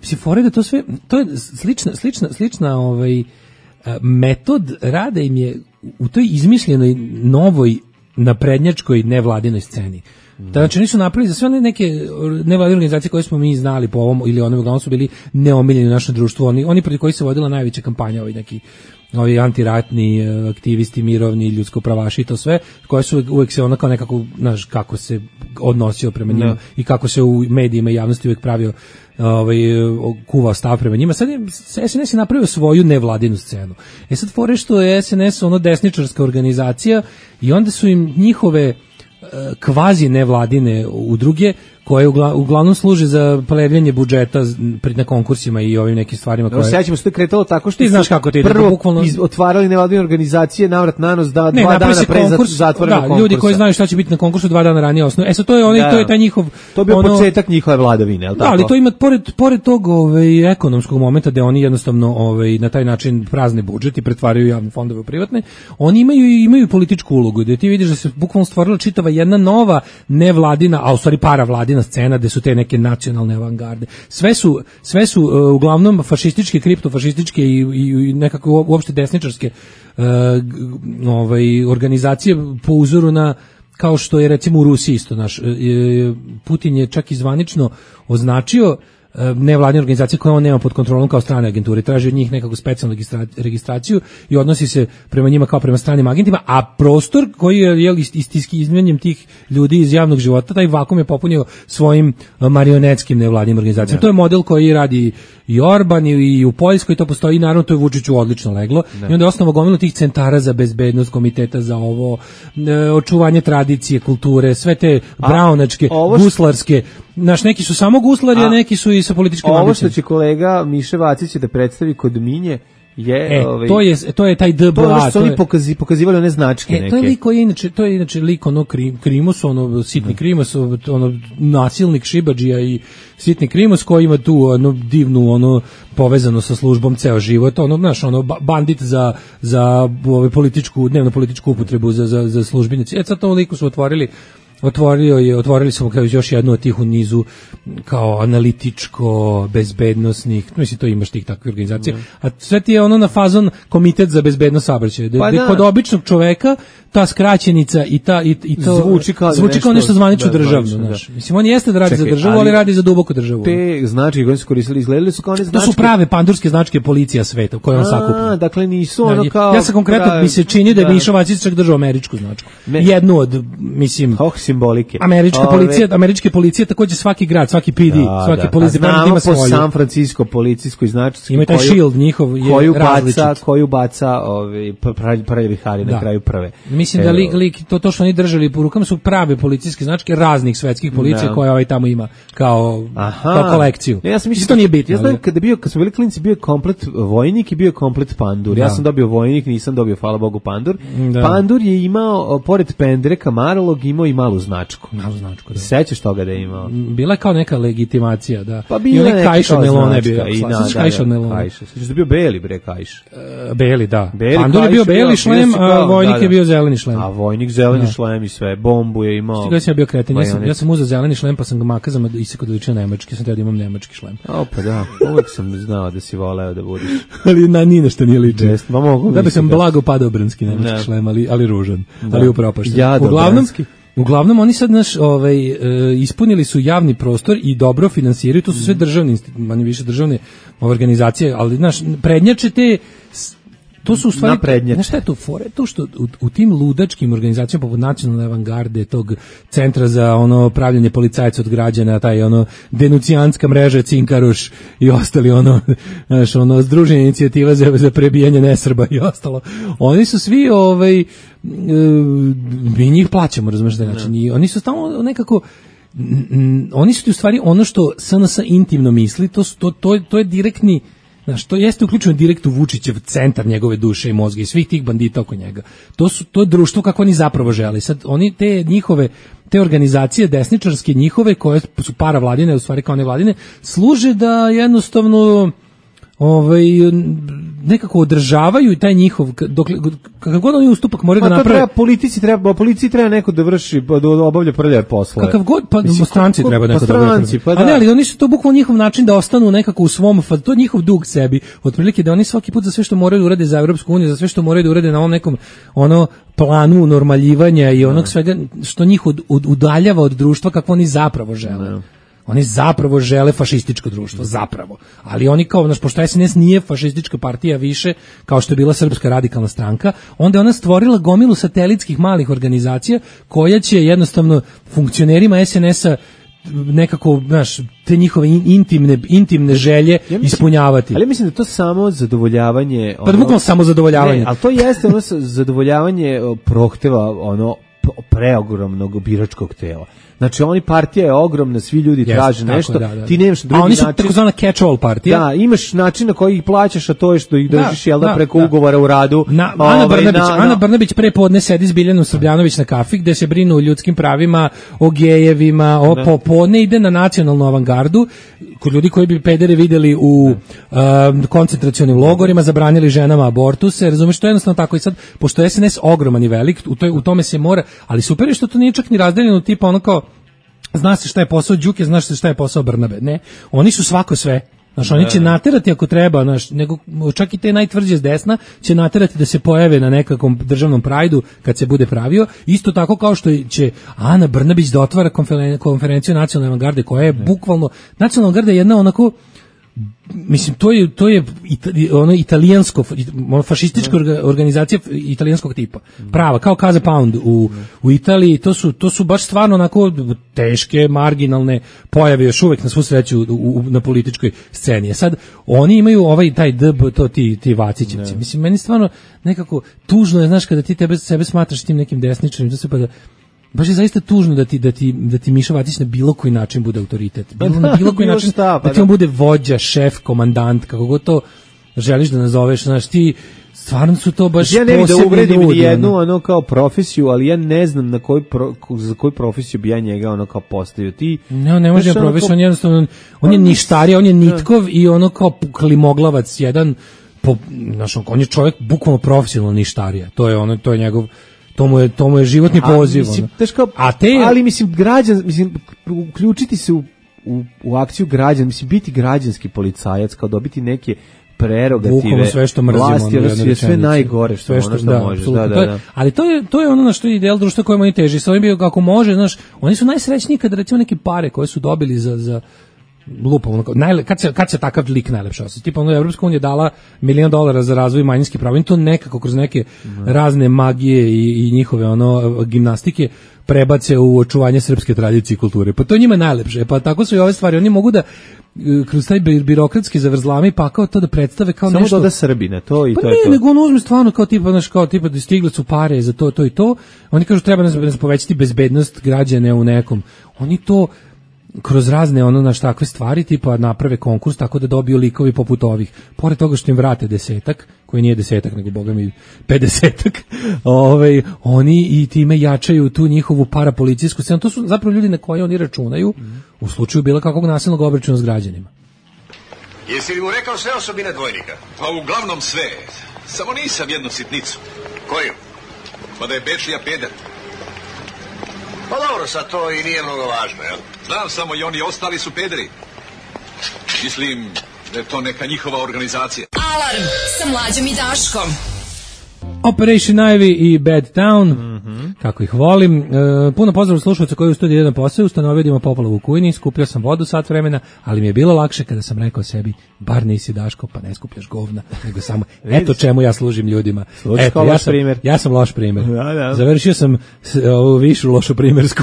mislim, fore da to sve, to je slična, slična, slična ovaj, metod rada im je u toj izmišljenoj novoj naprednjačkoj nevladinoj sceni. Znači oni su napravili za sve one neke nevladine organizacije koje smo mi znali po ovom ili onom, uglavnom su bili neomiljeni u našem društvu, oni, oni protiv koji se vodila najveća kampanja, ovi neki ovi antiratni aktivisti, mirovni, ljudsko pravaši i to sve, koje su uvek se ono kao nekako, znaš, kako se odnosio prema njima, no. I kako se u medijima i javnosti uvek pravio ovaj, kuvao stav prema njima. Sad je, S N S je napravio svoju nevladinu scenu. E sad fore što je S N S ono desničarska organizacija i onda su im njihove kvazi nevladine udruge koje uglavnom služe za plevljanje budžeta na konkursima i ovim nekim stvarima koje... Sećamo se to kretalo tako što ti znaš kako ti prvo bukvalno iz, otvarali nevladine organizacije navrat nanos da ne, dva dana pre konkurs, zatvorenog da, konkursa. Ljudi koji znaju šta će biti na konkursu dva dana ranije osnovu. E sad to je onaj, da, to je taj njihov... To je bio ono, početak njihove vladavine, je li tako? Da, ali to ima, pored, pored tog ovaj, ekonomskog momenta gde oni jednostavno ovaj, na taj način prazne budžet i pretvaraju javne fondove u privatne, oni imaju i imaju političku ulogu, gde ti vidiš da se bukvalno stvorila čitava jedna nova nevladina, a u stvari paravladina scena, gde su te neke nacionalne avangarde. Sve su, sve su uh, uglavnom fašističke, kriptofašističke i, i, i nekako uopšte desničarske uh, ovaj, organizacije po uzoru na, kao što je recimo u Rusiji isto naš. Uh, Putin je čak i zvanično označio nevladine organizacije koje on nema pod kontrolom kao strane agenture, traži od njih nekakvu specijalnu registraciju i odnosi se prema njima kao prema stranim agentima, a prostor koji je jel, istinski izmenjem tih ljudi iz javnog života, taj vakum je popunio svojim marionetskim nevladinim organizacijama. Ne. To je model koji radi i Orban i u Poljskoj, to postoji i naravno to je Vučiću odlično leglo. Ne. I onda je osnovno gomilu tih centara za bezbednost, komiteta za ovo, očuvanje tradicije, kulture, sve te braunačke, guslarske, naš neki su samo guslari, a, a neki su i sa političkim ambicijama. Ovo što će kolega Miše Vacić da predstavi kod Minje je, e, ovaj, to je to je taj D B A, to je što oni pokazi, pokazivali one značke e, neke. To je lik koji je inače, to je inače lik ono krim, Krimos, ono sitni Krimos, ono nasilnik šibadžija i sitni Krimos koji ima tu ono divnu ono povezano sa službom ceo život, ono znaš, ono bandit za za ovaj političku, dnevno političku upotrebu za za za službenici. E sad to liku su otvorili Otvorio je, otvorili smo kao još jednu od tih u nizu kao analitičko, bezbednosnih, mislim to imaš tih takvih organizacija, mm. a sve ti je ono na fazon komitet za bezbednost saobraćaja. Pa da. Kod običnog čoveka ta skraćenica i ta i, i to zvuči kao, zvuči nešto, kao nešto zvanično da, državno, znaš. Da. Mislim on jeste da radi Čekaj, za državu, ali, ali radi za duboku državu. Te značke koje su koristili izgledali su kao one značke. To su prave pandurske značke policija sveta koje on sakuplja. A, dakle nisu ono kao. Ja sam konkretno pravi, mi se čini da je Mišo Vacić čak držao američku značku. Ne. Jednu od mislim oh, simbolike. Američka Ove, policija, američke policije takođe svaki grad, svaki P D, da, svaki da. Policijski departament ima svoju. Znamo po San Francisco policijskoj značci ima taj koju, shield njihov je koju različit. baca, koju baca ovaj prljavi hari na kraju prve. Mislim da lik, lik to to što oni držali po rukama su prave policijske značke raznih svetskih policija da. Koje ovaj tamo ima kao Aha. kao kolekciju. Ne, ja sam mislio to nije bitno. Ja znam kada je bio kad su bili klinci bio komplet vojnik i bio komplet pandur. Da. Ja sam dobio vojnik, nisam dobio hvala Bogu pandur. Da. Pandur je imao pored pendreka Marlog imao i malu značku. Malu značku. Da. Sećaš toga da je imao? Bila je kao neka legitimacija, da. Pa bila je kajš od melone bio. I na kajš od melone. Kajš. Sećaš da bio beli bre kajš. Uh, beli, da. Beli pandur je bio beli šlem, a vojnik da, da. je bio zeleni šlem. A vojnik zeleni da. Šlem i sve, bombu je imao. Stiga sam ja bio kreten, ja sam, ja sam uzeo zeleni šlem pa sam ga makazama isekao da liči nemački, sam teo da imam nemački šlem. Opa, da, uvek sam znao da si voleo da budeš. Ali na ni nešto nije liči. Pa mogu. Da bi sam blago padobranski nemački ne. Šlem, ali ali ružan, da. Ali upropašten. Ja, uglavnom, uglavnom oni sad naš ovaj e, ispunili su javni prostor i dobro finansiraju, to su sve državne, manje više državne organizacije, ali znaš, prednjače te to su u stvari, znaš šta je to fore? To što u, u tim ludačkim organizacijama poput Nacionalne avangarde, tog centra za ono pravljenje policajca od građana, taj ono denucijanska mreža Cinkaruš i ostali ono, znaš, ono združenje inicijativa za, za prebijanje nesrba i ostalo. Oni su svi ovaj, mi njih plaćamo, razumiješ da način. I oni su tamo nekako oni su ti u stvari ono što S N S intimno misli, to, to, to, to je direktni. Znaš, to jeste uključeno direkt u Vučićev centar njegove duše i mozga i svih tih bandita oko njega. To su to je društvo kako oni zapravo žele. Sad oni te njihove te organizacije desničarske njihove koje su paravladine, u stvari kao nevladine, služe da jednostavno ovaj nekako održavaju taj njihov dok kakav god oni ustupak moraju da naprave. Treba politici treba policiji treba neko da vrši da obavlja prljave poslove. Kakav god pa Mislim, stranci treba neko da obavlja. Pa da. A ne, ali oni su to bukvalno njihov način da ostanu nekako u svom, to je njihov dug sebi. Otprilike da oni svaki put za sve što moraju da urade za Evropsku uniju, za sve što moraju da urade na ovom nekom ono planu normaljivanja i onog svega što njih od, od, udaljava od društva kako oni zapravo žele. Ne. Oni zapravo žele fašističko društvo, zapravo. Ali oni kao, znaš, pošto S N S nije fašistička partija više, kao što je bila Srpska radikalna stranka, onda je ona stvorila gomilu satelitskih malih organizacija koja će jednostavno funkcionerima S N S-a nekako, znaš, te njihove intimne, intimne želje ja mislim, ispunjavati. Ali mislim da to samo zadovoljavanje... Ono, pa da bukvalno samo zadovoljavanje. Ne, ali to jeste ono zadovoljavanje prohteva ono preogromnog biračkog tela. Znači, oni partija je ogromna, svi ljudi yes, traže nešto, da, da. Ti nemaš drugi način. A oni su takozvana catch-all partija. Da, imaš način na koji ih plaćaš, a to je što ih držiš, da, jel da, da preko da. ugovora u radu. Na, Ana, ovaj, Brnabić, na, Ana Brnabić pre podne sedi s Biljanom Srbljanović na kafi, gde se brinu o ljudskim pravima, o gejevima, o popodne ide na nacionalnu avangardu, kod ljudi koji bi pedere videli u uh, koncentracionim logorima, zabranili ženama abortuse, razumeš, to je jednostavno tako. I sad, pošto je S N S ogroman i velik, u, toj, u tome se mora, ali super je što to nije čak ni razdeljeno tipa ono kao zna se šta je posao Đuke, znaš se šta je posao Brnabe. Ne, oni su svako sve. Znaš, oni će naterati ako treba, znaš, nego čak i te najtvrđe s desna će naterati da se pojave na nekakvom državnom prajdu kad se bude pravio. Isto tako kao što će Ana Brnabić da otvara konferen- konferenciju nacionalne avangarde koja je bukvalno, nacionalna avangarda je jedna onako, mislim, to je to je itali, ono italijansko ono fašistička organizacija italijanskog tipa. Prava, kao Casa Pound u u Italiji, to su to su baš stvarno onako teške, marginalne pojave još uvek na svu sreću u, u, na političkoj sceni. Sad oni imaju ovaj taj D B, to ti ti Vacićevci. Mislim, meni stvarno nekako tužno je, znaš, kada ti tebe sebe smatraš tim nekim desničarim, da se pa da baš je zaista tužno da ti da ti da ti Miša Vacić na bilo koji način bude autoritet. Bilo na bilo koji način šta, pa da ti on bude vođa, šef, komandant, kako god to želiš da nazoveš, znaš, ti stvarno su to baš ja ne posebni da uvredim ljudi, jednu ono. ono kao profesiju, ali ja ne znam na koji pro, za koju profesiju bi ja njega ono kao postavio. Ti ne, ne može profesiju, on jednostavno on je ništarija, on je nitkov i ono kao klimoglavac jedan po, znaš, on je čovjek bukvalno profesionalno ništarija. To je ono, to je njegov To mu je, to mu je životni poziv. Mislim, teško, a te, ali mislim, građan, mislim, uključiti se u, u, u akciju građan, mislim, biti građanski policajac, kao dobiti neke prerogative, sve što mrzimo, vlasti, ono, sve, sve najgore što, sve što, ono što da, može. Da, da, da. Ali to je, to je ono na što je ideal društva kojemu oni teži. Sa ovim bio kako može, znaš, oni su najsrećniji kad recimo neke pare koje su dobili za... za lupa, ono, najle, kad, se, kad se takav lik najlepše osjeća. Tipa, ono, Evropska unija dala milion dolara za razvoj manjinskih prava i to nekako kroz neke mm. razne magije i, i njihove ono gimnastike prebace u očuvanje srpske tradicije i kulture. Pa to je njima najlepše. Pa tako su i ove stvari. Oni mogu da kroz taj birokratski zavrzlami pa kao to da predstave kao samo nešto. Samo doda Srbina, to i pa to ne, je to. Nego on uzme stvarno kao tipa, znaš, kao tipa da stigle su pare za to, to i to. Oni kažu treba nas, nas povećati bezbednost građana u nekom. Oni to kroz razne ono naš takve stvari tipa naprave konkurs tako da dobiju likovi poput ovih. Pored toga što im vrate desetak, koji nije desetak nego boga mi pedesetak, ovaj, oni i time jačaju tu njihovu parapolicijsku scenu. To su zapravo ljudi na koje oni računaju mm. u slučaju bilo kakvog nasilnog obračuna s građanima. Jesi li mu rekao sve osobine dvojnika? Pa uglavnom sve. Samo nisam jednu sitnicu. Koju? Pa da je Bečija peder. Pa dobro, sad to i nije mnogo važno, jel? Znam samo i oni ostali su pederi. Mislim da je to neka njihova organizacija. Alarm sa Mlađom i Daškom. Operation Ivy i Bad Town, mm-hmm. kako ih volim. E, puno pozdrav slušalca koji u studiju jedan posao, ustanovio da ima poplavu u kujni, skupio sam vodu sat vremena, ali mi je bilo lakše kada sam rekao sebi, bar nisi Daško, pa ne skupljaš govna, nego samo, eto čemu ja služim ljudima. Eto, ja sam, ja sam loš primjer. Da, da. Završio sam ovu višu lošu primjersku.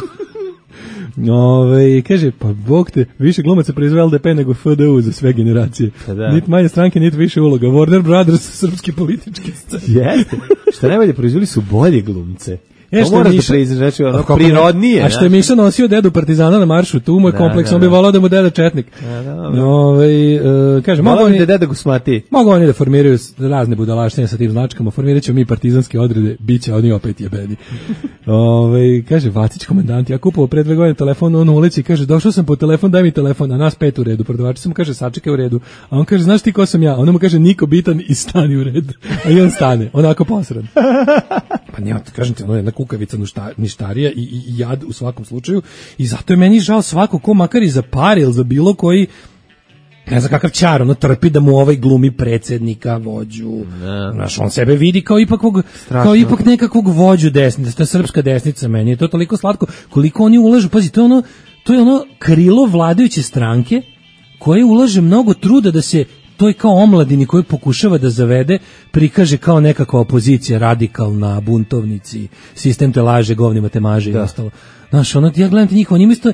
Ove, kaže, pa Bog te, više glumaca proizve L D P nego F D U za sve generacije. Da. Nit manje stranke, nit više uloga. Warner Brothers, srpski politički scen. Jeste. Što najbolje, proizveli su bolje glumce. E, to moraš da priznaš, znači ono prirodnije. A što je Miša nosio dedu partizana na maršu, tu mu je kompleks, on bi volao da mu deda četnik. Ovaj uh, kaže, mogu oni da deda Gusmati. Mogu oni da formiraju razne budalaštine sa tim značkama, formiraćemo mi partizanske odrede, biće oni opet jebeni. Ovaj kaže Vacić komandant, ja kupovao pre dve godine telefon, on uleći kaže, došao sam po telefon, daj mi telefon, a nas pet u redu, prodavač sam kaže, sačekaj u redu. A on kaže, znaš ti ko sam ja? On mu kaže, niko bitan i stani u red. A i on stane, onako posran. Pa nema, kažem ti, ono je jedna kukavica ništarija i, i, i jad u svakom slučaju i zato je meni žao svako ko makar i za par ili za bilo koji ne znam kakav čar, ono trpi da mu ovaj glumi predsjednika, vođu. Ne. Znaš, on sebe vidi kao ipak, kao ipak nekakvog vođu desnice, to je srpska desnica, meni je to toliko slatko, koliko oni ulažu, pazi, to je ono, to je ono krilo vladajuće stranke koje ulaže mnogo truda da se to je kao omladini koji pokušava da zavede, prikaže kao nekakva opozicija, radikalna, buntovnici, sistem te laže, govnima te maže da. I ostalo. Znaš, ono, ja gledam te njih, oni isto,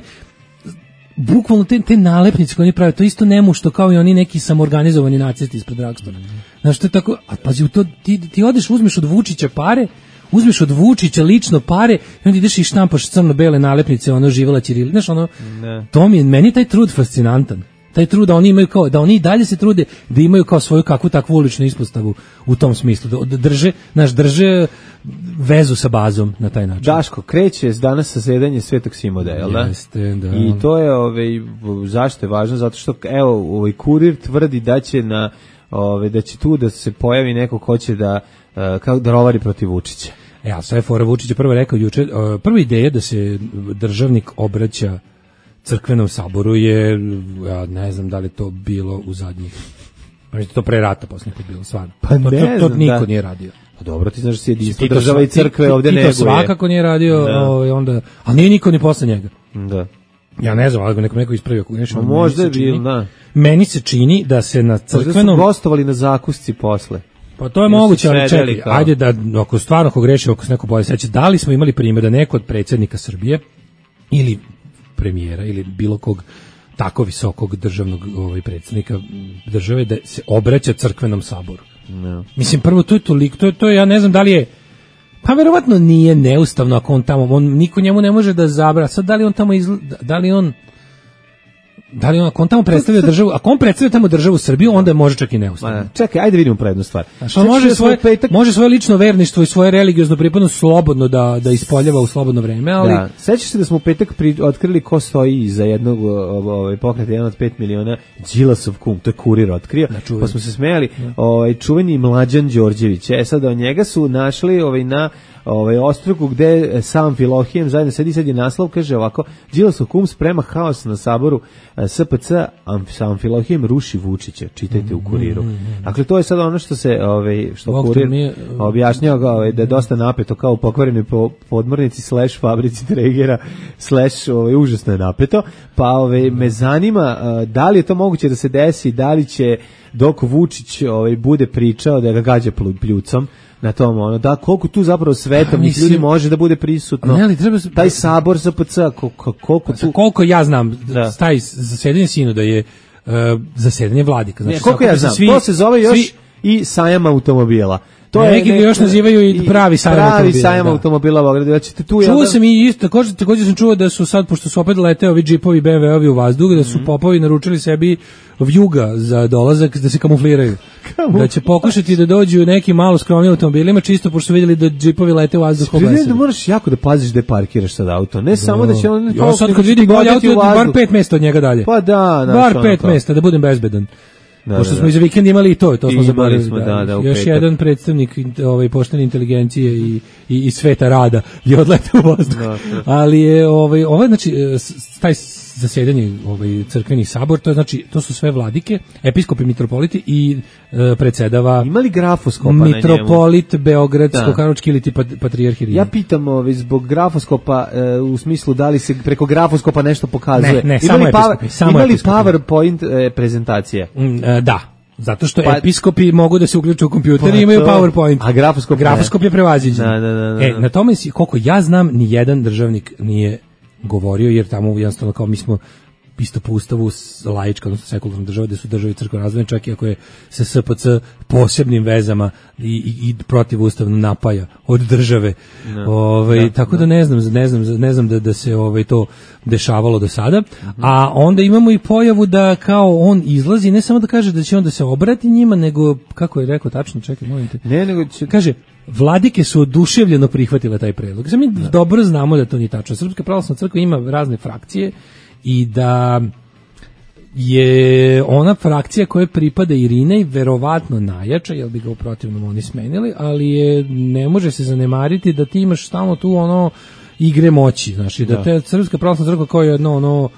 bukvalno te, te nalepnice koje oni prave, to isto nemušto kao i oni neki samoorganizovani nacisti ispred Dragstora. Mm. Znaš, to je tako, a pazi, u to, ti, ti odeš, uzmeš od Vučića pare, uzmeš od Vučića lično pare i onda ideš i štampaš crno-bele nalepnice, ono, živela Ćirili, znaš, ono, ne. To mi je, meni je taj trud fascinantan. Taj trud da oni imaju kao, da oni i dalje se trude da imaju kao svoju kakvu takvu uličnu ispostavu u tom smislu, da drže, naš drže vezu sa bazom na taj način. Daško, kreće danas sasedanje Svetog Simoda, jel da? Jeste, da. I to je, ovaj, zašto je važno? Zato što, evo, ovaj Kurir tvrdi da će na, ovaj, da će tu da se pojavi neko ko će da, kao da rovari protiv Vučića. E, a sve fora Vučić je prvo rekao juče, prva ideja da se državnik obraća crkvenom saboru je, ja ne znam da li to bilo u zadnjih, možda to pre rata posljednje bilo, stvarno. Pa ne to, to, to znam, niko da. Nije radio. Pa dobro, ti znaš da se jedinstvo država i crkve ovdje neguje. Ti to svakako nije radio, ovaj, onda, ali nije niko ni posle njega. Da. Ja ne znam, ali neko neko ispravio kako nešto. Možda je bil, da. Meni se čini da se na crkvenom... Možda su gostovali na zakusci posle. Pa to je moguće, ali čekaj, ajde da, ako stvarno ko greši, ako se neko bolje seća, da li smo imali primjer da neko od predsjednika Srbije ili premijera ili bilo kog tako visokog državnog ovaj predsjednika države da se obraća crkvenom saboru. No. Mislim, prvo to je toliko, to je, to je, ja ne znam da li je, pa verovatno nije neustavno ako on tamo, on, niko njemu ne može da zabra, sad da li on tamo izla, da li on da li on, ako on tamo predstavlja državu, ako on predstavlja tamo državu Srbiju, onda je može čak i neustavno. Čekaj, ajde vidimo prednu stvar. Znači, on može svoje, petak... može svoje lično verništvo i svoje religiozno pripadnost slobodno da, da ispoljava u slobodno vreme, ali... Da. Sećaš se da smo u petak pri, otkrili ko stoji iza jednog ovaj, pokreta, jedan od pet miliona, Đilasov kum, to je Kurir otkrio, da, pa smo se smejali, ovaj, čuveni Mlađan Đorđević, e sad od njega su našli ovaj, na ovaj ostruku gde sam Filohijem zajedno sedi, sad je naslov, kaže ovako, Đilasov kum sprema haos na saboru S P C, sam Filohijem ruši Vučića, čitajte u Kuriru. Dakle, to je sad ono što se, ovaj, što Bog Kurir je... objašnjava ovaj, da je dosta napeto kao u pokvarenoj podmornici slash fabrici Tregera slash ovaj, užasno je napeto, pa ovaj, me zanima da li je to moguće da se desi, da li će dok Vučić ovaj, bude pričao da ga gađa pljucom na tom, ono, da, koliko tu zapravo svetovnih ljudi može da bude prisutno. Ne, ali treba... Taj sabor S P C, koliko, koliko tu... Koliko ja znam, da. Taj zasedanje sinoda je uh, zasedanje vladika. Znači, ne, koliko ja znam, svi, to se zove još svi... i sajam automobila. To neki ga još nazivaju i pravi sajam pravi automobila. sajam automobila u Beogradu. Znači, tu čuo ja, sam i isto, također, također sam čuo da su sad, pošto su opet leteo ovi džipovi B M W-ovi u vazduh, da su mm-hmm. popovi naručili sebi vjuga za dolazak, da se kamufliraju. Kamu? Da će pokušati da dođu neki malo skromni automobilima, čisto pošto su vidjeli da džipovi lete u vazduh. Spremljeno da moraš jako da paziš da parkiraš sad auto. Ne da. Samo da će on... Ja sad kad vidim bolje auto, bar pet mesta od njega dalje. Pa da, bar pet mesta, da budem bezbedan. Da, pošto da, smo i za vikend imali i to, to smo zaboravili. Da, da, da, još petak. Jedan predstavnik ovaj poštene inteligencije i, i, i sveta rada je odletao u vazduh. Da, da. Ali je ovaj ovaj znači taj zasedanje ovaj crkveni sabor, to je znači to su sve vladike, episkopi, mitropoliti i e, predsedava imali grafoskopa mitropolit na njemu. Beogradsko-karlovački ili pat, patrijarh Irinej. Ja pitam ovaj zbog grafoskopa e, u smislu da li se preko grafoskopa nešto pokazuje. Ne, ne, imali samo episkopi, samo imali episkopi. PowerPoint e, prezentacije. Mm, e, da. Zato što pa, episkopi mogu da se uključe u kompjuter pa i imaju PowerPoint. A grafoskop, grafoskop je prevaziđen. Da, da, da, da. E, na tome, koliko ja znam, ni jedan državnik nije govorio, jer tamo jednostavno kao mi smo isto po ustavu laička, odnosno sekularna država, gde su države i crkva razvojene, čak i ako je se S P C posebnim vezama i, i, i protivustavno napaja od države. No. Ovaj, da, tako da. da ne znam, ne znam, ne znam da, da se ovaj, to dešavalo do sada. Uh-huh. A onda imamo i pojavu da kao on izlazi, ne samo da kaže da će on da se obrati njima, nego, kako je rekao tačno, čekaj, molim te. Ne, nego će... Kaže, vladike su oduševljeno prihvatile taj predlog. Znači, mi da. dobro znamo da to nije tačno. Srpska pravoslavna crkva ima razne frakcije i da je ona frakcija koja pripada Irinej verovatno najjača, jer bi ga u protivnom oni smenili, ali je, ne može se zanemariti da ti imaš stalno tu ono igre moći, znači da, da te Srpska pravoslavna crkva kao je jedno ono,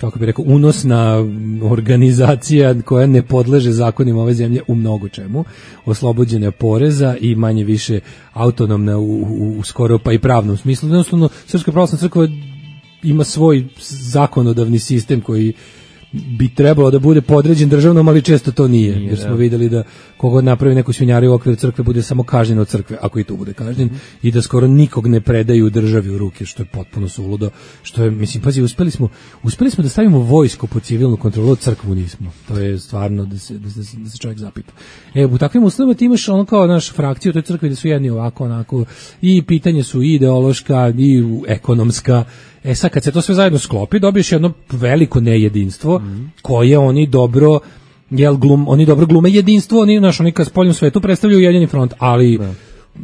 kako bi rekao, unosna organizacija koja ne podleže zakonima ove zemlje u mnogo čemu, oslobođena poreza i manje više autonomna u, u, u skoro pa i pravnom smislu. Jednostavno, Srpska pravoslavna crkva ima svoj zakonodavni sistem koji bi trebalo da bude podređen državnom, ali često to nije, nije jer smo da. videli da kogod napravi neku svinjariju u okviru crkve bude samo kažnjen od crkve, ako i tu bude kažnjen, mm. i da skoro nikog ne predaju državi u ruke, što je potpuno suludo, što je, mislim, pazi, uspeli smo, uspeli smo da stavimo vojsku pod civilnu kontrolu, od crkvu nismo. To je stvarno da se, da se, da se čovjek zapita. E, u takvim uslovima ti imaš ono kao naš frakciju u toj crkvi da su jedni ovako, onako, i pitanje su i ideološka, i ekonomska. E sad, kad se to sve zajedno sklopi, dobiješ jedno veliko nejedinstvo, mm. koje oni dobro, jel, glum, oni dobro glume jedinstvo, oni, znaš, oni kad spoljnom svetu predstavljaju Ujedinjeni front, ali da.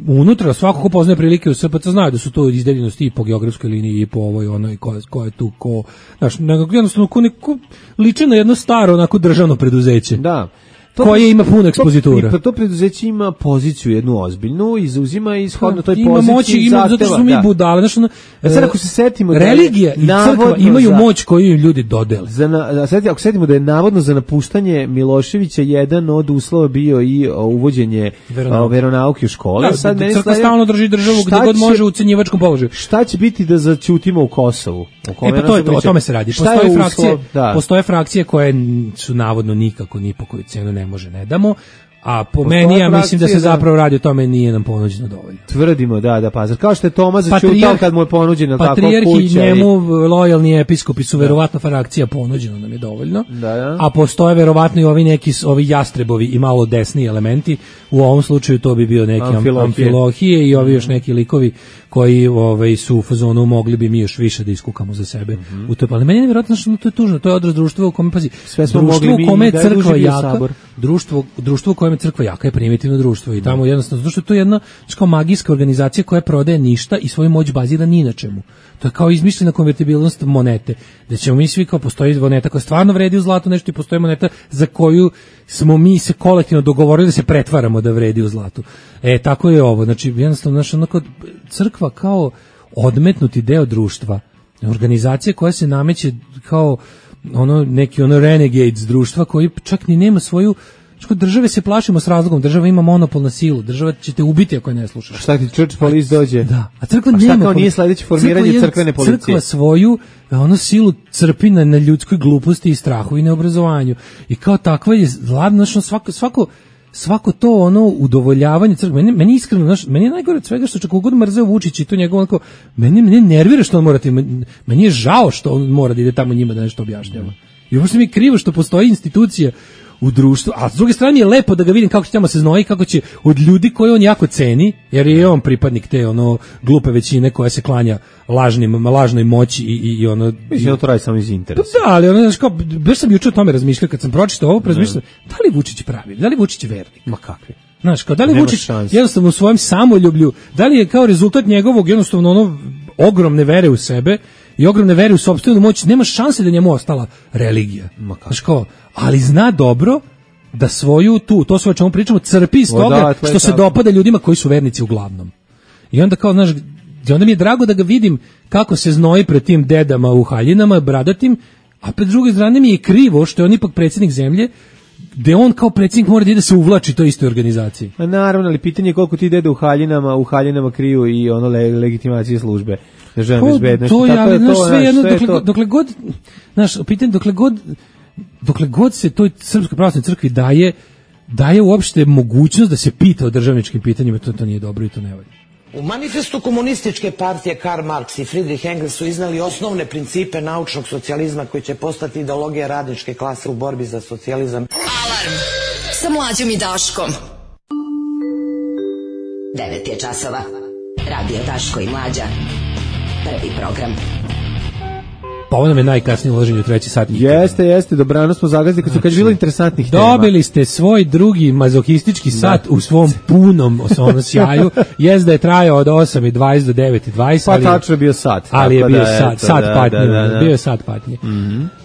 unutra svako ko poznaje prilike u S P C zna da su to izdeljenosti i po geografskoj liniji i po ovoj onoj ko, ko je tu, ko, znaš, jednostavno ko neko liče na jedno staro, onako državno preduzeće. Da. To koje ima puno ekspozitura. To, to preduzeće ima poziciju jednu ozbiljnu i zauzima ishodno toj ima poziciji moći, ima, zato što su mi da. budale. Znači, a sad ako se setimo... Religija i crkva imaju za, moć koju im ljudi dodele. Za na, sad, ako setimo da je navodno za napuštanje Miloševića jedan od uslova bio i uvođenje veronauke, veronauke u škole. Da, sad crkva slaje, stalno drži državu gde god može u cenjivačkom položaju. Šta će biti da zaćutimo u Kosovu? E pa to je to, o tome se radi. Postoje frakcije, da. postoje frakcije koje su navodno nikako ni po koju cenu ne može, ne damo. A po Postoje meni, ja mislim da se zapravo radi o tome, nije nam ponuđeno dovoljno. Tvrdimo, da, da, Pazar. Kao što je Toma začutao kad mu je ponuđeno tako kuća. Patrijarh i njemu lojalni episkopi su verovatno frakcija, ponuđeno nam je dovoljno. Da, da. A postoje verovatno i ovi neki, ovi jastrebovi i malo desni elementi. U ovom slučaju to bi bio neki Amfilohije, Amfilohije i ovi još neki likovi koji ovaj, su u fazonu mogli bi mi još više da iskukamo za sebe. Mm-hmm. U to, ali meni je nevjerojatno što to je tužno. To je odraz društva u kome, pazi, sve smo društvo mogli u kome je da crkva je jaka, sabor. društvo, društvo u kojem je crkva jaka je primitivno društvo i tamo jednostavno, zato što je to jedna kao magijska organizacija koja prodaje ništa i svoju moć bazira ni na čemu. To je kao izmišljena konvertibilnost monete, da ćemo mi svi kao postoji moneta koja stvarno vredi u zlatu nešto i postoji moneta za koju smo mi se kolektivno dogovorili da se pretvaramo da vredi u zlatu. E, tako je ovo, znači jednostavno naša onako crkva kao odmetnuti deo društva, organizacija koja se nameće kao ono neki ono renegades društva koji čak ni nema svoju. Što države se plašimo s razlogom, država ima monopol na silu, država će te ubiti ako je ne slušaš. Šta ti church police dođe? Da, a crkva a nema. Šta kao nije sledeće formiranje crkva crkvene policije? Crkva svoju ono silu crpi na, na ljudskoj gluposti i strahu i neobrazovanju. I kao takva je ladno, svako, svako, svako to ono udovoljavanje crkve. Meni, meni iskreno, znaš, meni je najgore od svega što čak god mrzeo Vučić i to njegovo onako, meni, meni nervira što on mora, meni je žao što on mora da ide tamo njima da nešto objašnjava. I uopšte mi je krivo što postoji institucija u društvu, a s druge strane je lepo da ga vidim kako će tamo se znoji, kako će od ljudi koje on jako ceni, jer je on pripadnik te ono glupe većine koja se klanja lažnim, lažnoj moći i, i, i ono... Mislim da to radi samo iz interesa. Da, ali ono, znaš kao, baš sam juče o tome razmišljao, kad sam pročitao ovo, razmišljao, da li Vučić pravi, da li Vučić je vernik? Ma kakvi? Znaš, kao, da li Vučić jednostavno u svojem samoljublju, da li je kao rezultat njegovog jednostavno ono ogromne vere u sebe i ogromne vere u sopstvenu moć, nema šanse da njemu ostala religija. Znaš kao, ali zna dobro da svoju tu, to sve o čemu pričamo, crpi iz toga Odatle, što se tako. dopada ljudima koji su vernici uglavnom. I onda kao, znaš, onda mi je drago da ga vidim kako se znoji pred tim dedama u haljinama, bradatim, a pred druge strane mi je krivo što je on ipak predsjednik zemlje, gde on kao predsjednik mora da ide se uvlači toj istoj organizaciji. A naravno, ali pitanje je koliko ti dede u haljinama, u haljinama kriju i ono le, legitimacije službe. Državne bezbednosti. To je, ali, znaš, sve jedno, dokle, to? dokle god, znaš, pitanje, dokle god, dokle god se toj Srpskoj pravoslavnoj crkvi daje, daje uopšte mogućnost da se pita o državničkim pitanjima, to, to nije dobro i to ne valja. U manifestu komunističke partije Karl Marx i Friedrich Engels su iznali osnovne principe naučnog socijalizma koji će postati ideologija radničke klase u borbi za socijalizam. Alarm sa Mlađom i Daškom. devet je časova. Radio Daško i Mlađa. Prvi program. Pa ovo nam je najkasnije uloženje u treći sat. Jeste, jeste, dobrano smo zagazili kad su kad bilo interesantnih tema. Dobili ste svoj drugi mazohistički sat u svom punom osnovnom sjaju. Jest da je trajao od osam i dvadeset do devet i dvadeset. Pa tačno je bio sat. Ali je bio sat, sat patnje. Bio je sat patnje.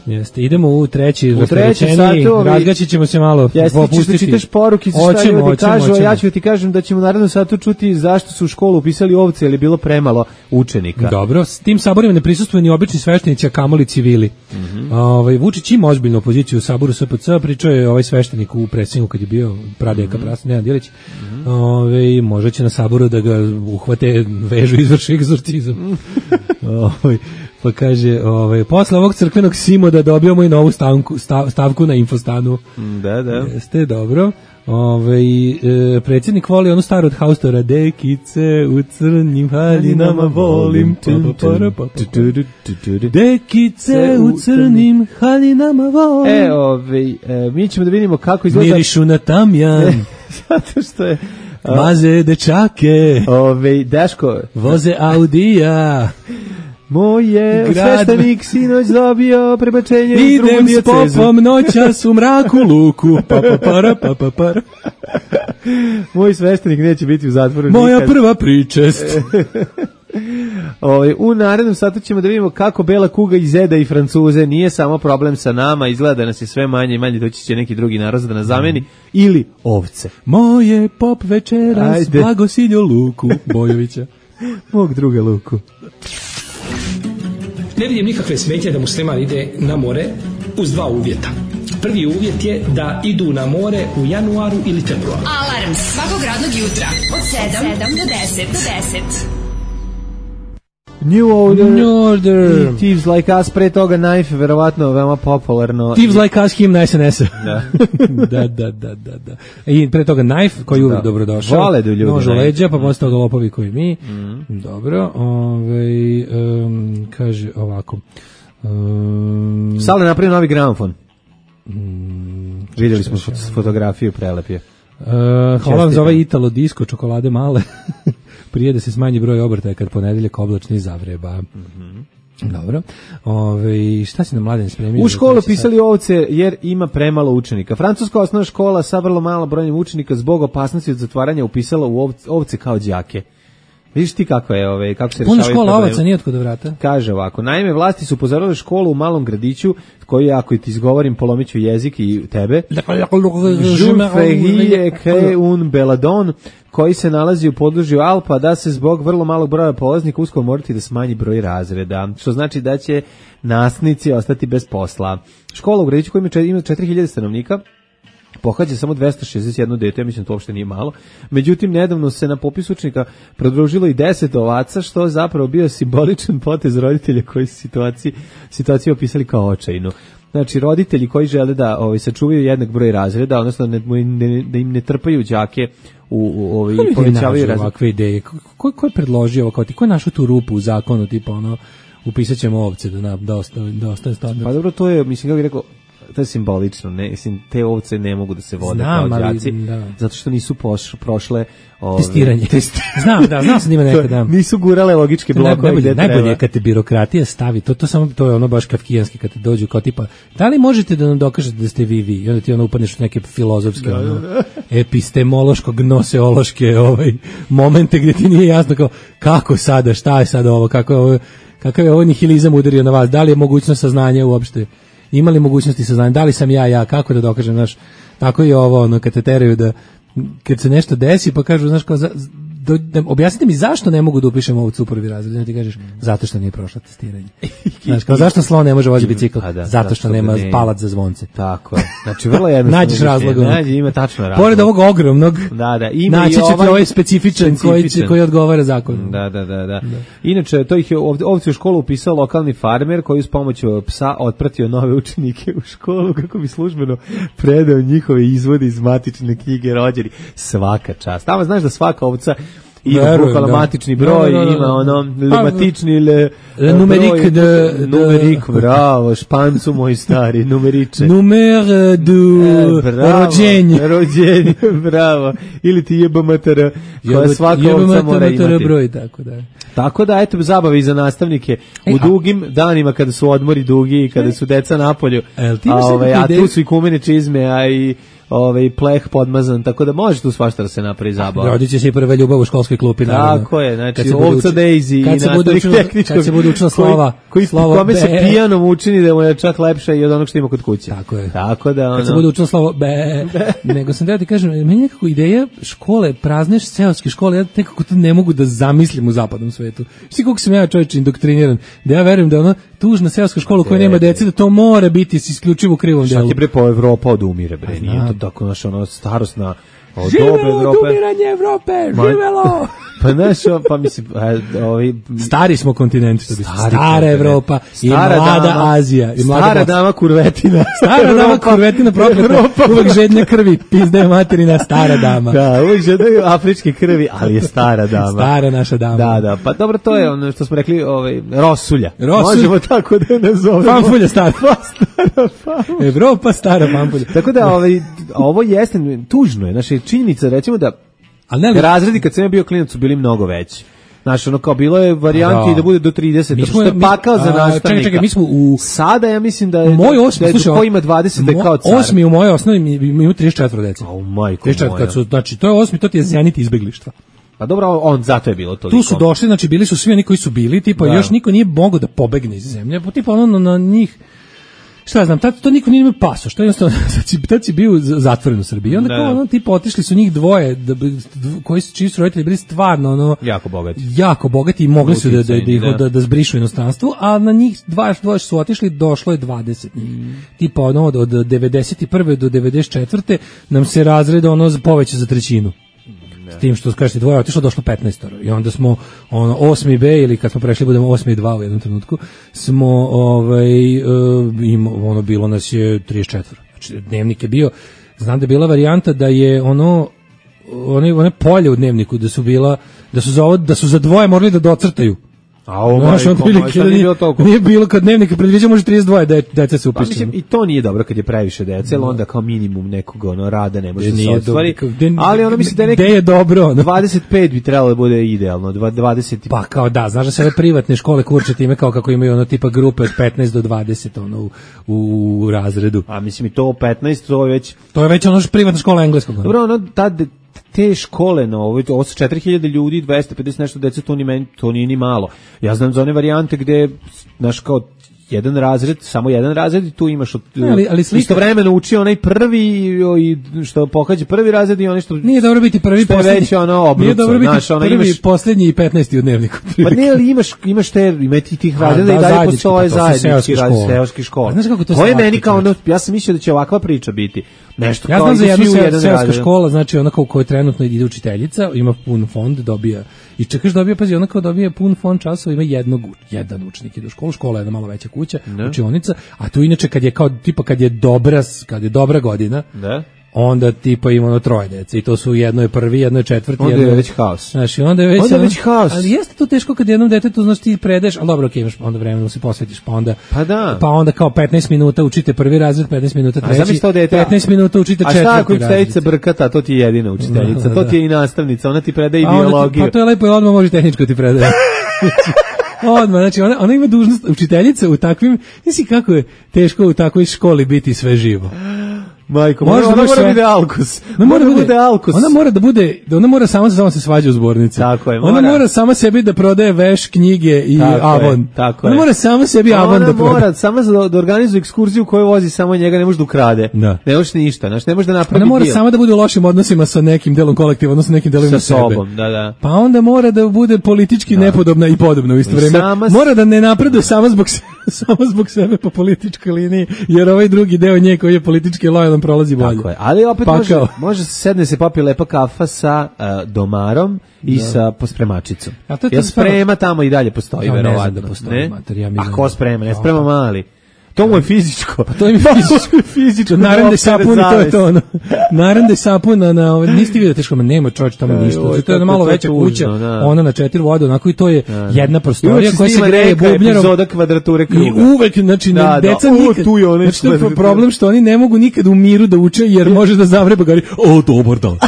Jeste, idemo u treći, u treći sat, razgaćit ćemo se malo, jeste, popustiti. Čitaš poruke, šta oćemo, ljudi oćemo, kažu, oćemo. ja ću ti kažem da ćemo u narednom satu čuti zašto su u školu upisali ovce, jer je bilo premalo učenika. Dobro, s tim saborima ne prisustvuju ni obični sveštenici, a kamoli civili. Mm -hmm. ovaj, Vučić ima ozbiljnu opoziciju u saboru S P C, pričao je ovaj sveštenik u predsjedniku kad je bio pradeka, mm -hmm. prasno, Nenad Djelić. Mm -hmm. ovaj, možda će na saboru da ga uhvate, vežu, izvrši egzorcizam. Mm -hmm. ovaj, pa kaže, ovaj, posle ovog crkvenog simoda dobijamo i novu stavku, stav, stavku na Infostanu. Da, da. Jeste, dobro. Ove, e, predsjednik voli onu staru od Haustora, dekice u crnim haljinama volim, dekice u crnim haljinama volim. E, ove, e, mi ćemo da vidimo kako izgleda. Mirišu na tamjan. Zato što je maze dečake. Ove, Daško. Voze Audija. Moje sveštenik sinoć dobio prebačenje u drugu idem dijacezu. S popom noćas u mraku luku. Pa, pa, para, pa, pa, para. Moj sveštenik neće biti u zatvoru moja nikad. Prva pričest. Ovaj, u narednom satu ćemo da vidimo kako bela kuga izeda i Francuze. Nije samo problem sa nama, izgleda da nas je sve manje i manje, doći će neki drugi narod da nas zameni, ili ovce. Moje pop večeras, Blagosiljo Luku Bojovića. Mog druga Luku. Ne vidim nikakve smetnje da musliman ide na more uz dva uvjeta. Prvi uvjet je da idu na more u januaru ili februaru. Alarm svakog radnog jutra od sedam do deset. Do deset. New Order, New Order. i Thieves Like Us, pre toga Knife, verovatno veoma popularno. Thieves Like Us, himna S N S-a. Da. da, da, da, da, da. I pre toga Knife, koji uvijek dobro došao. Vole da ljudi. Nož u leđa, pa posle toga lopovi koji mi. Mm. Dobro, ovaj, um, kaže ovako. Um, Sale napravio novi gramofon. Mm, Vidjeli smo fot- fotografiju, prelep je. Uh, hvala vam za ovaj Italo Disco, čokolade male. Prije da se smanji broj obrtaja kad ponedeljak oblačni zavreba. Mm-hmm. Dobro. Ove, šta si na Mladen spremio? U školu pisali ovce jer ima premalo učenika. Francuska osnovna škola sa vrlo malo brojem učenika zbog opasnosti od zatvaranja upisala u ovce, ovce kao đake. Vidiš ti kako je, ove, kako se rešavaju problemi. Puno škola ovaca nije otkud da vrata. Kaže ovako, naime, vlasti su upozorile školu u malom gradiću, koji, ako ti izgovorim, polomiću jezik i tebe. Jules Ferrier un Belladon, koji se nalazi u području Alpa, da se zbog vrlo malog broja polaznika uskoro morati da smanji broj razreda, što znači da će nastavnici ostati bez posla. Škola u gradiću koja ima četiri hiljade stanovnika, pohađa samo dvesta šezdeset jedno dete, ja mislim da to uopšte nije malo. Međutim, nedavno se na popis učenika prodružilo i deset ovaca, što je zapravo bio simboličan potez roditelja koji su situaciju, situaciju opisali kao očajnu. Znači, roditelji koji žele da ovaj, sačuvaju jednak broj razreda, odnosno ne, ne, da im ne trpaju đake u, u ovaj, povećavaju razreda. Ovakve ideje. Ko, ko je predložio ovo? Kao ti, ko je našao tu rupu u zakonu, tipa ono, upisat ćemo ovce da, na, da, ostane, da ostane standard? Pa dobro, to je, mislim, kako bih rekao, to je simbolično, ne, mislim, te ovce ne mogu da se vode znam, kao đaci, da. zato što nisu poš, prošle ove, testiranje. Test... znam, da, znam sam ima nekad, da. Nisu gurale logičke blokove. Najbolje, najbolje je kad te birokratija stavi, to, to, samo, to je ono baš kafkijanski, kad te dođu kao tipa, da li možete da nam dokažete da ste vi vi? I onda ti ono upadneš u neke filozofske, da, ono, da. epistemološko, gnoseološke ovaj, momente gdje ti nije jasno kao, kako sada, šta je sada ovo, kako je ovo, kakav je ovo nihilizam udario na vas, da li je mogućnost saznanja uopšte? Ima li mogućnosti saznanja, da li sam ja ja, kako da dokažem, znaš, tako je ovo, ono, kad te teraju da, kad se nešto desi, pa kažu, znaš, kao, za, do, da, objasnite mi zašto ne mogu da upišem ovcu u prvi razred, da ti kažeš, zato što nije prošla testiranje. Znaš, kao, zašto slon ne može voziti bicikl? Da, zato što nema ne... palac za zvonce. Tako je. Znači, vrlo jednostavno. Nađeš razlog. Nađi, ima tačno razlog. Pored ovog ogromnog, da, da, ima naći će ovaj ti ovaj specifičan, specifičan. Koji, koji odgovara zakonu. Da, da, da, da, da. Inače, to ih je ovdje, ovdje u školu upisao lokalni farmer koji s pomoću psa otpratio nove učenike u školu kako bi službeno predao njihove izvode iz matične knjige rođeni. Svaka čast. Tamo znaš da svaka ovca ima bukvalno matični broj, da, da, da, ima ono limatični le, le numerik de numerik, bravo, špancu moj stari, numeriče. Numer du e, rođenje. Rođenje, bravo. Ili ti jeba matera, koja svaka ovca mora imati. Broj, tako da. Tako da, eto, zabave i za nastavnike e, u dugim danima kada su odmori dugi i kada su deca napolju, a, ove, a tu su i kumene čizme, a i ovaj pleh podmazan, tako da može tu svašta da se napravi zabava. Rodit će se i prva ljubav u školskoj klupi, naravno. Tako je, znači ovca Daisy i nastavnik tehničkog. Kad se bude učila slova, koji slova kome se pijanom učini da mu je čak lepše i od onog što ima kod kuće. Tako je. Tako da ono. Kad se bude učila slovo be, nego sam da ti kažem, meni nekako ideja škole, prazne seoske škole, ja nekako to ne mogu da zamislim u zapadnom svetu. Šti koliko sam ja čovječ indoktriniran, da ja verujem da ona tužna seoska škola koja nema dece, da to mora biti s isključivo u krivom delu. Šta ti bre po Evropa odumire bre, nije to tako naša ono starosna od živelo odumiranje Evrope, živelo! Pa znaš, pa mislim, ovi... Stari smo kontinent, što bi stara Evropa i mlada Azija. I mlada stara dama kurvetina. Stara dama kurvetina prokleta, uvek žedne krvi, pizde materina, stara dama. Da, uvek žedne afričke krvi, ali je stara dama. Stara naša dama. Da, da, pa dobro, to je ono što smo rekli, ovaj, rosulja. Rosulja. Možemo tako da je nazovemo. Fanfulja stara. Pa stara fanfulja. Evropa stara fanfulja. Tako da, ovaj, ovo jeste, tužno je, znači, činjenica, recimo da ali razredi kad sam ja bio klinac su bili mnogo veći. Znaš, ono kao bilo je varijanti da, da bude do trideset, što je pakao za nastavnika. Čekaj, čekaj, mi smo u... Sada ja mislim da je, moj osmi, da je slušaj, ko ima dvadeset da je kao car. Osmi u mojoj osnovi ima trideset četiri dece. A u majku trideset četiri, kad su, znači, to je osmi, to ti je zenit izbeglištva. Pa dobro, on zato je bilo toliko. Tu su došli, znači bili su svi oni koji su bili, tipa da. Još niko nije mogao da pobegne iz zemlje, pa tipa ono na njih. Šta ja znam, tad to niko nije imao paso, što je jednostavno, tad si bio zatvoren u Srbiji, onda kao ono, tipa, otišli su njih dvoje, da, koji su, čiji su roditelji bili stvarno, ono, jako bogati, jako bogati i mogli su da, da, da, da, da zbrišu inostranstvu, a na njih dva, dvoje su otišli, došlo je dvadeset njih. Mm. Tipa, ono, od, od devedeset prve do devedeset četvrte nam se razred, ono, poveća za trećinu. S tim što kažete dvoje otišlo, došlo petnaest i onda smo ono osmi B ili kad smo prešli budemo osmi dva u jednom trenutku smo ovaj uh, im, ono bilo nas je trideset četiri. Znači dnevnik je bio, znam da je bila varijanta da je ono one one polje u dnevniku da su bila da su za ovo, da su za dvoje morali da docrtaju. A ovo znaš, on prilike, nije, bilo nije bilo kad dnevnika predviđa može trideset dva de, dece se upiše. Pa mislim i to nije dobro kad je previše dece, ali onda kao minimum nekog ono rada ne može da se ostvari. Ali ono mislim da je, neki, je dobro, ono. dvadeset pet bi trebalo da bude idealno, dvadeset. Pa kao da, znaš da se ove privatne škole kurče time kao kako imaju ono tipa grupe od petnaest do dvadeset ono u, u, u razredu. A mislim i to petnaest to je već to je već ono privatna škola engleskog. Dobro, ono tad te škole na ovo, ovo su četiri hiljade ljudi, dvesta pedeset nešto dece, to, ni meni, to nije ni malo. Ja znam za one varijante gde, znaš, kao jedan razred, samo jedan razred i tu imaš od, ali, ali slika, istovremeno uči onaj prvi i što pohađa prvi razred i onaj što nije dobro biti prvi poslednji, ono obruca, nije dobro biti znaš, prvi imaš, poslednji i petnaesti u dnevniku. Pa ne, ali imaš, imaš te, ima ti tih razreda da, i dalje postoje zajednički razred seoskih škola. Znaš kako to, to je meni kao ono, ja sam mislio da će ovakva priča biti. Nešto ja znam za jednu seoska škola, znači ona kao koja trenutno ide učiteljica, ima pun fond, dobija i čekaš dobija, pazi, ona kao dobija pun fond časova, ima jednog, jedan učenik ide u školu, škola je jedna malo veća kuća, ne. Učionica, a tu inače kad je kao tipa kad je dobra, kad je dobra godina, ne. Onda tipa ima ono troje dece i to su jedno je prvi, jedno je četvrti, onda jedno je već haos. Znači onda je već, onda je već haos. Ali jeste to teško kad jednom detetu znaš ti predeš, al dobro, okej, imaš onda vremena se posvetiš, pa onda pa da. Pa onda kao petnaest minuta učite prvi razred, petnaest minuta treći, petnaest minuta učite četvrti razred. A šta ako učiteljica brkata, to ti je jedina učiteljica, to ti je i nastavnica, ona ti predaje i biologiju. Pa to je lepo, odmah može tehničko ti predaje. Odmah, znači ona, ona ima dužnost učiteljica u takvim, nisi kako je teško u takvoj školi biti sve živo. Majko, mora, ona mora da bude alkus. Ona mora da bude alkus. Ona mora da bude, ona mora sama sama se svađa u zbornici. Tako je, mora. Ona mora sama sebi da prodaje veš, knjige i tako Avon. Je, tako ona je. mora sama sebi ona Avon da prodaje. Ona mora sama da, da organizuje ekskurziju koju vozi samo njega, ne može da ukrade. Da. Ne može ništa, znači ne može da napravi. Ona mora dio. sama da bude u lošim odnosima sa nekim delom kolektiva, odnosno nekim delovima sa sobom, da, da. Pa onda mora da bude politički da. nepodobna i podobna u isto vrijeme. Sama mora da ne napreduje sama zbog samo zbog sebe po političkoj liniji, jer ovaj drugi deo nje koji je politički lojalan prolazi bolje. Tako je, ali opet može, može se sedne se popije lepa kafa sa uh, domarom i da. sa pospremačicom. Ja sprema tamo i dalje postoji, ja, verovatno. Ne znam da postoji, ne? mater, ja a ko sprema? Ne sprema mali. To mu je fizičko. Pa to je fizičko. fizičko. Narande sapun i to je to ono. Narande sapun na, na ovaj, niste vidio teško, nema čovječ tamo ništa. To je malo veća kuća, ona na četiri vode, onako i to je jedna prostorija koja se greje bubnjarom. Epizoda kvadrature kruga. I uvek, znači, da, deca da, nikad, tu je onaj znači, to je problem što oni ne mogu nikad u miru da uče, jer može da zavreba gari, o, dobar dan.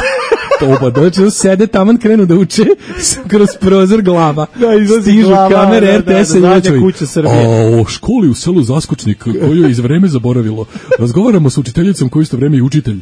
Dobar dan, znači, sede taman, krenu da uče, kroz prozor glava, da, stižu glava, kamere, da, R T S-a da, i nečovi. A o školi u selu Zaskočnik, koju je iz vreme zaboravilo. Razgovaramo s učiteljicom koju isto vreme i učitelj.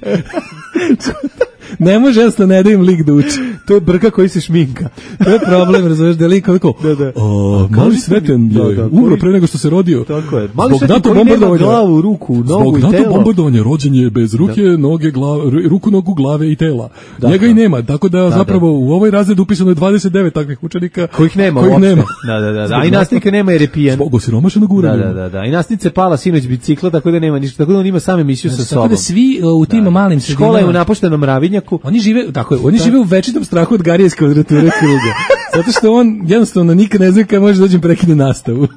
Ne može jednostavno ne da im lik da uči. To je brka koji se šminka. To je problem, razumiješ, da je lik kako... Da, da. O, mali Sveten je da, da, umro pre nego što se rodio. Tako je. Mali Sveten koji nema glavu, ruku, nogu i telo. Zbog NATO bombardovanja rođen je bez ruke, da. noge, glave, ruku, nogu, glave i tela. Da, Njega da. i nema, tako da, da zapravo da. u ovoj razredu upisano je dvadeset devet takvih učenika kojih nema. Kojih nema. Da, da, da. A i nastavnika nema jer je pijan. Zbog osiromašenog uranja. Da, da, da. I nastavnica je pala sinoć bicikla, tako da nema ništa. Tako da on ima sam emisiju sa sobom. Tako da svi u tim malim sredinama. Škola je u napuštenom Ravinjaku. Oni žive tako je, oni žive u večitom strahu od Garije iz kvadrature kruga. Zato što on jednostavno nikad ne zna kada može dođem prekine nastavu.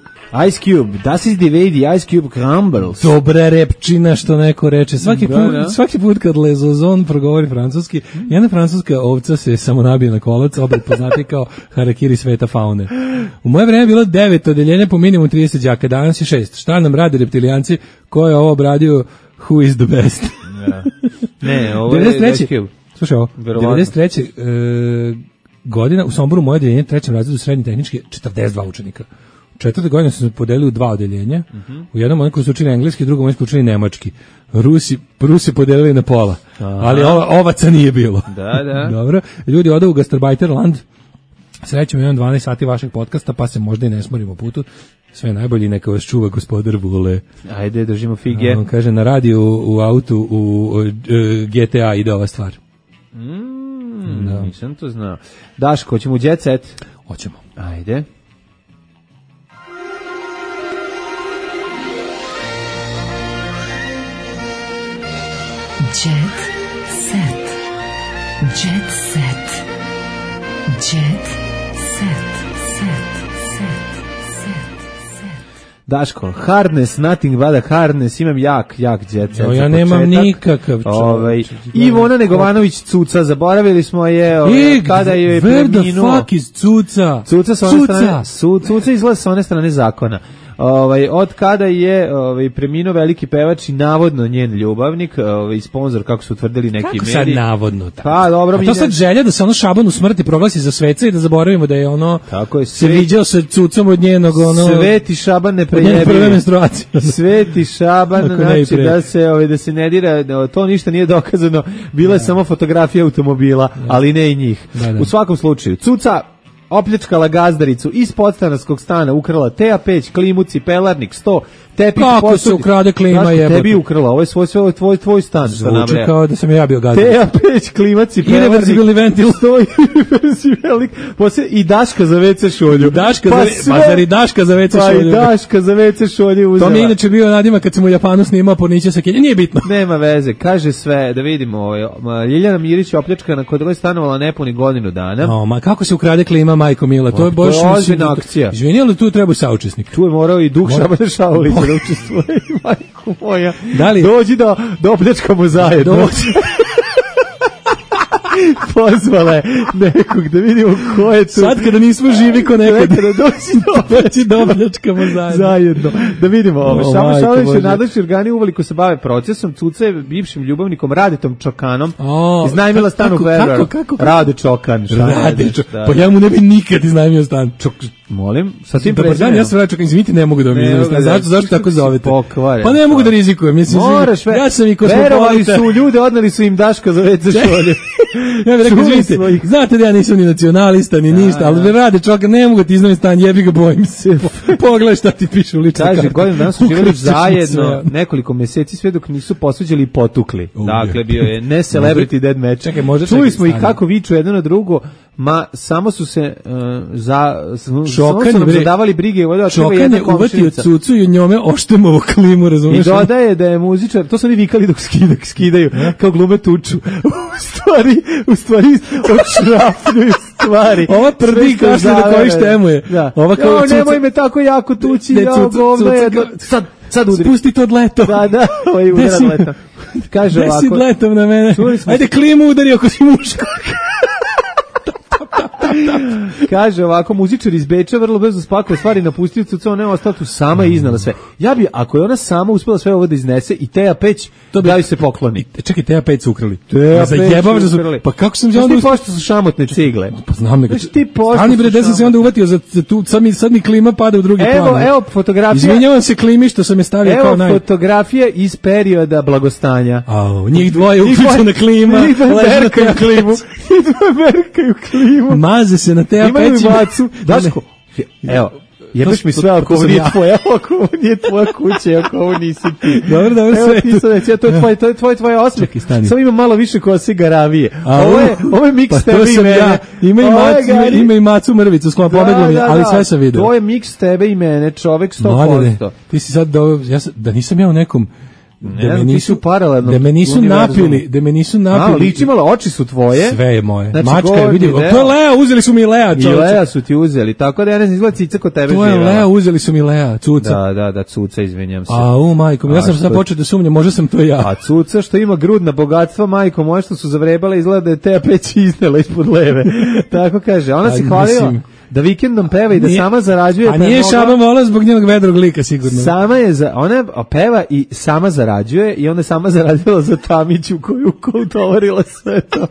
Ice Cube, das ist die Way die Ice Cube crumbles. Dobra repčina što neko reče. Svaki put, da, da. svaki put kad Lezozon progovori francuski, jedna francuska ovca se samo nabije na kolac, obred poznati kao harakiri sveta faune. U moje vreme je bilo devet odeljenja po minimum trideset đaka, danas je šest. Šta nam rade reptilijanci? Ko je ovo obradio? Who is the best? Ja. Ne, ovo je Ice Cube. Slušaj ovo, devedeset treće E, godina u Somboru moje odeljenje trećem razredu srednje tehničke četrdeset dva učenika. Četvrte godine su se podelili u dva odeljenja. Uh-huh. U jednom oni koji su učili engleski, u drugom oni koji su učili nemački. Rusi, Rusi podelili na pola. Aha. Ali ova, ovaca nije bilo. Da, da. Dobro. Ljudi odu u Gastarbajterland. Srećemo imam dvanaest sati vašeg podcasta, pa se možda i ne smorimo putu. Sve najbolje, neka vas čuva gospodar Vule. Ajde, držimo fige. On kaže, na radiju, u, u autu, u, u, u G T A ide ova stvar. Mm, da. Nisam to znao. Daško, hoćemo u Jet Set? Hoćemo. Ajde. Jet Set. Jet Set. Jet Set. Set. Set. Set. Daško, hardness, nothing but a hardness, imam jak, jak jet set. Ja, ja nemam nikakav ovaj, Ivona Negovanović Cuca, zaboravili smo je ovaj, kada je preminuo. Where the fuck is Cuca? Cuca sa one strane, su, Cuca izgleda sa one strane zakona. Ovaj, od kada je ovaj, preminuo veliki pevač i navodno njen ljubavnik, ovaj, sponsor, kako su utvrdili neki mediji. Kako sad navodno? Tako. Pa, dobro, a to sad želja da se ono Šabanu smrti proglasi za sveca i da zaboravimo da je ono tako je, se viđao sa Cucom od njenog ono Sveti Šaban ne prejebi. Prve menstruacije. Sveti Šaban, znači da se ovaj, da se ne dira, to ništa nije dokazano, bila je da. samo fotografija automobila, da. ali ne i njih. Da, da. U svakom slučaju, Cuca opljačkala gazdaricu iz podstanarskog stana, ukrala T A peć, klimu, cipelarnik, sto, tepih, kako posudi. Se ukrade klima jebote? Tebi ukrala, ovo je svoj, svoj, tvoj, tvoj stan. Zvuči kao da sam ja bio gazdarica. T A peć, klima, cipelarnik, irreverzibilni ventil, sto, irreverzibilni, posle i daška za ve ce šolju. Daška pa za, sve, pa zar i daška za ve ce šolju? Pa i daška za ve ce šolju uzela. To mi je inače bio nadimak kad sam u Japanu snimao Pornića sa Kenja, nije bitno. Nema veze, kaže sve, da vidimo, ovaj, Ljiljana Mirić je opljačkana kod koje stanovala nepuni godinu dana. No, ma kako se ukrade klima, majko mila, to je baš ozbiljna akcija. Izvini, ali tu treba saučesnik. Tu je morao i Duh Šabana Šaulića da učestvuje, majko moja. Da li? Dođi da, da opljačkamo zajedno. Dođi. Pozvala je nekog da vidimo ko je tu. Sad kada nismo živi ko nekad. Kada dođi do opljačkamo zajedno. Zajedno. Da vidimo ovo. Šabana Šaulić je nadležni organi uveliko se bave procesom. Cuca je bivšim ljubavnikom Radetom Čokanom. O, iznajmila stan u Februaru. Rade Čokan. Rade Čokan. Pa ja mu ne bi nikad iznajmio stan. Čok, molim, sa tim prezimenom. Ja sam Rade Čokan, izvinite, ne mogu da mi iznajmio stan. Zašto, zašto tako zovete? Pa ne mogu da rizikujem. Moraš, ja sam i verovali su ljude, odneli su im Daška za ve ce šolje. Ja bih rekao, izvinite, znate da ja nisam ni nacionalista, ni ništa, ali Rade Čokan, ne mogu ti iznajmiti stan, jebi ga, bojim se. Pogledaj šta ti piše u ličnu kartu. Kaže, godinu dana su živjeli zajedno nekoliko meseci, sve dok nisu posvađali i potukli. Dakle, bio je ne celebrity dead match. Čekaj, možda čuli smo ih kako viču jedno na drugo, ma samo su se uh, za samo su nam zadavali brige, Čokan je uvatio Cucu i njome oštemovo klimu, razumiješ? I dodaje da je muzičar, to su oni vikali dok skida, skidaju, kao glume tuču. U stvari, u stvari odšrafljuju stvari. Ova prdi kaže da koji štemuje. Da. Ova kao, nemoj me tako jako tući, ja govno je. Sad Sad udri. Spusti to od leto. Da, da, ovaj udara od leto. Kaže ovako. Desi letom na mene. Ajde klimu udari ako si muško. Kaže ovako, muzičar iz Beča vrlo brzo spakao stvari, napustio cucu, ona je ostala tu sama i iznala sve. Ja bi, ako je ona sama uspela sve ovo da iznese i Teja Peć, to bi daju se pokloni. Čekaj, Teja Peć su ukrali. Teja Peć su ukrali. Pa kako sam ja onda... Ti pošto su šamotne cigle. Pa znam nego. Znači ti pošto Ani bre, da sam se onda uvatio za, za tu, sad mi, sad mi klima pada u drugi evo, plan. Evo fotografija. Izvinjavam se klimi što sam je stavio evo kao naj... Evo fotografija iz perioda blagostanja. Au, njih dvoje uključena klima. Njih dvoje merkaju klimu. Njih dvoje merkaju klimu. Maze se na Teja Peć. Imaju macu. Daško, evo, jebeš mi sve ako ovo nije tvoja, ako ovo nije tvoja kuća, ako ovo nisi ti. Dobro, dobro, sve. Evo ti sad reći, to je tvoje, to je tvoje, tvoje osmeh. Samo ima malo više kose garavije. Ovo je, ovo je miks tebe i mene. Ima i macu, ima i macu mrvicu, sklon pobeglo mi, ali sve sam vidio. To je miks tebe i mene, čovek sto posto. Ti si sad, da nisam ja u nekom... Ne, da me nisu paralelno. Da me nisu napili, da me nisu napili. A, liči malo, oči su tvoje. Sve je moje. Znači, mačka je, vidi, to je Lea, uzeli su mi Lea, čovječe. I Lea su ti uzeli, tako da ja ne znam, izgleda cica kod tebe živjela. To je Lea, uzeli su mi Lea, cuca. Da, da, da, cuca, izvinjam se. A, u, majko, ja sam sad počeo da sumnjam, možda sam to ja. A cuca što ima grudna bogatstva, majko, moje što su zavrebale, izgleda da je Teja Peć iznela ispod leve. Tako kaže, ona se hvalila da vikendom peva i da nije, sama zarađuje. A nije Šaba vola zbog njenog vedrog lika, sigurno. Sama je, za, ona peva i sama zarađuje i ona je sama zaradila za Tamiću koju utovarila sve to.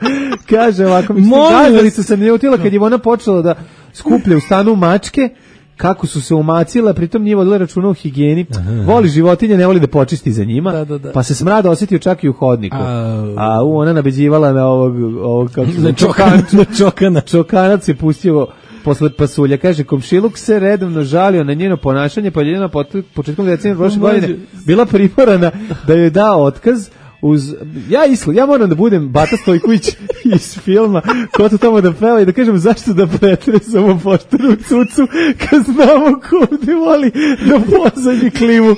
Kaže ovako, mislim, gazalica se ne utila kad je ona počela da skuplja u stanu mačke, kako su se umacile, pritom nije vodila računa o higijeni. Aha. Voli životinje, ne voli da počisti za njima, da, da, da. Pa se smrad osjetio čak i u hodniku. A, A u, ona nabeđivala na ovog, ovog kako se na čokan, na čokana. Čokanac je pustio posle pasulja. Kaže, komšiluk se redovno žalio na njeno ponašanje, pa je njena početkom decembra prošle godine bila primorana da joj da otkaz. Uz, ja islo, ja moram da budem Bata Stojković iz filma ko to tamo da peva i da kažem zašto da pretresamo pošteru cucu kad znamo ko ovdje voli da pozadnji klimu.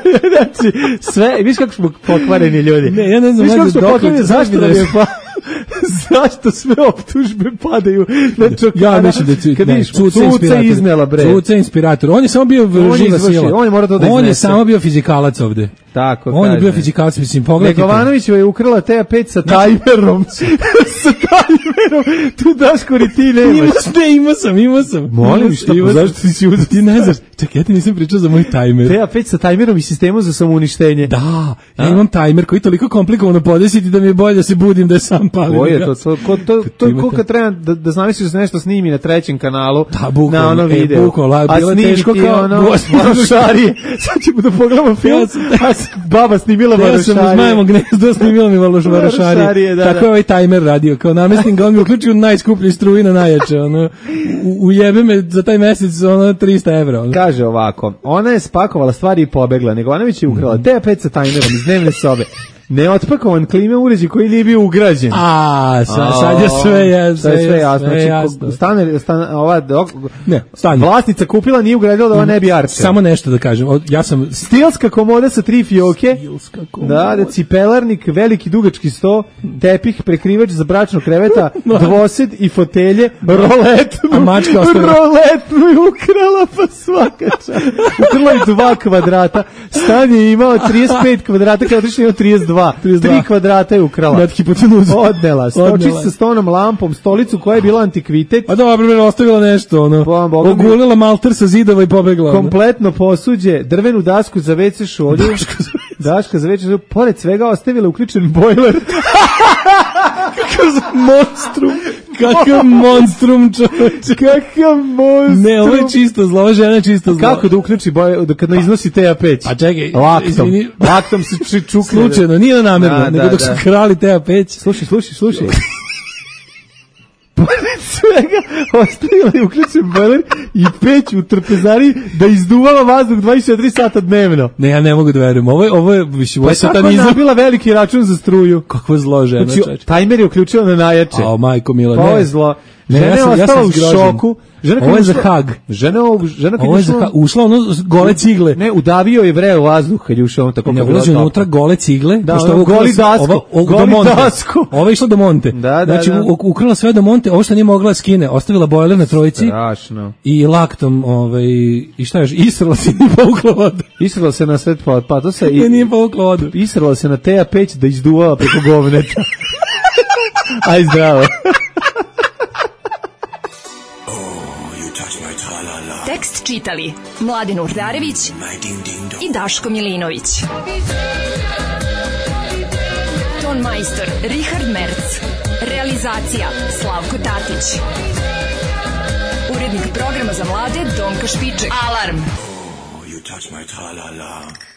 Znači, sve, viš kako smo pokvareni ljudi. Ne, ja ne znam, viš kako smo pokvareni, zašto da je pa... Zašto sve optužbe padaju na čokana? Ja mislim da ci, kad ne, vidiš, Cuca Cuca iznela, bre. Cuca inspirator. On je samo bio živa sila. On je mora to da On je samo bio fizikalac ovde. Tako, on kaže. Je bio fizikalac, mislim, pogledajte. Negovanović je ukrala Teja Peć sa tajmerom. sa tajmerom. Tu Daško ti nemaš. Imaš, ne, imao sam, imao sam. Molim, šta, pa zašto ti si uzeti? Ti ne znaš. Čekaj, ja ti nisam pričao za moj tajmer. Teja Peć sa tajmerom i sistemom za samouništenje. Da, ja imam tajmer koji je toliko komplikovano podesiti da mi je bolje da se budim da je sam palim. Ko je to? To, ko, to, to je ko kad treba da, da znamiš da se nešto snimi na trećem kanalu, da, bukom, na ono video. E, bukom, la, a snimi teško ti kao ono Varošarije. Sad ćemo da pogledamo film, a baba snimila Varošarije. Ja sam uz majmo gnezdo snimila mi Varošarije. Da, tako da. je ovaj tajmer radio. Kao namestim ga, on mi uključio najskuplji struji na najjače. Ono, u, ujebe me za taj mesec ono, trista evra. Ono. Kaže ovako, ona je spakovala stvari i pobegla. Negovanović je ukrala Teja Peć sa tajmerom iz dnevne sobe. Neotpakovan klime uređaj koji nije bio ugrađen. A, sa, sad je sve jasno. Sve, sve jasno. Sve znači, jasno. Stane, stane, ova, dok, ne, stanje. Vlasnica kupila, nije ugradila da ova ne bi arčela. Samo nešto da kažem. Ja sam... Stilska komoda sa tri fioke. Stilska komoda. Da, da, cipelarnik, veliki dugački sto, tepih, prekrivač za bračno kreveta, dvosed i fotelje, roletnu. A mačka ostavila. Roletnu je ukrala pa svaka čast. Ukrala je dva kvadrata. Stan je imao trideset pet kvadrata, kada otišli imao trideset dva. Tri kvadrata je ukrala. Nad hipotenuzu. Odnela. Stočić sa stonom lampom, stolicu koja je bila antikvitet. A dobro, ostavila nešto, ono. Ogulila malter sa zidova i pobegla. Kompletno posuđe, drvenu dasku za ve ce šolju. Daška za ve ce šolju. Pored svega ostavila uključen bojler. Kakav monstrum. Kakav monstrum, čovječe. Kakav monstrum. Ne, ovo je čisto zlo, ovo žena je čisto zlo. Kako da uključi bojler, da kad ne iznosi Teja Peć? A čekaj, laktom. Izvini. Laktom se čukne. Slučajno, nije namerno, da, nego da, dok da. Su krali Teja Peć. Slušaj, slušaj, slušaj. Pored svega ostavila je uključen bojler i peć u trpezari da izduvala vazduh dvadeset četiri sata dnevno. Ne, ja ne mogu da verujem. Ovo je, ovo je, više, ovo je satanizam. Pa je tako nabila veliki račun za struju. Kakvo zlo žena, znači, tajmer je uključila na najjače. A, majko mila, pa ne. Ovo je zlo. Ne, žena ja je sam, ja ostala sam u zgrožen. šoku. Žena Ovo je za ušla- Hag. Žena, žena kad Ovo je ušla- za Hag. Ušla ono gole cigle. Ne, udavio je vreo vazduh kad je ušao on tako. Ne, kad je bilo ulazi toplo. unutra gole cigle. Da, pošto ono, ovo ukrala goli sve- dasko, Ovo, ovo, goli do Monte. dasko. Ovo je išlo do Monte. Da, da, znači, da. u- ukrala sve do Monte, ovo što nije mogla da skine, ostavila bojler na trojici. Strašno. I laktom, ovaj, i šta još, israla se i nije povukla vodu. Israla se na svet pa, pa to se I nije povukla vodu. Israla se na Teja peć da izduvala preko govneta. Aj zdravo. Tekst čitali Mladin Urdarević i Daško Milinović. Ton majstor Richard Merc. Realizacija Slavko Tatić. Urednik programa za mlade Donka Špiček. Alarm! You touch my tra-la-la.